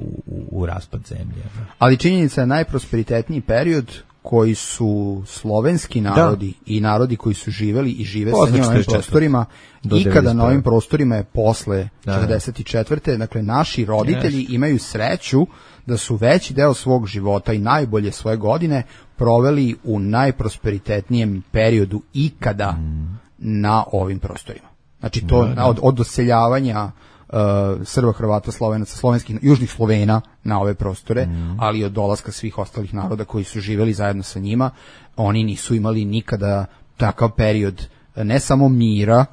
u raspad zemlje. Ali činjenica je najprosperitetniji period koji su slovenski narodi i narodi koji su živeli i žive sa njima na ovim prostorima, ikada na ovim prostorima je posle 44. Dakle, naši roditelji imaju sreću da su veći deo svog života i najbolje svoje godine proveli u najprosperitetnijem periodu ikada na ovim prostorima. Znači to od doseljavanja Srba, Hrvata, Slovenaca, slovenskih, južnih Slovena na ove prostore, ali i od dolaska svih ostalih naroda koji su živeli zajedno sa njima, oni nisu imali nikada takav period ne samo mira,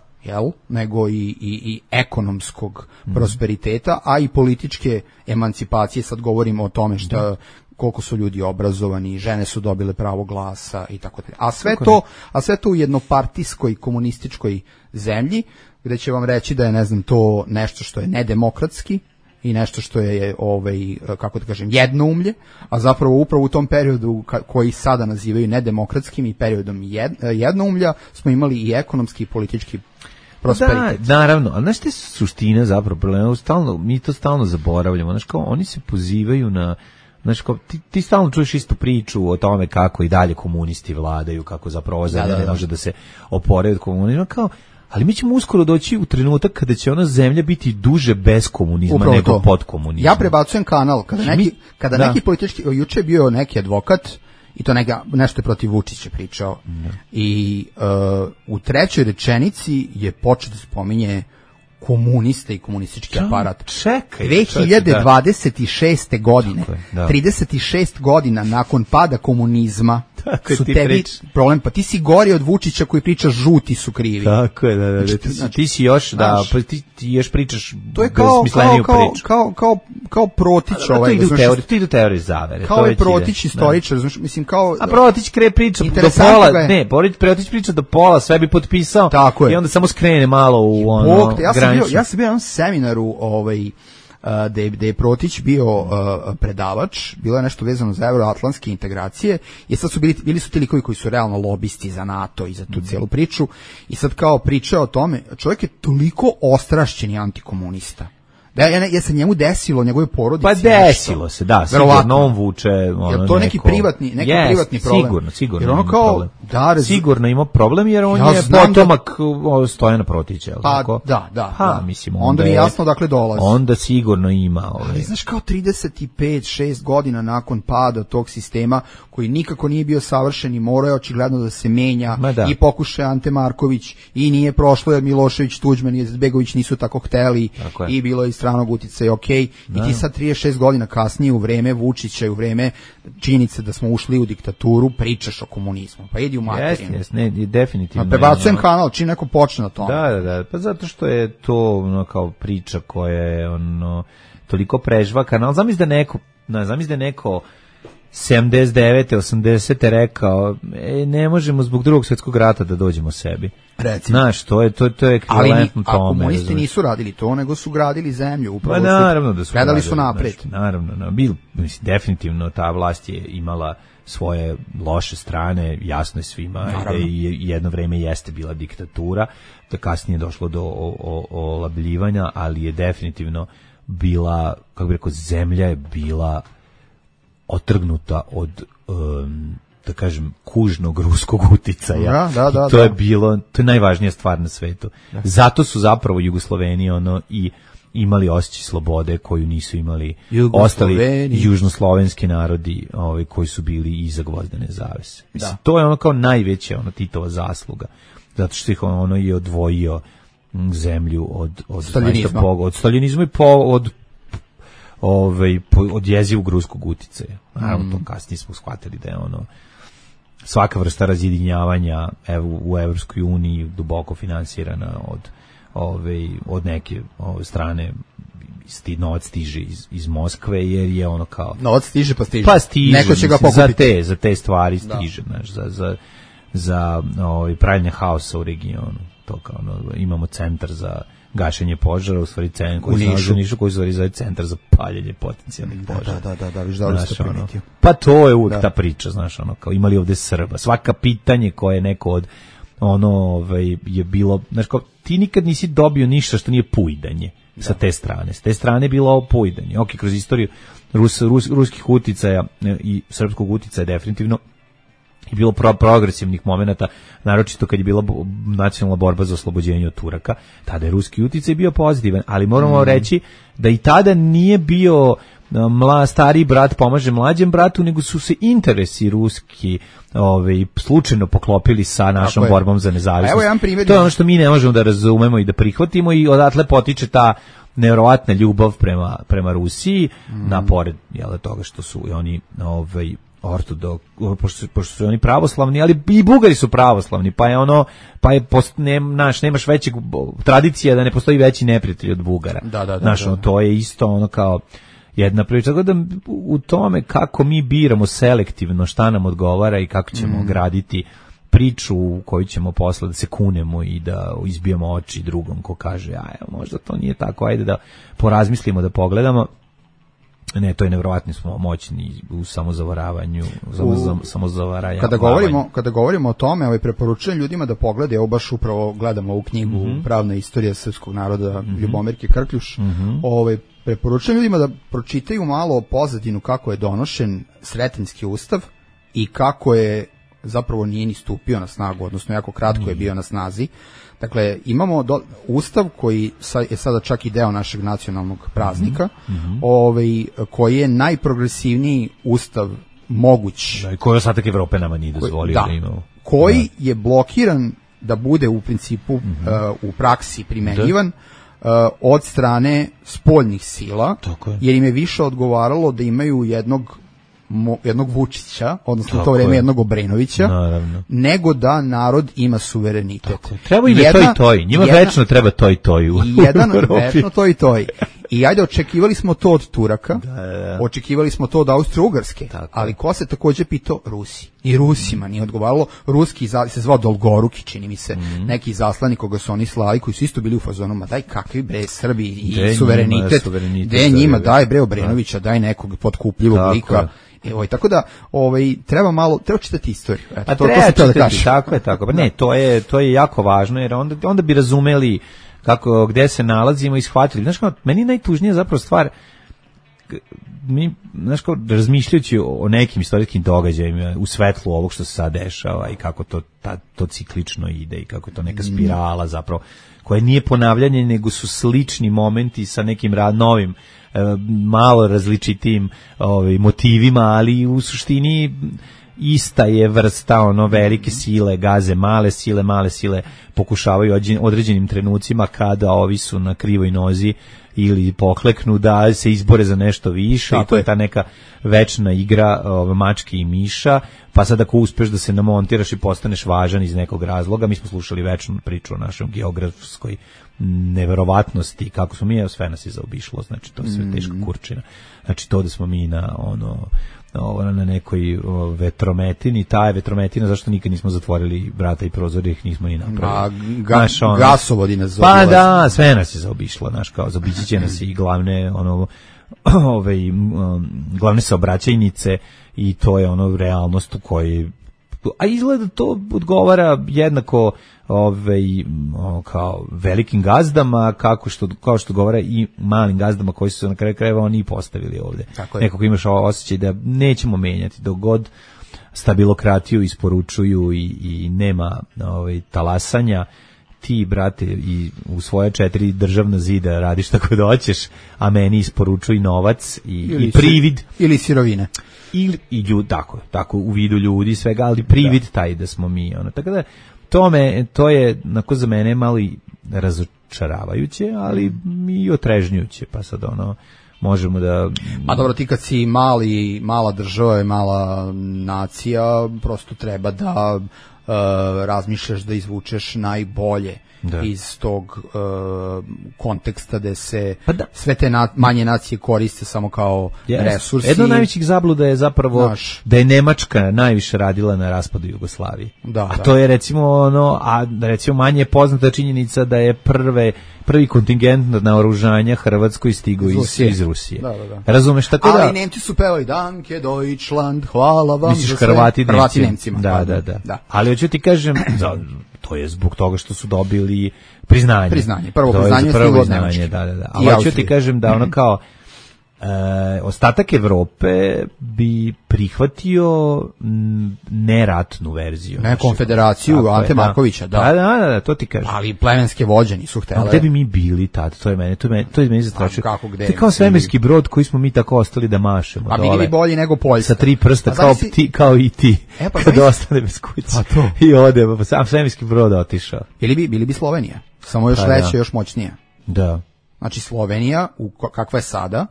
nego i ekonomskog prosperiteta, a i političke emancipacije. Sad govorimo o tome koliko su ljudi obrazovani, žene su dobile pravo glasa i tako dalje. A sve to u jednopartijskoj komunističkoj zemlji, gde će vam reći da je, ne znam, to nešto što je nedemokratski i nešto što je, kako da kažem, jednoumlje, a zapravo upravo u tom periodu koji sada nazivaju nedemokratskim i periodom jednoumlja smo imali i ekonomski i politički prosperitet. Da, naravno, ali znaš što je suština zapravo problema? Mi to stalno zaboravljamo, znaš kao, oni se pozivaju na, znaš kao, ti stalno čuješ istu priču o tome kako i dalje komunisti vladaju, kako zapravo zemlja ne može da se opore od komunizma, kao, ali mi ćemo uskoro doći u trenutak kada će ona zemlja biti duže bez komunizma upravo nego pod komunizmom. Ja prebacujem kanal, kada neki politički, juče je bio neki advokat, i to nešto je protiv Vučića pričao, i u trećoj rečenici je počeo da spominje komuniste i komunistički aparat. Čekaj. 2026. godine, 36 godina nakon pada komunizma, su tebi problem, pa ti si gori od Vučića koji priča žuti su krivi. Tako je, znači, ti si još, ti još pričaš besmisleniju priču. Kao Protić. Ti idu teorije zavere. Kao je Protić istoričar, mislim kao... A Protić priča do pola, Protić priča do pola, sve bi potpisao i onda samo skrene malo u granicu. Ja sam bio na seminaru da je Protić bio predavač, bilo je nešto vezano za evroatlantske integracije i sad su bili su ti likovi koji su realno lobisti za NATO i za tu cijelu priču i sad kao priča o tome, čovjek je toliko ostrašćeni antikomunista. Ja se njemu desilo, njegove porodici. Pa desilo se, da, sigurno on vuče ono to neki privatni problem. Sigurno. Jer ono kao sigurno ima problem jer on je potomak Stojana Protića, tako? Da. Mislim, onda mi jasno dakle dolazi. Onda sigurno ima. Ali znaš kao 35-6 godina nakon pada tog sistema koji nikako nije bio savršen i morao je očigledno da se menja i pokušaj Ante Marković i nije prošlo jer Milošević, Tuđman i Izetbegović nisu tako hteli i bilo je stranog uticaja, i ti sad 36 godina kasnije u vreme Vučića i u vreme činjenice da smo ušli u diktaturu pričaš o komunizmu, pa idi u materinu. Ne, definitivno. Prebacujem kanal, čim neko počne na tome. Da, pa zato što je to kao priča koja je toliko prežvakana, ali zamisli da neko 79. 80. rekao ne možemo zbog Drugog svjetskog rata da dođemo sebi. Recimo. Znaš, to je ekvivalentno tome. A komunisti nisu radili to, nego su gradili zemlju. Upravo naravno da su gledali su napred. Naravno. Definitivno ta vlast je imala svoje loše strane, jasno je svima, da jedno vreme jeste bila diktatura, da kasnije je došlo do olabljivanja, ali je definitivno bila, kako bih rekao, zemlja je bila otrgnuta od da kažem kužnog ruskog uticaja. To je bilo, to je najvažnija stvar na svetu. Zato su zapravo Jugosloveni i imali osjećaj slobode koju nisu imali ostali južnoslovenski narodi koji su bili iza gvozdene zavese. Mislim, to je kao najveća Titova zasluga. Zato što ih je odvojio zemlju od staljinizma. Od staljinizma i od jezivog ruskog uticaja. Naravno, to kasnije smo shvatili da je svaka vrsta razjedinjavanja u Evropskoj uniji duboko finansirana od neke strane. Novac stiže iz Moskve jer je kao... Novac stiže pa stiže. Neko će ga pokupiti. Za te stvari stiže, za pravljenje haosa u regionu. To kao imamo centar za gašenje požara, u stvari centar koji se Nišu, koji se zove centar za paljenje potencijalnih požara. Da, viš da ste primetio. Pa to je uvijek ta priča, znaš, kao imali ovde Srba. Svaka pitanje koje je neko od je bilo, znaš, kao ti nikad nisi dobio ništa što nije pujdanje sa te strane. S te strane je bilo ovo pujdanje. Ok, kroz istoriju ruskih uticaja i srpskog uticaja definitivno i bilo progresivnih momenata, naročito kad je bila nacionalna borba za oslobođenje od Turaka, tada je ruski uticaj bio pozitivan, ali moramo reći da i tada nije bio stariji brat pomaže mlađem bratu, nego su se interesi ruski slučajno poklopili sa našom borbom za nezavisnost. To je ono što mi ne možemo da razumemo i da prihvatimo i odatle potiče ta nevjerovatna ljubav prema Rusiji, napored toga što su oni pošto su oni pravoslavni, ali i Bugari su pravoslavni, nemaš većeg tradicija da ne postoji veći neprijatelj od Bugara. To je isto kao jedna priča. Tako da u tome kako mi biramo selektivno šta nam odgovara i kako ćemo graditi priču u koju ćemo posle da se kunemo i da izbijemo oči drugom ko kaže, možda to nije tako, ajde da porazmislimo, da pogledamo. Ne, to je nevjerovatno, smo moćni u samozavaravanju, samozavaranju. Kada govorimo o tome, preporučujem ljudima da pogledaju, evo baš upravo gledamo ovu knjigu Pravna istorija srpskog naroda Ljubomirke Krkljuš. Preporučujem ljudima da pročitaju malo o pozadinu kako je donošen Sretenjski ustav i kako je zapravo nije ni stupio na snagu, odnosno jako kratko je bio na snazi. Dakle, imamo ustav koji je sada čak i deo našeg nacionalnog praznika, koji je najprogresivniji ustav moguć. I koji ostatak Evrope nama nije dozvolio da imamo. Koji je blokiran da bude u principu u praksi primenjivan od strane spoljnih sila, jer im je više odgovaralo da imaju jednog Vučića, odnosno u to vreme jednog Obrenovića, nego da narod ima suverenitet. Treba im to i toj. Njima večno treba to i toj. Večno to i toj. I ajde, očekivali smo to od Turaka, očekivali smo to od Austro-Ugarske, ali ko se takođe pitao? Rusi. I Rusima nije odgovaralo. Ruski se zvao Dolgoruki, čini mi se, neki zaslanik koga su oni slali, koji su isto bili u fazonu, ma daj kakvi bre Srbi i suverenitet, gde njima, daj bre Obrenovića, daj nekog potkupljivog lika. Evo, tako da treba čitati istoriju. Eto, treba čitati, tako je. Pa ne, to je jako važno, jer onda bi razumeli gde se nalazimo i shvatili. Znaš, meni je najtužnija zapravo stvar, mi, znaš, razmišljajući o nekim istorijskim događajima u svetlu ovog što se sad dešava i kako to ciklično ide i kako je to neka spirala zapravo, koja nije ponavljanje, nego su slični momenti sa nekim novim, malo različitim motivima, ali u suštini ista je vrsta velike sile gaze, male sile pokušavaju određenim trenucima kada ovi su na krivoj nozi ili pokleknu da se izbore za nešto više. Tako i to je ta neka večna igra mačke i miša, pa sad ako uspeš da se namontiraš i postaneš važan iz nekog razloga. Mi smo slušali večnu priču o našoj geografskoj neverovatnosti, kako smo mi, sve nas je zaobišlo, znači to je sve teška kurčina. Znači to da smo mi na nekoj vetrometini, ta je vetrometina, zašto nikad nismo zatvorili vrata i prozore, ih nismo ni napravili. Gasovodi nas zaobišlo. Pa da, sve nas je zaobišlo, kao zaobići će nas i glavne glavne saobraćajnice i to je realnost u kojoj, a izgleda to odgovara jednako kao velikim gazdama, kao što govara i malim gazdama koji su se na kraju krajeva oni postavili ovde. Nekako imaš osjećaj da nećemo menjati dok god stabilokratiju isporučuju i nema talasanja. Ti, brate, i u svoje 4 državna zida radiš tako da hoćeš, a meni isporučuj novac i privid. Ili sirovine. I ljudi, tako, u vidu ljudi svega, ali privid taj da smo mi. Tako da, to je za mene malo i razočaravajuće, ali i otrežnjujuće, pa sad možemo da... A dobro, ti kad si mala država i mala nacija, prosto treba da razmišljaš da izvučeš najbolje iz tog konteksta gde se sve te manje nacije koriste samo kao resursi. Jedno od najvećih zabluda je zapravo da je Nemačka najviše radila na raspadu Jugoslavije. To je recimo recimo manje je poznata činjenica da je prvi kontingent naoružanja Hrvatskoj stigao iz Rusije. Razumeš, tako da... Ali Nemci su pevali Danke Deutschland, hvala vam. Misliš Hrvati Nemcima. Da. Ali hoću ti kažem, to je zbog toga što su dobili priznanje. Prvo priznanje. Da. Ali hoću ti kažem da kao ostatak Evrope bi prihvatio neratnu verziju. Ne konfederaciju Ante Markovića, Da, to ti kažem. Ali plemenske vođe nisu htjele. A gde bi mi bili tad? To je meni zastrašuje. To je kao svemirski brod koji smo mi tako ostali da mašemo. A bili bi bolji nego Poljska. Sa 3 prsta, kao i ti. Kad ostane bez kuće. I ode, sam svemirski brod otišao. Bili bi Slovenija. Samo još veće, još moćnije. Da. Znači Slovenija, kakva je sada,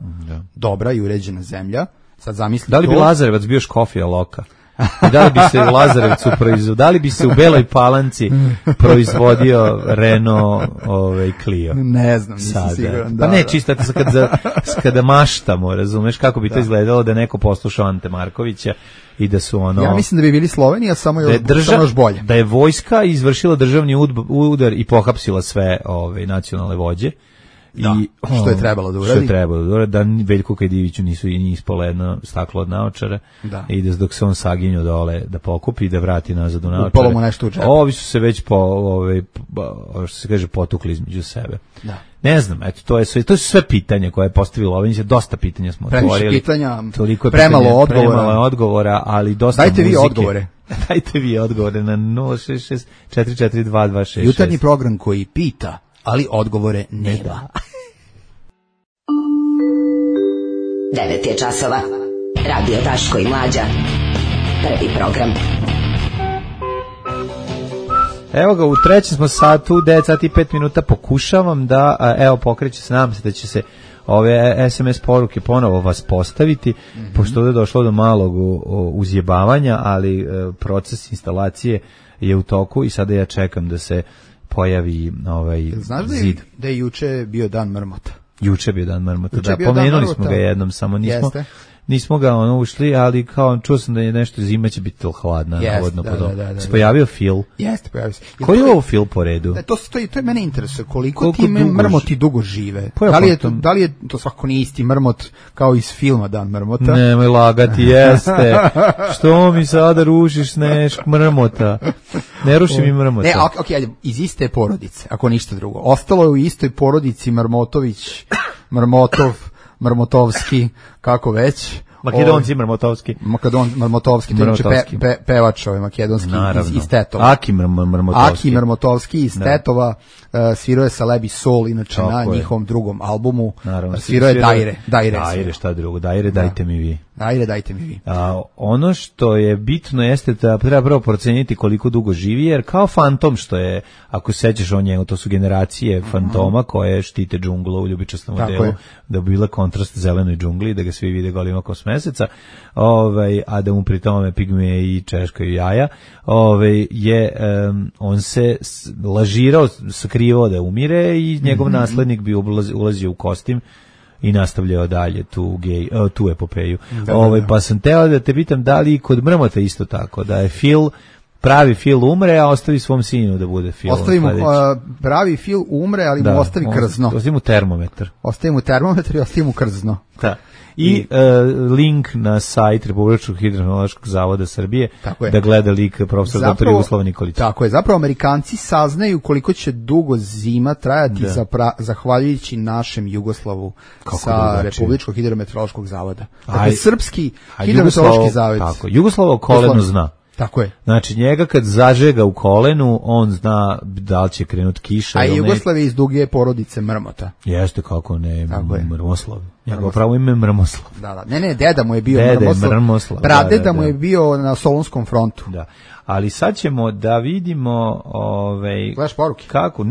dobra i uređena zemlja, sad zamisli. Da li bi Lazarevac bio Škofja Loka? I da li bi se u Lazarevcu da li bi se u Beloj Palanci proizvodio Renault Clio? Ne znam, nisam siguran. Pa ne, čisto kada maštamo, razumeš kako bi to izgledalo da neko poslušao Ante Markovića i da su Ja mislim da bi bili Slovenija, samo još bolje. Da je vojska izvršila državni udar i pohapsila sve nacionalne vođe. Što je trebalo da uradi. Da Veljko Kajdiviću nisu i ispalo jedno staklo od naočara i da dok se on saginju dole da pokupi i da vrati nazad u naočare. Upalo mu nešto u džep. Ovi su se već što se kaže potukli između sebe. Ne znam, eto, to su sve pitanja koje je postavilo Lovenjić, dosta pitanja smo otvorili. Previše pitanja, premalo odgovora, ali dosta muzike. Dajte vi odgovore na 066 442 266. Jutarnji program koji pita, ali odgovore nema. 9 je časova. Radio Daško i Mlađa. Prvi program. Evo ga, u trećem smo satu, 9 sati i 5 minuta, pokušavam da, pokreće se, nadam se da će se ove SMS poruke ponovo vas postaviti, pošto ovdje je došlo do malog uzjebavanja, ali proces instalacije je u toku i sada ja čekam da se pojavi zid. Znaš da je juče bio dan mrmota? Juče bio dan mrmota, da, pomenuli smo ga jednom, samo nismo ga ušli, ali kao čuo sam da je nešto zima će biti hladna, navodno podobno. Se pojavio Phil. Jeste, pojavio se. Koji je ovo Phil po redu? To je mene interesuje, koliko ti mrmoti dugo žive. Da li je to svakako nije isti mrmot kao iz filma Dan mrmota? Nemoj lagati, jeste. Što mi sada rušiš mrmota? Ne ruši mi mrmota. Ne, okej, iz iste porodice, ako ništa drugo. Ostalo je u istoj porodici Mrmotović, Mrmotovski, kako već. Makedonci Mrmotovski. Mrmotovski, to je pevač makedonski iz Tetova. Aki Mrmotovski iz Tetova, svirao je sa Lebi Sol, inače na njihovom drugom albumu. Svirao je Dajre, šta drugo, Dajre, dajte mi vi. Ajde, dajte mi vi. Ono što je bitno jeste da treba prvo proceniti koliko dugo živi, jer kao fantom što je, ako se sećaš o njemu, to su generacije fantoma koje štite džunglu u ljubičastom modelu, da bi bila kontrast zelenoj džungli, da ga svi vide golim okom s meseca, a da mu pri tome pigme i češkaju jaja, on se lažirao, sakrivao da umire i njegov naslednik bi ulazio u kostim i nastavljao dalje tu epopeju. Pa sam teo da te pitam da li kod mrmota isto tako, da je pravi Phil umre, a ostavi svom sinu da bude Phil. Ostavi mu pravi Phil umre, ali mu ostavi krzno. Ostavi mu termometar. Ostavi mu termometar i ostavi mu krzno. Da. I link na sajt Republičkog hidrometeorološkog zavoda Srbije da gleda lik profesor dr. Jugoslava Nikolića. Tako je, zapravo Amerikanci saznaju koliko će dugo zima trajati zahvaljujući našem Jugoslavu sa Republičkog hidrometeorološkog zavoda. Dakle, srpski hidrometeorološki zavod. Tako, Jugoslavo koleno zna. Tako je. Znači, njega kad zažega u kolenu, on zna da li će krenut kiša. A Jugoslav je iz duge porodice Mrmota. Jeste, kako ne, Mrmoslav. Njegovo pravo ime je Mrmoslav. Da. Ne, deda mu je bio Mrmoslav. Pradeda mu je bio na Solunskom frontu. Da. Ali sad ćemo da vidimo gledaš poruke? Kako?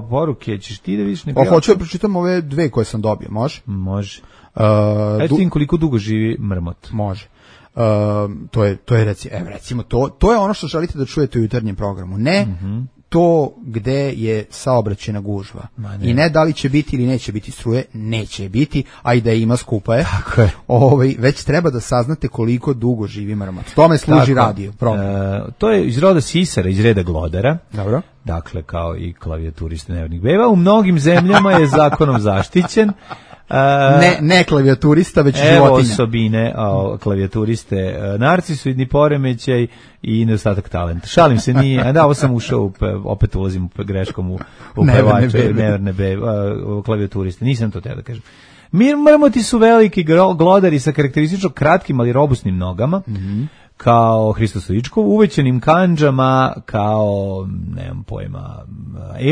Poruke, ćeš ti da vidiš hoću da pročitam ove dve koje sam dobio, može? Može. Ajde ti koliko dugo živi mrmot? Može. To je recimo to je ono što želite da čujete u jutarnjem programu. Ne to gde je saobraćajna gužva. I ne da li će biti ili neće biti struje, neće biti, a i da ima skupa je. Tako je. Već treba da saznate koliko dugo živi mrmot. Tome služi radio program. To je iz roda sisara, iz reda glodara. Dobro. Dakle, kao i klavijaturiste nevernih beba. U mnogim zemljama je zakonom zaštićen. Ne klavijaturista, već životinja. Evo osobine klavijaturiste, narcisoidni poremećaj i nedostatak talenta. Šalim se, nije, ovo sam ušao, opet ulazim greškom u pevače, neverne klavijaturiste, nisam to teo da kažem. Mrmoti su veliki glodari sa karakteristično kratkim, ali robustnim nogama, kao Hristo Stoičkov, uvećanim kandžama, kao, nemam pojma,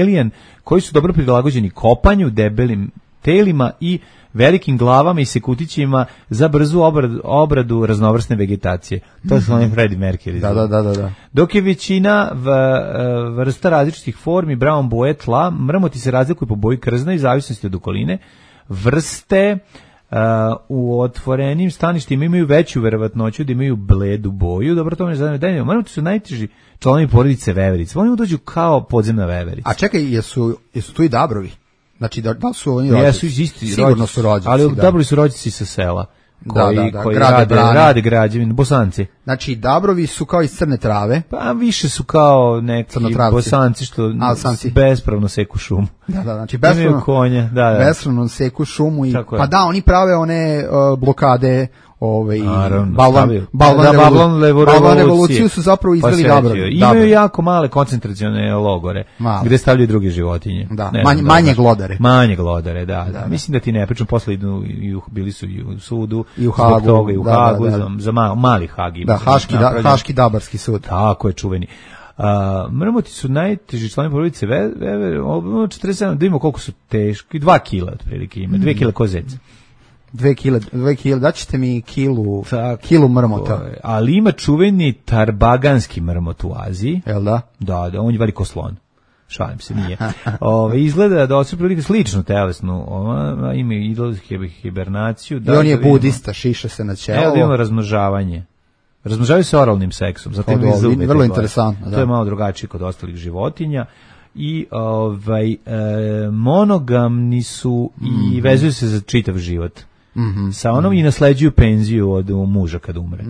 alien, koji su dobro prilagođeni kopanju, debelim telima i velikim glavama i sekutićima za brzu obradu raznovrsne vegetacije. To su oni Freddie Mercury. Da. Dok je većina vrsta različitih formi brown boje tla, mrmoti se razlikuju po boji krzna i zavisnosti od okoline. Vrste u otvorenim staništima imaju veću verovatnoću da imaju bledu boju. Dobro, to me zanima. Mrmoti su najteži članovi porodice veverice. Oni dođu kao podzemna veverica. A čekaj, jesu tu i dabrovi? Znači, da su oni rođaci? Sigurno su rođaci. Ali dabrovi su rođaci sa sela. Koji rade građevine, Bosanci. Znači, dabrovi su kao iz Crne Trave. Pa više su kao neki Bosanci što bespravno seku šumu. Da, znači bespravno seku šumu. Pa da, oni prave one blokade, balvan revoluciju su zapravo izveli dabrovi. Imaju jako male koncentracione logore, gde stavljaju druge životinje. Manje glodare. Manje glodare, da. Mislim da ti ne pričam, posle bili su i u sudu, i u Hagu, za mali Hag. Da, Haški dabarski sud. Tako je, čuveni. Mrmoti su najteži članovi porodice 47, da vidimo koliko su teški, 2 kila otprilike ima, 2 kila kozec. 2 kila, daćete mi kilu mrmota. Ali ima čuveni tarbaganski mrmot u Aziji. Jel da? Da, on je veliko slon. Šalim se, nije. Izgleda da su prilike sličnu telesnu, ima hibernaciju. I on je budista, šiša se na čelo. Evo da ima razmnožavanje. Razmnožavaju se oralnim seksom. Vrlo interesantno. To je malo drugačije kod ostalih životinja. i monogamni su i vezuju se za čitav život. Sa onom i nasleđuju penziju od muža kad umre.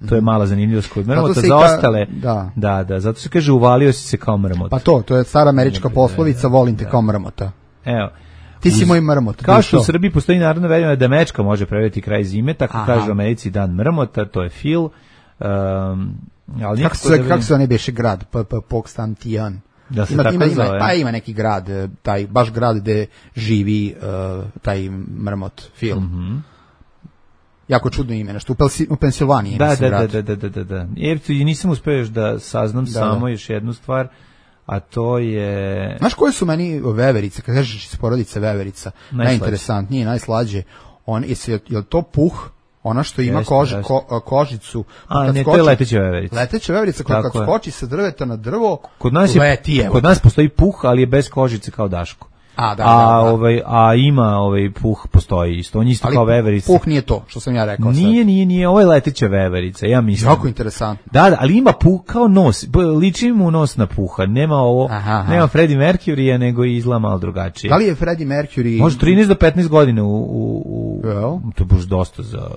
To je mala zanimljivost kod mrmota. Za ostale, da, zato se kaže uvalio si se kao mrmot. Pa to je stara američka poslovica, volim te kao mrmota. Evo. Ti si moj mrmot. Kao što u Srbiji postoji narodno verovanje da mečka može prevesti kraj zime, tako kaže u Americi dan mrmota, to je Phil. Ali kako se ne beše grad? Pokstantijan. Da se tako zove. Pa ima neki grad, taj baš grad gde živi taj mrmot Phil. Jako čudno ime, nešto u Pensilvaniji. Da. I nisam uspeo još da saznam samo još jednu stvar, a to je... Znaš koje su meni veverice, kad kažeš iz porodice veverica, najinteresantnije, najslađe, je li to puh? Ona što ima kožicu. Ne, to je leteća veverica. Leteća veverica koja kad skoči sa drveta na drvo, kod nas postoji puh, ali je bez kožice kao Daško. A ima puh postoji isto. On isto kao veverica. Puh nije to, što sam ja rekao. Nije, ovo je leteća veverica, ja mislim. Jako interesantno. Da, ali ima puh kao nos. Liči mu nos na puha. Nema nema Freddie Mercury, nego izgleda malo drugačije. Da li je Freddie Mercury... Može 13 do 15 godina to je baš dosta za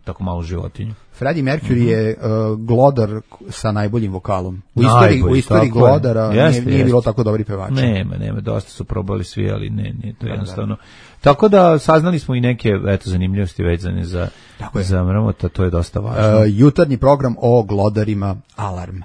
tako malu životinju. Freddie Mercury je glodar sa najboljim vokalom. U istoriji glodara nije bilo tako dobri pevača. Nema, dosta su probali svi, ali nije to jednostavno. Tako da saznali smo i neke zanimljivosti vezane za mrmota, to je dosta važno. Jutarnji program o glodarima Alarm.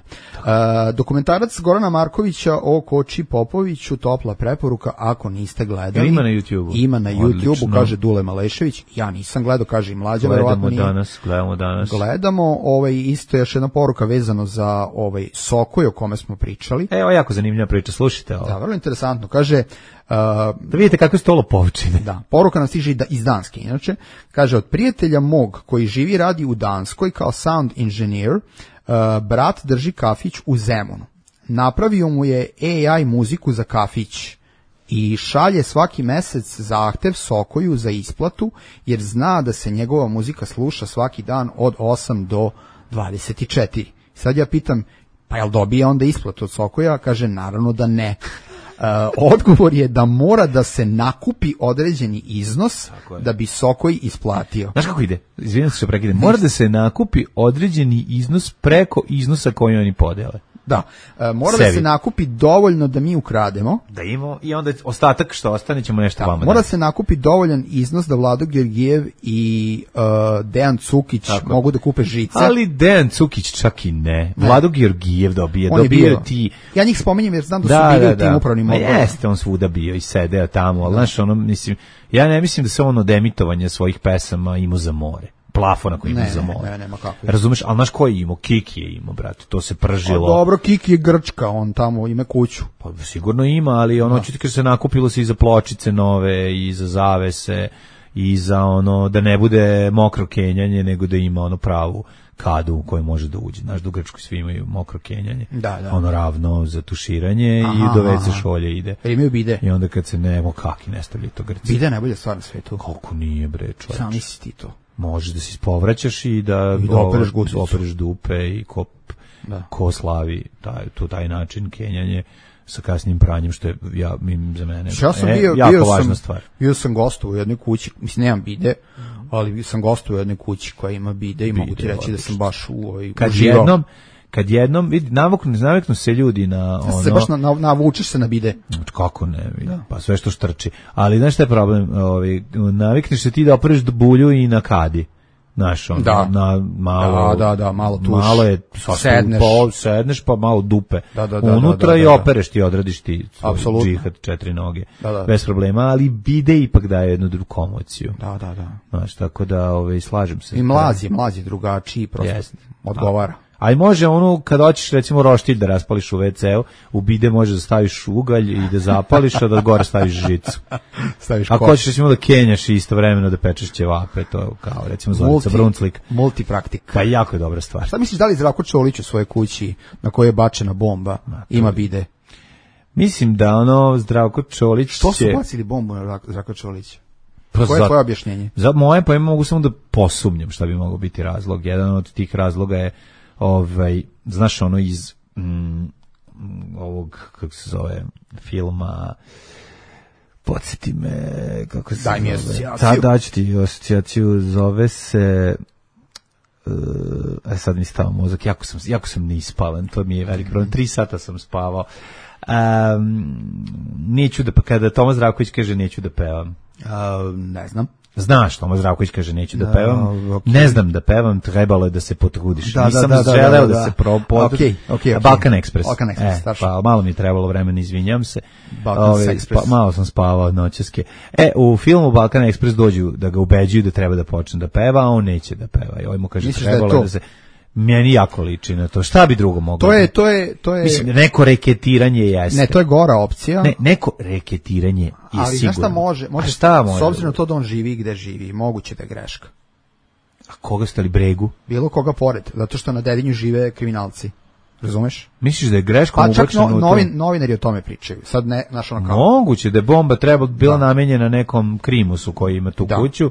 Dokumentarac Gorana Markovića o Koči Popoviću, topla preporuka ako niste gledali. Ima na YouTubeu. Ima na YouTubeu, kaže Dule Malešević. Ja nisam gledao, kaže i Mlađa, verovatno nije. Gledamo danas. Gledamo, isto još jedna poruka vezano za Sokoj o kome smo pričali. Evo jako zanimljiva priča, slušajte ovo. Da, vrlo interesantno. Kaže da vidite kako je stolo površine. Da, poruka nam stiže iz Danske. Inače, kaže, od prijatelja mog koji živi radi u Danskoj kao sound engineer, brat drži kafić u Zemunu. Napravio mu je AI muziku za kafić i šalje svaki mesec zahtev Sokoju za isplatu, jer zna da se njegova muzika sluša svaki dan od 8 do 24. Sad ja pitam, pa jel dobije onda isplatu od Sokoja? Kaže, naravno da ne. Odgovor je da mora da se nakupi određeni iznos da bi Sokoj isplatio. Znaš kako ide? Izvinim se što prekidem. Mora da se nakupi određeni iznos preko iznosa koji oni podele. Da, mora da se nakupi dovoljno da mi ukrademo. Da imamo i onda ostatak što ostane ćemo nešto vama. Mora se nakupi dovoljan iznos da Vlado Georgijev i Dejan Cukić mogu da kupe žice. Ali Dejan Cukić čak i ne. Vlado Georgijev dobio ti. Ja njih spominjem jer znam da su bili u tim upravnim odborima. Jeste, on svuda bio i sedeo tamo, ali znaš, mislim, ja ne mislim da se on od emitovanja svojih pesama imao za more. Plafona koji ima za more. Nema kako. Razumeš, ali znaš koji je imao? Kiki je imao, brate, to se pržilo. Dobro, Kiki je Grčka, on tamo ima kuću. Pa sigurno ima, ali ono očito se nakupilo se i za pločice nove, i za zavese, i za da ne bude mokro kenjanje, nego da ima pravu kadu u kojoj može da uđe. Znaš, da u Grčkoj svi imaju mokro kenjanje. Da. Ravno za tuširanje i do WC šolje ide. Imaju bide. I onda kad se kaki ne stavlja to Grci. Bide je najbolja stvar na svetu. Koliko nije, bre, čovječ. Sam misli ti to. Možeš da se ispovraćaš i da opereš dupe i ko slavi taj način kenjanje sa kasnim pranjem, što je za mene jako važna stvar. Bio sam gostovao u jednoj kući, mislim nemam bide, ali sam gostovao u jednoj kući koja ima bide i mogu ti reći da sam baš uživao. Kad jednom, vidi, naviknu se ljudi na se baš navučeš se na bide. Kako ne, vidi, pa sve što štrči. Ali znaš šta je problem? Navikneš se ti da opereš bulju i na kadi. Znaš, na malo... Da, malo tuš. Malo je... Sedneš pa malo dupe. Unutra i opereš ti, odradiš ti svoj džihad 4 noge. Bez problema, ali bide ipak daje jednu drugu komociju. Da. Znaš, tako da slažem se. I mlazi drugačiji, prosto odgovara. A i može kad hoćeš recimo roštilj da raspališ u WC-u, u bide može da staviš ugalj i da zapališ, a da gore staviš žicu. Ako hoćeš recimo da kenjaš i istovremeno da pečeš ćevape, to kao recimo Zorica Brunclik. Multipraktik. Pa jako je dobra stvar. Šta misliš, da li Zdravko Čolić u svojoj kući na kojoj je bačena bomba ima bide? Mislim da Zdravko Čolić Što su bacili bombu na Zdravko Čolića? Koje je tvoje objašnjenje? Za moje pa mogu samo da posumnjam šta bi mogao biti razlog. Jedan od tih razloga je znaš iz ovog, kako se zove, filma, podsjeti me, kako se Daj mi zove. asocijaciju. Daću ti asocijaciju, zove se, sad mi stava mozak, jako sam neispavan, to mi je veliki problem, 3 sata sam spavao. Neću da, kada Toma Zdravković kaže neću da pevam. Ne znam. Znaš, Toma Zdravković kaže neću da pevam. Okay. Ne znam da pevam, trebalo je da se potrudiš. Nisam da, želeo da se Okay. Balkan Express. Balkan Express, pa malo mi je trebalo vremena, izvinjam se. Balkan Express. Malo sam spavao noćaske. U filmu Balkan Express dođu da ga ubeđuju da treba da počne da peva, a on neće da peva. I ovaj mu kaže misliš trebalo da se... Meni jako liči na to. Šta bi drugo moglo? To je mislim, neko reketiranje jeste. Ne, to je gora opcija. Ne, neko reketiranje je sigurno. Ali znaš šta može? Šta može? S obzirom na to da on živi gde živi, moguće da je greška. A koga ste li bregu? Bilo koga pored, zato što na Dedinju žive kriminalci. Razumeš? Misliš da je greškom ubačeno? Pa čak novinari o tome pričaju. Sad ne, znaš ono kao... Moguće da je bomba bila namenjena nekom krimusu koji ima tu kuću.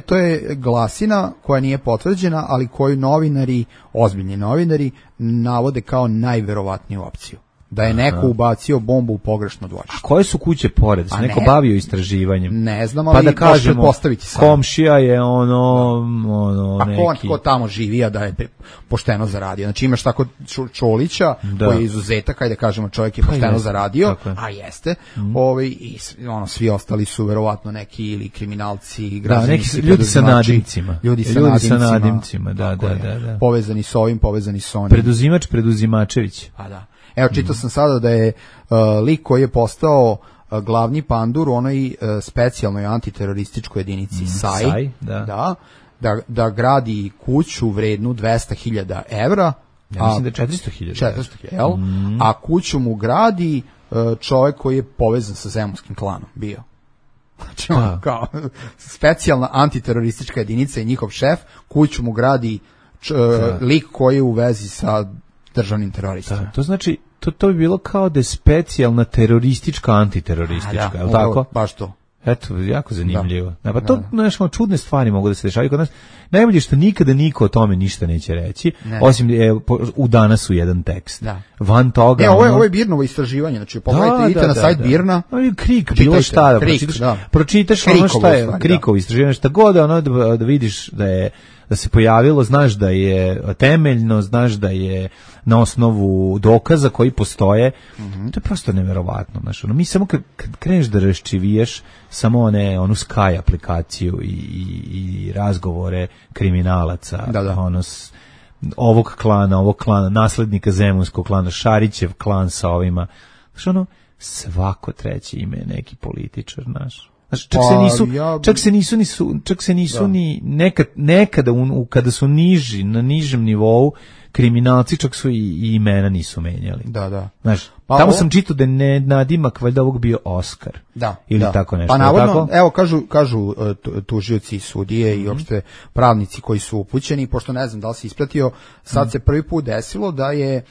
To je glasina koja nije potvrđena, ali koju novinari, ozbiljni novinari, navode kao najverovatniju opciju. Da je neko ubacio bombu u pogrešno dvorište. A koje su kuće pored? Se neko bavio istraživanjem? Ne znam, ali pa da kažemo, postaviti sam. Komšija je neki... Ko tamo živi, a da je pošteno zaradio. Znači imaš tako Čolića, koji je izuzetak, ajde kažemo čovjek je pošteno zaradio, a jeste. I svi ostali su verovatno neki ili kriminalci, građevinski ljudi sa nadimcima. Ljudi sa nadimcima, da. Povezani s ovim, povezani s onim. Preduzimačević. A da. Evo, čitao sam sada da je lik koji je postao glavni pandur u onoj specijalnoj antiterorističkoj jedinici SAI, da gradi kuću vrednu 200.000 evra. Ja mislim da je 400.000. 400.000, a kuću mu gradi čovjek koji je povezan sa zemunskim klanom bio. Znači, kao specijalna antiteroristička jedinica i njihov šef, kuću mu gradi lik koji je u vezi sa državnim teroristima. To znači, to bi bilo kao da je specijalna teroristička, antiteroristička, je li tako? Baš to. Eto, jako zanimljivo. Pa to, nešto čudne stvari mogu da se dešavaju kod nas. Najbolje što nikada niko o tome ništa neće reći, osim u danas u jedan tekst. Van toga... Ovo je Birnovo istraživanje, znači pogledajte, idite na sajt Birna. Krik, bilo šta da pročitaš ono šta je Krikovo istraživanje, šta god da vidiš da se pojavilo, znaš da je temeljno, znaš da je na osnovu dokaza koji postoje. To je prosto neverovatno. Znaš, mi samo kad kreneš da raščiviješ samo onu Sky aplikaciju i razgovore kriminalaca, ovog klana, naslednika zemunskog klana, Šarićev klan sa ovima. Znaš, svako treće ime je neki političar, znaš. Čak se nisu ni nekada kada su na nižem nivou kriminalci, čak su i imena nisu menjali. Da. Znaš, tamo sam čitao da je nadimak valjda ovog bio Oskar. Ili tako nešto. Pa navodno, evo kažu tužioci i sudije i uopšte pravnici koji su upućeni, pošto ne znam da li si ispratio, sad se prvi put desilo da je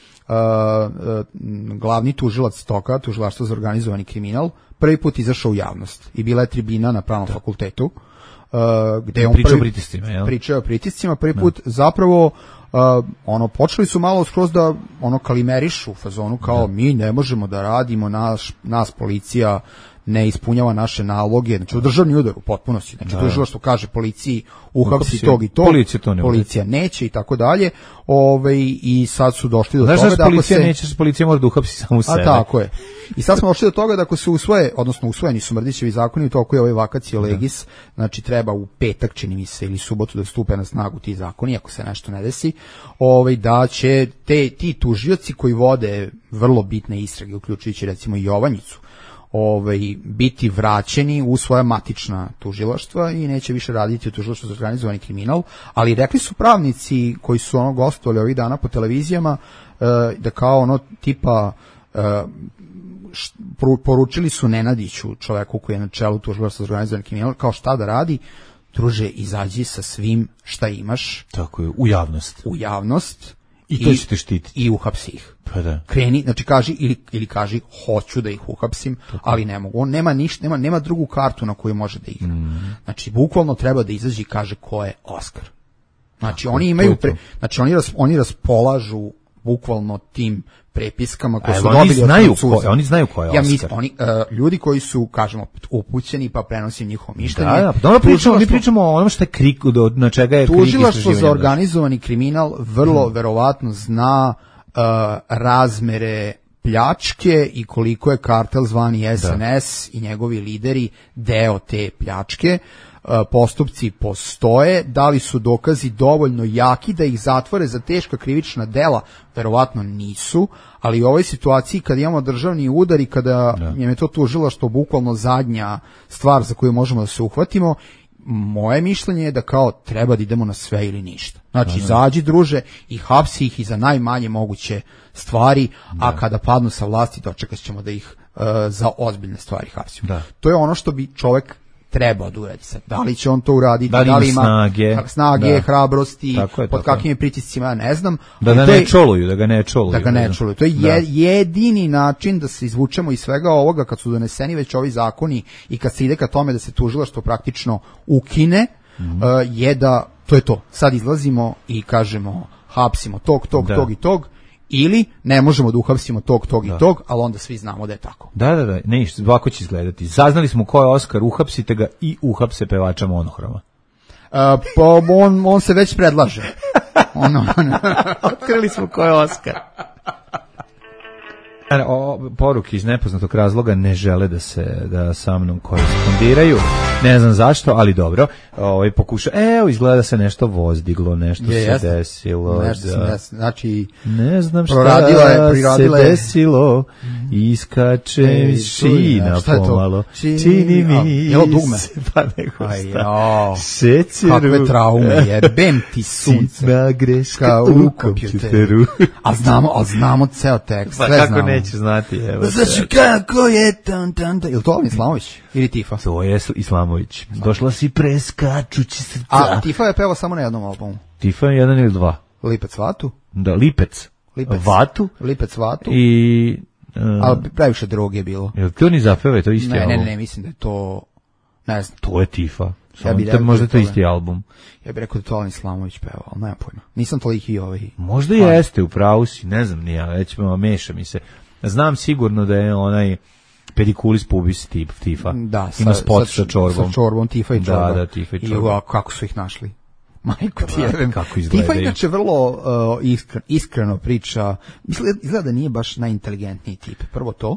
glavni tužilac toga, tužilaštvo za organizovani kriminal, prvi put izašao u javnost i bila je tribina na pravnom fakultetu gde on pričao o pritiscima, prvi put zapravo počeli su malo skroz da kalimerišu u fazonu kao mi ne možemo da radimo, nas policija ne ispunjava naše naloge, znači državni udar u potpunosti, znači tužilaštvo kaže policiji uhapsi tog i tog, policija neće i tako dalje, i sad su došli do toga da policija mora da uhapsi samu sebe. A tako je. I sad smo došli do toga da ako se usvojeni su Mrdićevi zakoni, u toku je ovaj vacatio legis, znači treba u petak, čini mi se, ili subotu da stupe na snagu ti zakoni, ako se nešto ne desi, da će ti tužioci koji vode vrlo bitne istrage, uključujući recimo i Jovanjicu, biti vraćeni u svoja matična tužilaštva i neće više raditi u tužilaštvu za organizovani kriminal, ali rekli su pravnici koji su gostovali ovih dana po televizijama da kao tipa poručili su Nenadiću, čoveku koji je na čelu tužilaštva za organizovani kriminal, kao šta da radi, druže, izađi sa svim šta imaš. Tako je, u javnost. I to ćete štititi. I uhapsi ih. Pa da. Kreni, znači kaži ili kaži hoću da ih uhapsim, ali ne mogu. On nema ništa, nema drugu kartu na koju može da igra. Znači bukvalno treba da izađe i kaže ko je Oskar. Znači oni imaju oni raspolažu bukvalno tim prepiskama koje su dobili od Francuza. Oni znaju ko je Oskar. Ljudi koji su, kažemo, upućeni pa prenosim njihovo mišljenje. Mi pričamo o onom što je KRIK, na čega je KRIK istraživanje. Tužilaštvo za organizovani kriminal vrlo verovatno zna razmere pljačke i koliko je kartel zvani SNS i njegovi lideri deo te pljačke. Postupci postoje, da li su dokazi dovoljno jaki da ih zatvore za teška krivična dela, verovatno nisu, ali u ovoj situaciji kada imamo državni udar i kada je to tužilaštvo bukvalno zadnja stvar za koju možemo da se uhvatimo, moje mišljenje je da kao treba da idemo na sve ili ništa. Znači, izađi druže i hapsi ih i za najmanje moguće stvari, a kada padnu sa vlasti dočekat ćemo da ih za ozbiljne stvari hapsimo. To je ono što bi čovek treba da uradi sad. Da li će on to uraditi, da li ima snage, hrabrosti, pod kakvim je pritiscima, ja ne znam. Da ga ne čoluju. To je jedini način da se izvučemo iz svega ovoga kad su doneseni već ovi zakoni i kad se ide ka tome da se tužilaštvo praktično ukine, je da to je to. Sad izlazimo i kažemo hapsimo tog i tog, ili ne možemo da uhapsimo tog i tog, ali onda svi znamo da je tako. Da, ništa, ovako će izgledati. Saznali smo ko je Oskar, uhapsite ga i uhapse pevača Monohroma. On se već predlaže. Otkrili smo ko je Oskar. Poruke iz nepoznatog razloga ne žele da sa mnom korespondiraju. Ne znam zašto, ali dobro. Pokuša. Evo, izgleda da se nešto vozdiglo, nešto se desilo. Znači, ne znam šta se desilo. Iskače iz šina pomalo. Čini mi se pa neko šta. Šećeru. Kakve traume, jebem ti sunce. Sitna greška u kompjuteru. A znamo ceo tekst. Pa kako neće znati. Znači kako je je li to Islamović ili Tifa? To je Islamović. Došla si preskačući srca. A Tifa je pevao samo na jednom albumu. Tifa je jedan ili dva. Lipec Vatu? Da, Lipec Vatu. Lipec Vatu. I... ali previše droge je bilo. Jel to ni zapeva, to isti album? Ne, mislim da je to... Ne znam. To je Tifa. Možda to isti album. Ja bih rekao da to Alen Islamović pevao, ali nema pojma. Nisam toliki Možda jeste, u pravu si, ne znam, nije, već meša mi se. Znam sigurno da je onaj pedikulis pubis tip Tifa. Da, ima spot sa čorbom. Sa čorbom, Tifa i čorba. Da, Tifa i čorba. I kako su ih našli? Majko ti jebem. Kako izgledaju. Tifa inače vrlo iskreno priča. Izgleda da nije baš najinteligentniji tip. Prvo to.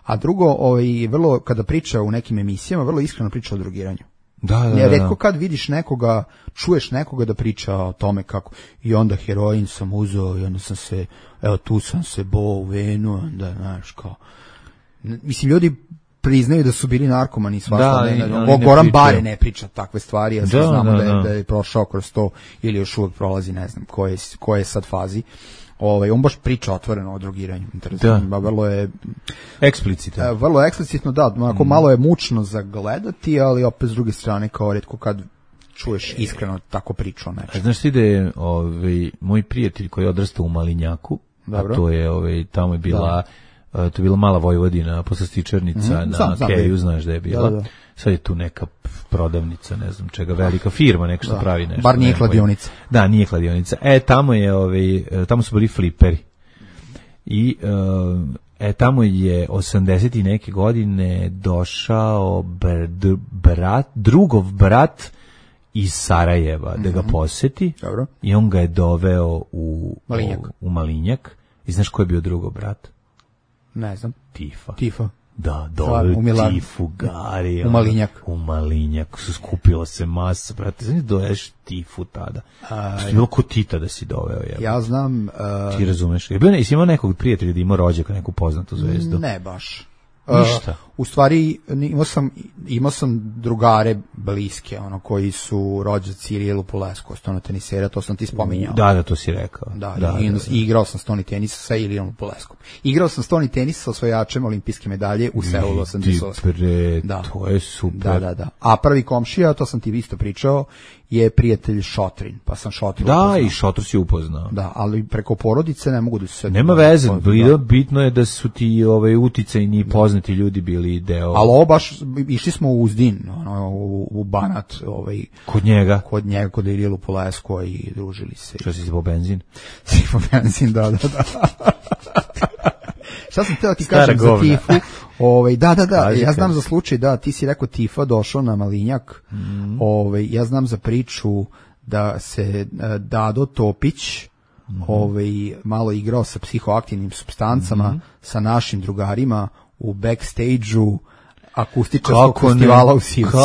A drugo, vrlo, kada priča u nekim emisijama, vrlo iskreno priča o drogiranju. Da. Retko kad vidiš nekoga, čuješ nekoga da priča o tome kako i onda heroin sam uzeo i onda sam se, tu sam se boo u venu, onda, znaš, kao, mislim, ljudi priznaju da su bili narkomani svašta, Goran Bare ne priča takve stvari, ja znamo da je prošao kroz to ili još uvijek prolazi, ne znam koje je sad fazi. On baš priča otvoreno o drogiranju. Vrlo je eksplicitno. Vrlo eksplicitno, da. Onako malo je mučno za gledati, ali opet s druge strane kao retko kad čuješ iskreno tako priču o nečem. Znaš ti da je moj prijatelj koji je odrastao u Malinjaku, a to je tamo je bila to je bila mala Vojvodina, poslastičarnica na Keju, znaš da je bila. Da. Sad je tu neka prodavnica, ne znam čega, velika firma, neka što pravi nešto. Bar nije kladionica. Da, nije kladionica. Tamo su bili fliperi. I tamo je 80 i neke godine došao drugov brat iz Sarajeva da ga poseti. Dobro. I on ga je doveo u Malinjak. I znaš ko je bio drugov brat? Ne znam. Tifa. Da, doveo Tifu, Gari. U Malinjak. Skupila se masa, brate. Znači, doješ Tifu tada. Što je bilo ko Tita da si doveo. Ja znam... Ti razumeš? Jesi imao nekog prijatelja da imao rođaka, neku poznatu zvezdu? Ne baš. Ništa. U stvari imao sam drugare bliske, koji su rođaci Irielu Polesku, stona tenisera, to sam ti spominjao. Da, to si rekao. I igrao sam stoni tenisa sa Irielom Poleskom. Igrao sam stoni tenis sa osvajačem olimpijske medalje u Seulu 88. To je super. Da. A prvi komšija, to sam ti isto pričao, je prijatelj Šotrin, pa sam Šotrin upoznao. Da, i Šotr si upoznao. Da, ali preko porodice ne mogu da se... Nema veze, bitno je da su ti uticajni poznati ljudi bili deo... Ali baš, išli smo u Uzdin, u Banat, Kod njega? Kod Irielu Polesko i družili se. Što si zbog benzin? Tifa benzin, da. Šta sam teo ti kažem za Tifu? Da, ja znam za slučaj, da, ti si rekao Tifa došao na Malinjak, ja znam za priču da se Dado Topić malo igrao sa psihoaktivnim supstancama sa našim drugarima u backstage-u akustičarskog festivala u Sivcu.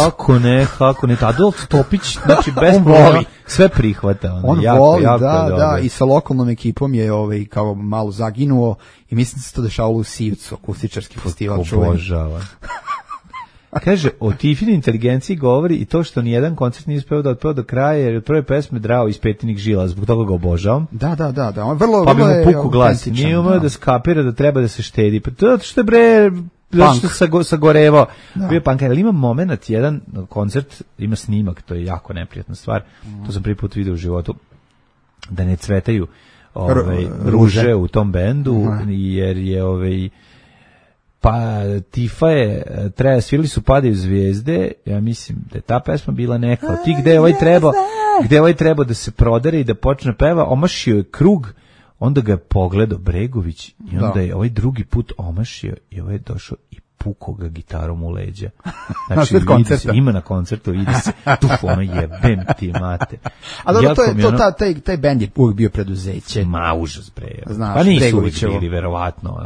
Kako ne, Dado Topić, znači bez voli, sve prihvata. On voli, da, i sa lokalnom ekipom je kao malo zaginuo i mislim da se to dešavalo u Sivcu, akustičarski festival. Obožava. Kaže, o Tifini inteligenciji govori i to što nijedan koncert nije uspeo da otpeo do kraja, jer od prve pesme drao iz petinih žila, zbog toga ga obožavam. Da. On vrlo, pa bi mu puku glas, nije umeo da skapira da treba da se štedi. Pa to što je zato što sagorevao. Bio pankar, ali ima moment, jedan koncert, ima snimak, to je jako neprijatna stvar, to sam prvi put vidio u životu, da ne cvetaju ruže u tom bendu, jer je pa Tifa je, svirali su Padaju zvijezde, ja mislim da je ta pesma bila neka, od tih gde je ovaj trebao da se prodere i da počne peva, omašio je krug, onda ga je pogledao Bregović i onda je ovaj drugi put omašio i ovaj je došao i pukao ga gitarom u leđa. Znači, ima na koncertu, vidi se, ono jebem ti mate. A dobro, taj bend je uvijek bio preduzeće. Ma, užas bre. Pa nisu uvijek bili, verovatno.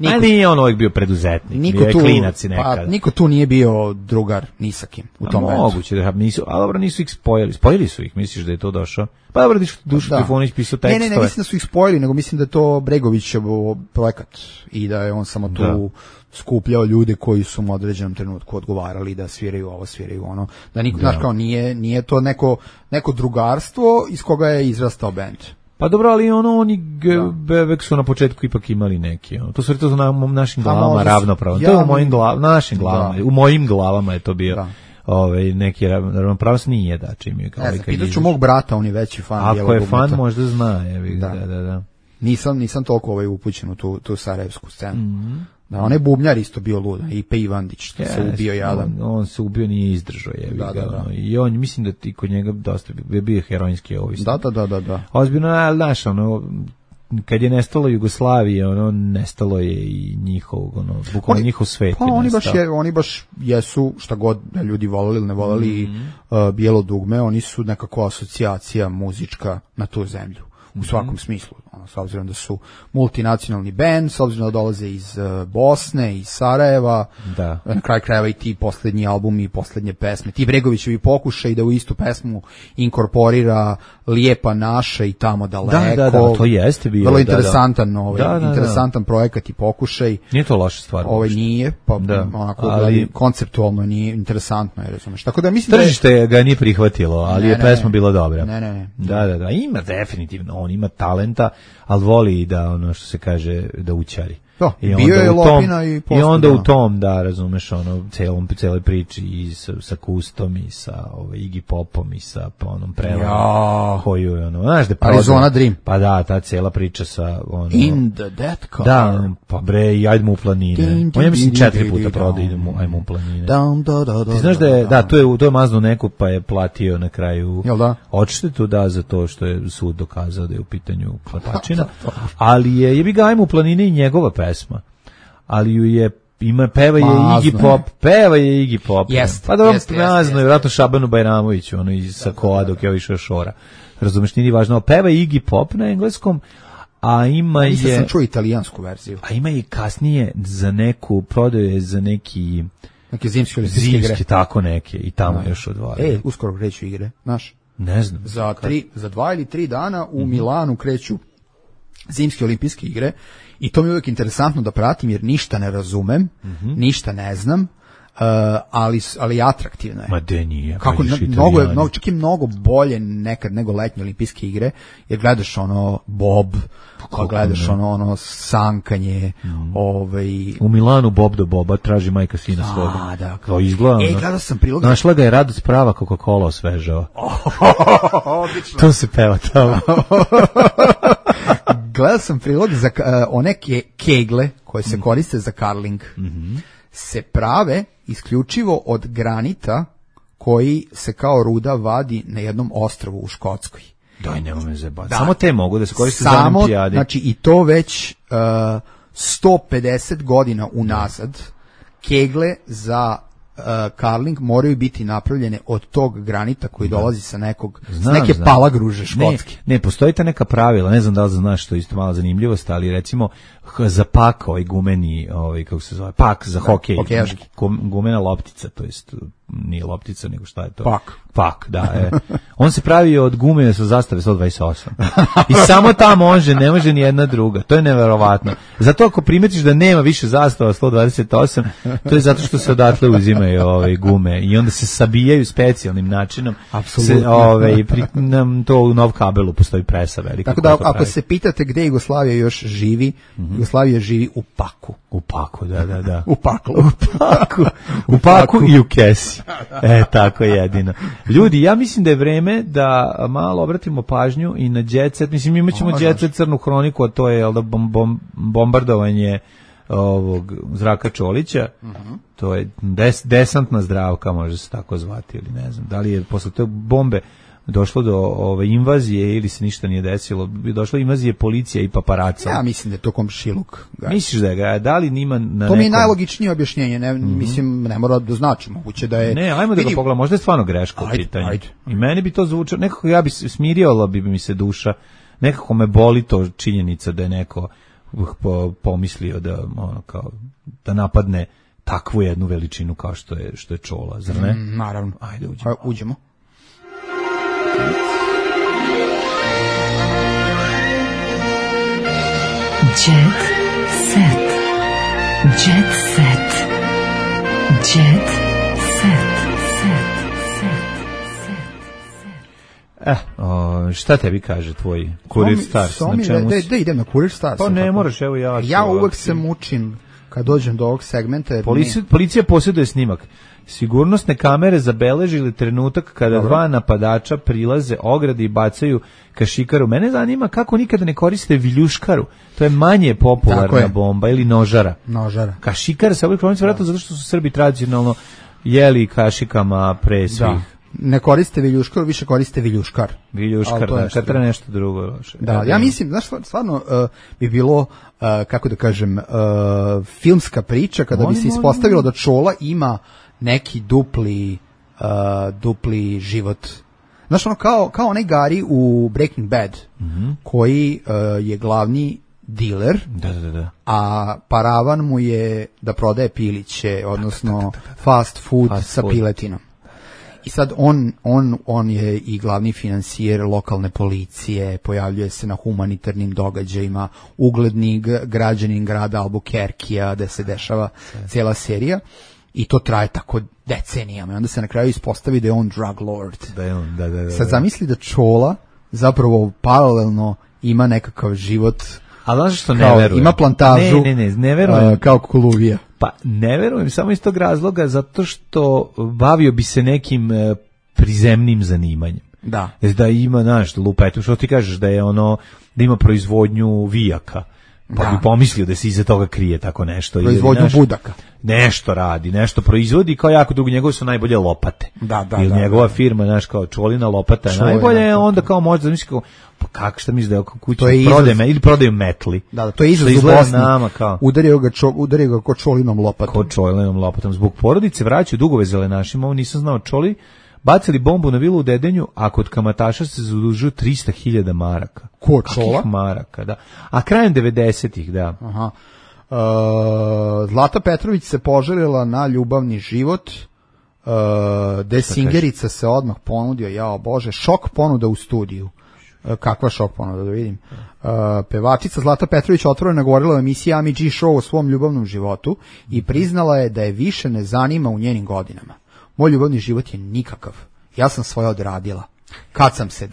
Ali nije on uvijek bio preduzetnik, bio je klinac i nekada. Pa niko tu nije bio drugar ni sa kim u tom bendu. Moguće da nisu, ali dobro, nisu ih spojili. Spojili su ih, misliš da je to došao? Pa dobro, Dušo Trifonić pisao tekstove. Ne, mislim da su ih spojili, nego mislim da je to Bregovićev projekat i da je on samo tu skupljao ljude koji su u određenom trenutku odgovarali da sviraju ovo, sviraju ono. Da niko, znaš, kao nije to neko drugarstvo iz koga je izrastao bend. Pa dobro, ali oni Bebek su na početku ipak imali neki. To su to na našim glavama ravnopravno. To je u mojim našim glavama. U mojim glavama je to bio. Neki ravnopravnost nije da čim je kao pitaću mog brata, on je veći fan Bijelog Dugmeta. Ako je fan možda zna, da. Nisam toliko upućen u tu sarajevsku scenu. Da, on je bubnjar isto bio luda, i Pe Ivandić se ubio jadan. On se ubio, nije izdržao, i on, mislim da ti kod njega dosta bio heroinski ovisnik. Da. Ozbiljno, ali znaš, kad je nestalo Jugoslavije, nestalo je i bukvalno njihov svet. Pa oni baš jesu, šta god ljudi voleli ili ne voleli, Bijelo dugme, oni su nekako asocijacija muzička na tu zemlju. U svakom smislu, s obzirom da su multinacionalni band, s obzirom da dolaze iz Bosne, iz Sarajeva, na kraju krajeva i ti posljednji albumi i posljednje pesme, ti Bregovićevi pokušaj da u istu pesmu inkorporira Lijepa naša i Tamo daleko. Da, to jeste bio. Vrlo interesantan, interesantan projekat i pokušaj. Nije to loša stvar. Nije, pa onako konceptualno nije interesantno, razumeš. Tako da mislim tržište ga nije prihvatilo, ali je pesma bila dobra. Ne. Da, ima definitivno, on ima talenta, ali voli da, što se kaže, da učari. Bio je lopina i posle. I onda u tom, da, razumeš, celoj priči i sa Kustom i sa Iggy Popom i sa onom prevarom koju je znaš da Arizona Dream. Pa da, ta cela priča sa In the Death Car. Da, pa bre, i Ajdemo u planine. On je mislim 4 puta prodao Ajdemo u planine. Ti znaš da je, to je mazno neku pa je platio na kraju odštetu, za to što je sud dokazao da je u pitanju klepačina, ali je jebi ga Ajdemo u planine i njegova pesma, ali ju je peva je Iggy Pop. Pa dobro, nazno je vjerojatno Šabanu Bajramoviću, iz Sakoa dok je išao Šora. Razumeš, nije važno, peva je Iggy Pop na engleskom, a ima Mislim sam čuo italijansku verziju. A ima i kasnije za neku, prodaje za neke zimske olimpijske igre. Tako neke, i tamo još odvara. Uskoro kreću igre, znaš? Ne znam. Za 2 ili 3 dana u Milanu kreću zimske olimpijske igre i to mi je uvijek interesantno da pratim jer ništa ne razumem, ništa ne znam, ali atraktivno je. Ma de nije. Kako čak je mnogo bolje nekad nego letnje olimpijske igre, jer gledaš bob, gledaš sankanje, U Milanu bob do boba traži majka sina svoga. Da. To izgleda. Gledao sam prilog. Našla ga je Radost prava Coca-Cola osvežava. Odlično. To se peva tamo. Gledao sam prilog za one kegle koje se koriste za karling. Se prave isključivo od granita koji se kao ruda vadi na jednom ostrvu u Škotskoj. Daj, nemoj me zajebati. Samo te mogu da se koriste za olimpijade. Znači, i to već 150 godina unazad kegle za curling moraju biti napravljene od tog granita koji dolazi sa neke palagruže škotske. Ne, postoji ta neka pravila, ne znam da li znaš, što je isto malo zanimljivost, ali recimo za pak, gumeni, kako se zove, pak za hokej, gumena loptica, to jest nije loptica, nego šta je to? Pak, da. On se pravi od gume sa zastave 128. I samo ta može, ne može ni jedna druga. To je neverovatno. Zato ako primetiš da nema više zastava 128, to je zato što se odatle uzimaju gume i onda se sabijaju specijalnim načinom. Apsolutno. To u Nov kabelu postoji presa velika. Tako da ako se pitate gde Jugoslavija još živi, Jugoslavija živi u paku. U paku, da. U paklu. U paku i u kesi. Tako jedino. Ljudi, ja mislim da je vreme da malo obratimo pažnju i na Jet Set. Mislim, imat ćemo Jet Set crnu hroniku, a to je bombardovanje ovog Zraka Čolića. To je desantna Zdravka, može se tako zvati, ili ne znam. Da li je posle te bombe došlo do invazije ili se ništa nije desilo, došlo invazije policija i paparaca. Ja mislim da je to komšiluk. Misliš da je da li nima na to mi je najlogičnije objašnjenje, mislim, ne mora da znači, moguće da je... Ne, ajmo da ga pogledamo, možda je stvarno greška u pitanju. I meni bi to zvučalo, nekako ja bi smirila bi mi se duša, nekako me boli to činjenica da je neko pomislio da napadne takvu jednu veličinu kao što je Čola, zar ne? Naravno. Ajde, uđemo. Jet set. Jet set. Jet set. Šta tebi kaže tvoj Kurir Stars? Da idem na Kurir Stars. Pa ne moraš, evo ja. Ja uvek se mučim kad dođem do ovog segmenta. Policija posjeduje snimak. Sigurnosne kamere zabeležili trenutak kada dva napadača prilaze ogradi i bacaju kašikaru. Mene zanima kako nikada ne koriste viljuškaru. To je manje popularna bomba ili nožara. Kašikara se obično vratno zato što su Srbi tradicionalno jeli kašikama pre svih. Ne koriste viljuškar, više koriste viljuškar. Viljuškar, da, kad treba nešto drugo loše. Da, ja mislim, znaš, stvarno bi bilo, kako da kažem, filmska priča kada bi se ispostavilo da Čola ima neki dupli život. Znaš, ono, kao onaj Gary u Breaking Bad, koji je glavni diler, a paravan mu je da prodaje piliće, odnosno fast food sa piletinom. I sad on je i glavni financijer lokalne policije, pojavljuje se na humanitarnim događajima, ugledni građanin grada Albuquerquea, gde se dešava cijela serija, i to traje tako decenijama. I onda se na kraju ispostavi da je on drug lord. Sad zamisli da Čola zapravo paralelno ima nekakav život. A znaš što ne verujem? Ima plantažu ne verujem. Kao Koluvija. Pa ne verujem samo iz tog razloga zato što bavio bi se nekim prizemnim zanimanjem. Da ima, znaš, lupetu, što ti kažeš da je da ima proizvodnju vijaka. Pa bi pomislio da se iza toga krije tako nešto. Proizvodnju budaka. Nešto radi, nešto proizvodi, kao jako dugo, njegove su najbolje lopate. Ili njegova firma, znaš, kao Čolina lopata je najbolje, onda kao možda zamisli kao, pa kako, šta misli da je oko kuće ili prodaju metli. Da, to je izraz u Bosni. Udario ga ko Čolinom lopatom. Ko Čolinom lopatom. Zbog porodice vraćaju dugove zelenašima, ovo nisam znao. Čoli bacili bombu na vilu u Dedenju, a kod kamataša se zadužuju 300.000 maraka. Ko Čola? Kakih maraka, da. A krajem 90-ih, da. Aha. Zlata Petrović se poželjela na ljubavni život. Desingerica se odmah ponudio, jao Bože, šok ponuda u studiju. Kakva šok ponuda, da vidim. Pevačica Zlata Petrović otvoreno govorila o emisiji Ami G Show o svom ljubavnom životu i priznala je da je više ne zanima u njenim godinama. Moj ljubavni život je nikakav. Ja sam svoje odradila. Kad sam se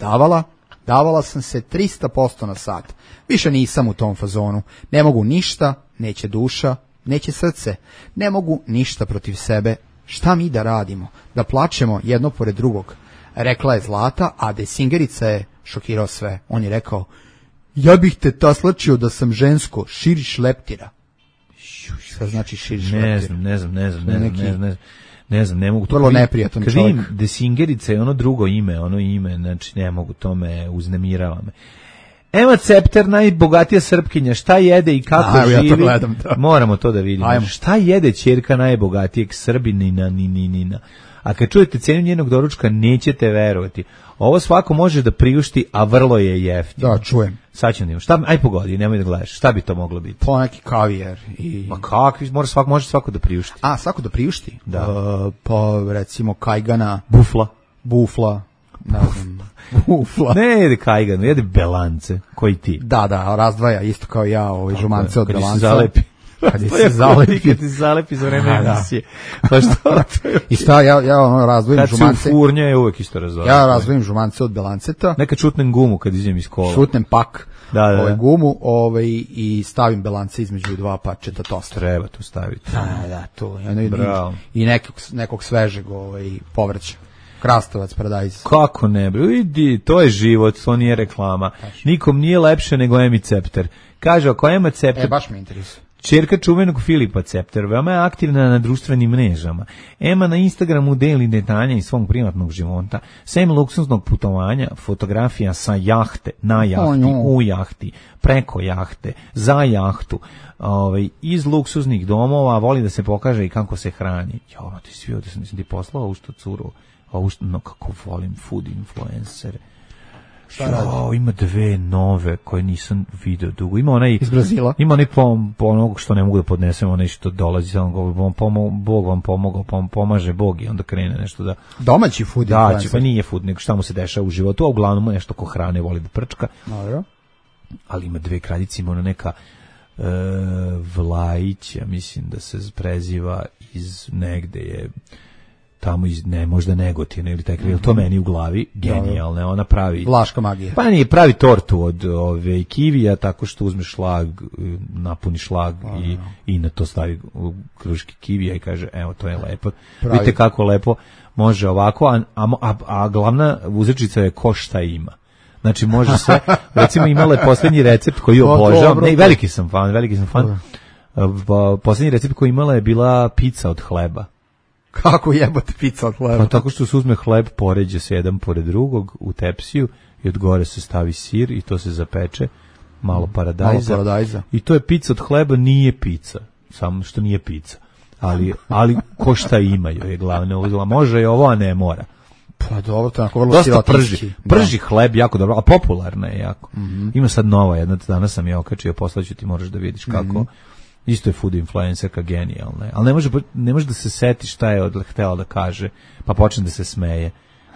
davala sam se 300% na sat. Više nisam u tom fazonu. Ne mogu ništa, neće duša, neće srce. Ne mogu ništa protiv sebe. Šta mi da radimo? Da plačemo jedno pored drugog. Rekla je Zlata, a Desingerica je šokirao sve. On je rekao, ja bih te taslačio da sam žensko, širiš leptira. Šta znači širiš leptira? Ne znam. Ne znam, ne mogu to. Vrlo neprijatan čovjek. Kažem, Desingerica je ono drugo ime, znači ne mogu, to me uznemirava me. Ema Cepter, najbogatija Srpkinja, šta jede i kako živi? Ja to gledam, da. Moramo to da vidimo. Ajmo. Šta jede ćerka najbogatijeg Srbinina, ninina? A kad čujete cenu njenog doručka, nećete verovati. Ovo svako može da priušti, a vrlo je jeftino. Da, čujem. Sad ćemo da imamo. Šta, aj pogodi, nemoj da gledaš. Šta bi to moglo biti? Po neki kavijer. Ma kakvi, može svako da priušti. A, svako da priušti? Da. Pa, recimo, kajgana. Bufla. Ne znam. Bufla. Ne jede kajganu, jede belance, koji ti. Da, razdvaja, isto kao ja, žumance od belanca. Kad se zalepi. Kad ti zalepi za vreme emisije. Pa što? I šta, ja razdvojim žumance. Kad se ufurnja je uvek isto razdvojim. Ja razdvojim žumance od belanceta. Nekad šutnem gumu kad izem iz kola. Šutnem pak. Da. Gumu i stavim belance između dva parčeta tosta. Treba tu staviti. Da, to. I nekog svežeg povrća. Krastavac, paradajz. Kako ne, bre, idi, to je život, to nije reklama. Nikom nije lepše nego Emi Cepter. Kaže, ako Ema Cepter... baš me interesuje. Ćerka čuvenog Filipa Cepter, veoma je aktivna na društvenim mrežama. Ema na Instagramu deli detalje iz svog privatnog života, sem luksuznog putovanja, fotografija sa jahte, na jahti, u jahti, preko jahte, za jahtu, iz luksuznih domova, voli da se pokaže i kako se hrani. Jo, ti svi ovdje sam ti poslao u što curu, no kako volim food influencer. Ima dve nove koje nisam video dugo. Ima onaj iz Brazila. Ima onaj onog što ne mogu da podnesem, onaj što dolazi, Bog vam pomogao, pomaže Bog i onda krene nešto da... Domaći food influencer. Da, pa nije food, nego šta mu se dešava u životu, a uglavnom nešto ko hrane voli da prčka. Dobro. Ali ima dve kraljice, ima ona neka Vlajić, ja mislim da se preziva iz negde je... tamo iz, možda Negotina ili taj kril, to meni u glavi, genijalne, ona pravi... Vlaška magija. Pa nije, pravi tortu od kivija, tako što uzme šlag, napuni šlag i na to stavi kruške kivija i kaže, evo, to je lepo. Vidite kako lepo može ovako, a glavna uzrečica je ko šta ima. Znači, može sve, recimo imala je posljednji recept koji obožavam, veliki sam fan. Posljednji recept koji imala je bila pizza od hleba. Kako jebate pizza od hleba? Pa tako što se uzme hleb, poređe se jedan pored drugog u tepsiju i od gore se stavi sir i to se zapeče, malo paradajza. I to je pizza od hleba, nije pizza, samo što nije pizza. Ali ko šta imaju je glavne uzela. Može je ovo, a ne mora. Pa dobro, to je onako vrlo sirotinski. Prži hleb jako dobro, a popularna je jako. Ima sad nova jedna, danas sam je okačio, poslaću ti, moraš da vidiš kako... Isto je food influencerka, genijalna. Ali ne može da se seti šta je htela da kaže, pa počne da se smeje.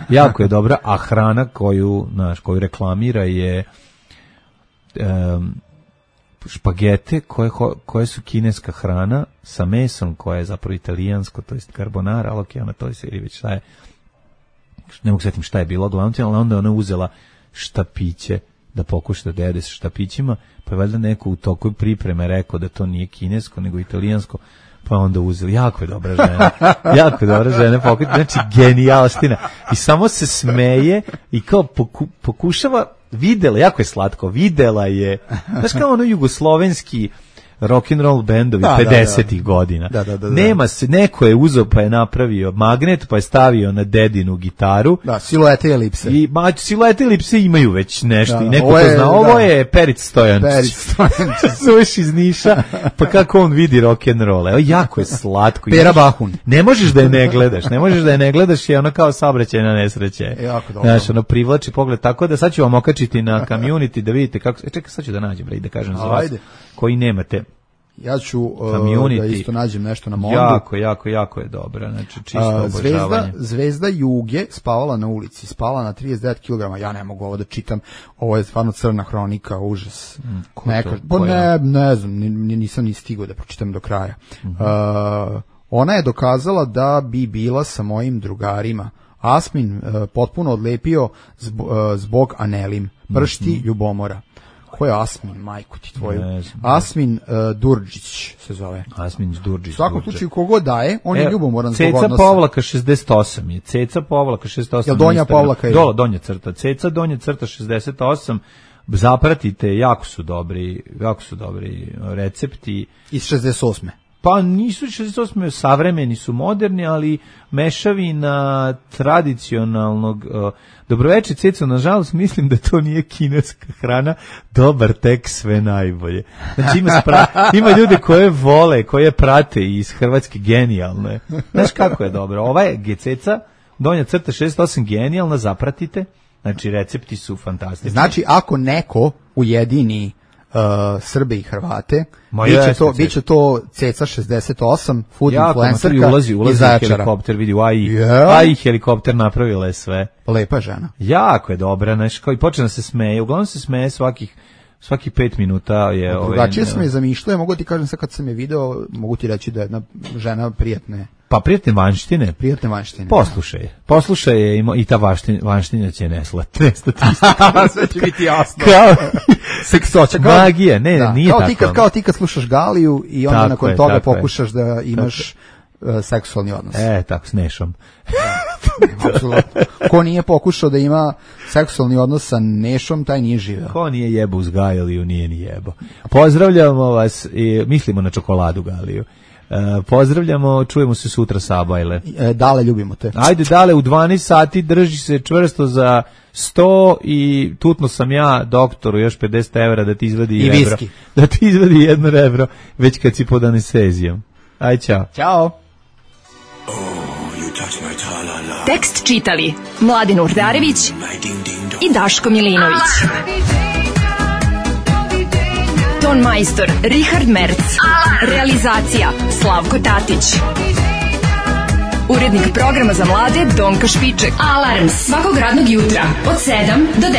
Jako je dobra, a hrana koju reklamira je špagete koje su kineska hrana sa mesom koje je zapravo italijansko, to jest carbonara, ali ona to je već šta je, ne mogu setim šta je bilo glavno, ali onda ona uzela štapiće da pokuša da jede sa štapićima, pa je valjda neko u toku pripreme rekao da to nije kinesko, nego italijansko, pa onda uzeli. Jako je dobra žena, znači genijalština. I samo se smeje i kao pokušava, jako je slatko, videla je, znaš kao ono jugoslovenski rock'n'roll bendovi 50-ih godina. Nema se, neko je uzeo pa je napravio magnet, pa je stavio na dedinu gitaru. Da, siluete i elipse. Siluete i elipse imaju već nešto i neko to zna. Ovo je Perić Stojančić. Zoveš iz Niša, pa kako on vidi rock'n'roll. Evo, jako je slatko. Pera Bahun. Ne možeš da je ne gledaš, je ono kao saobraćajna nesreće. Jako dobro. Znaš, ono privlači pogled, tako da sad ću vam okačiti na community da vidite kako... Čekaj, sad ću da nađem, da kažem za vas koji nemate. Ja ću da isto nađem nešto na Mondu. Jako je dobra, znači čisto obožavanje. Zvezda Juge spavala na ulici, spala na 39 kg. Ja ne mogu ovo da čitam, ovo je stvarno crna hronika, užas. Ne znam, nisam ni stigao da pročitam do kraja. Ona je dokazala da bi bila sa mojim drugarima. Asmin potpuno odlepio zbog Anelim, pršti ljubomora. Ko je Asmin, majku ti tvoju? Asmin Durđić se zove. Asmin Durđić. U svakom slučaju, kogo daje, on je ljubomoran zbog odnosa. Ceca Povlaka 68 je. Ceca Povlaka 68. Jel donja Povlaka je? Donja crta. Ceca donja crta 68. Zapratite, jako su dobri recepti. Iz 68. Pa nisu 68. savremeni su moderni, ali mešavina tradicionalnog dobroveče Ceco, nažalost mislim da to nije kineska hrana, dobar tek sve najbolje. Znači ima ljude koje vole, koje prate iz Hrvatske, genijalne. Znaš kako je dobro? Ova je Gececa, donja crta 68, genijalna, zapratite. Znači recepti su fantastični. Znači ako neko ujedini Srbe i Hrvate, biće to Ceca 68, food influencerka iz Zaječara. Helikopter, vidi, helikopter napravila je sve. Lepa žena. Jako je dobra, znači, kao i počne da se smeje, uglavnom se smeje svakih 5 minuta je... Drugačije sam je zamišljao, mogu ti kažem sad kad sam je video, mogu ti reći da je jedna žena prijatne. Pa prijatne vanštine? Prijatne vanštine. Poslušaj je i ta vanština će nestati. Sve će biti jasno. Kao seksoća. Magija, nije tako. Kao ti kad slušaš Galiju i onda nakon toga pokušaš da imaš seksualni odnos. Tako, s Nešom. Apsolutno. Ko nije pokušao da ima seksualni odnos sa Nešom, taj nije živeo. Ko nije jebo uz Galiju, nije ni jebo. Pozdravljamo vas i mislimo na čokoladu Galiju. Pozdravljamo, čujemo se sutra Sabajle. Dale, ljubimo te. Ajde Dale, u 12 sati drži se čvrsto za 100 i tutno sam ja doktoru još 50 evra da ti izvadi i rebro. viski. Da ti izvadi jedno rebro, već kad si pod anestezijom. Aj, čao. Ćao. Tekst čitali Mladin Urdarević i Daško Milinović. Ton majstor Richard Merc. Realizacija Slavko Tatić. Urednik programa za mlade Donka Špiček. Alarms svakog radnog jutra od 7 do 10.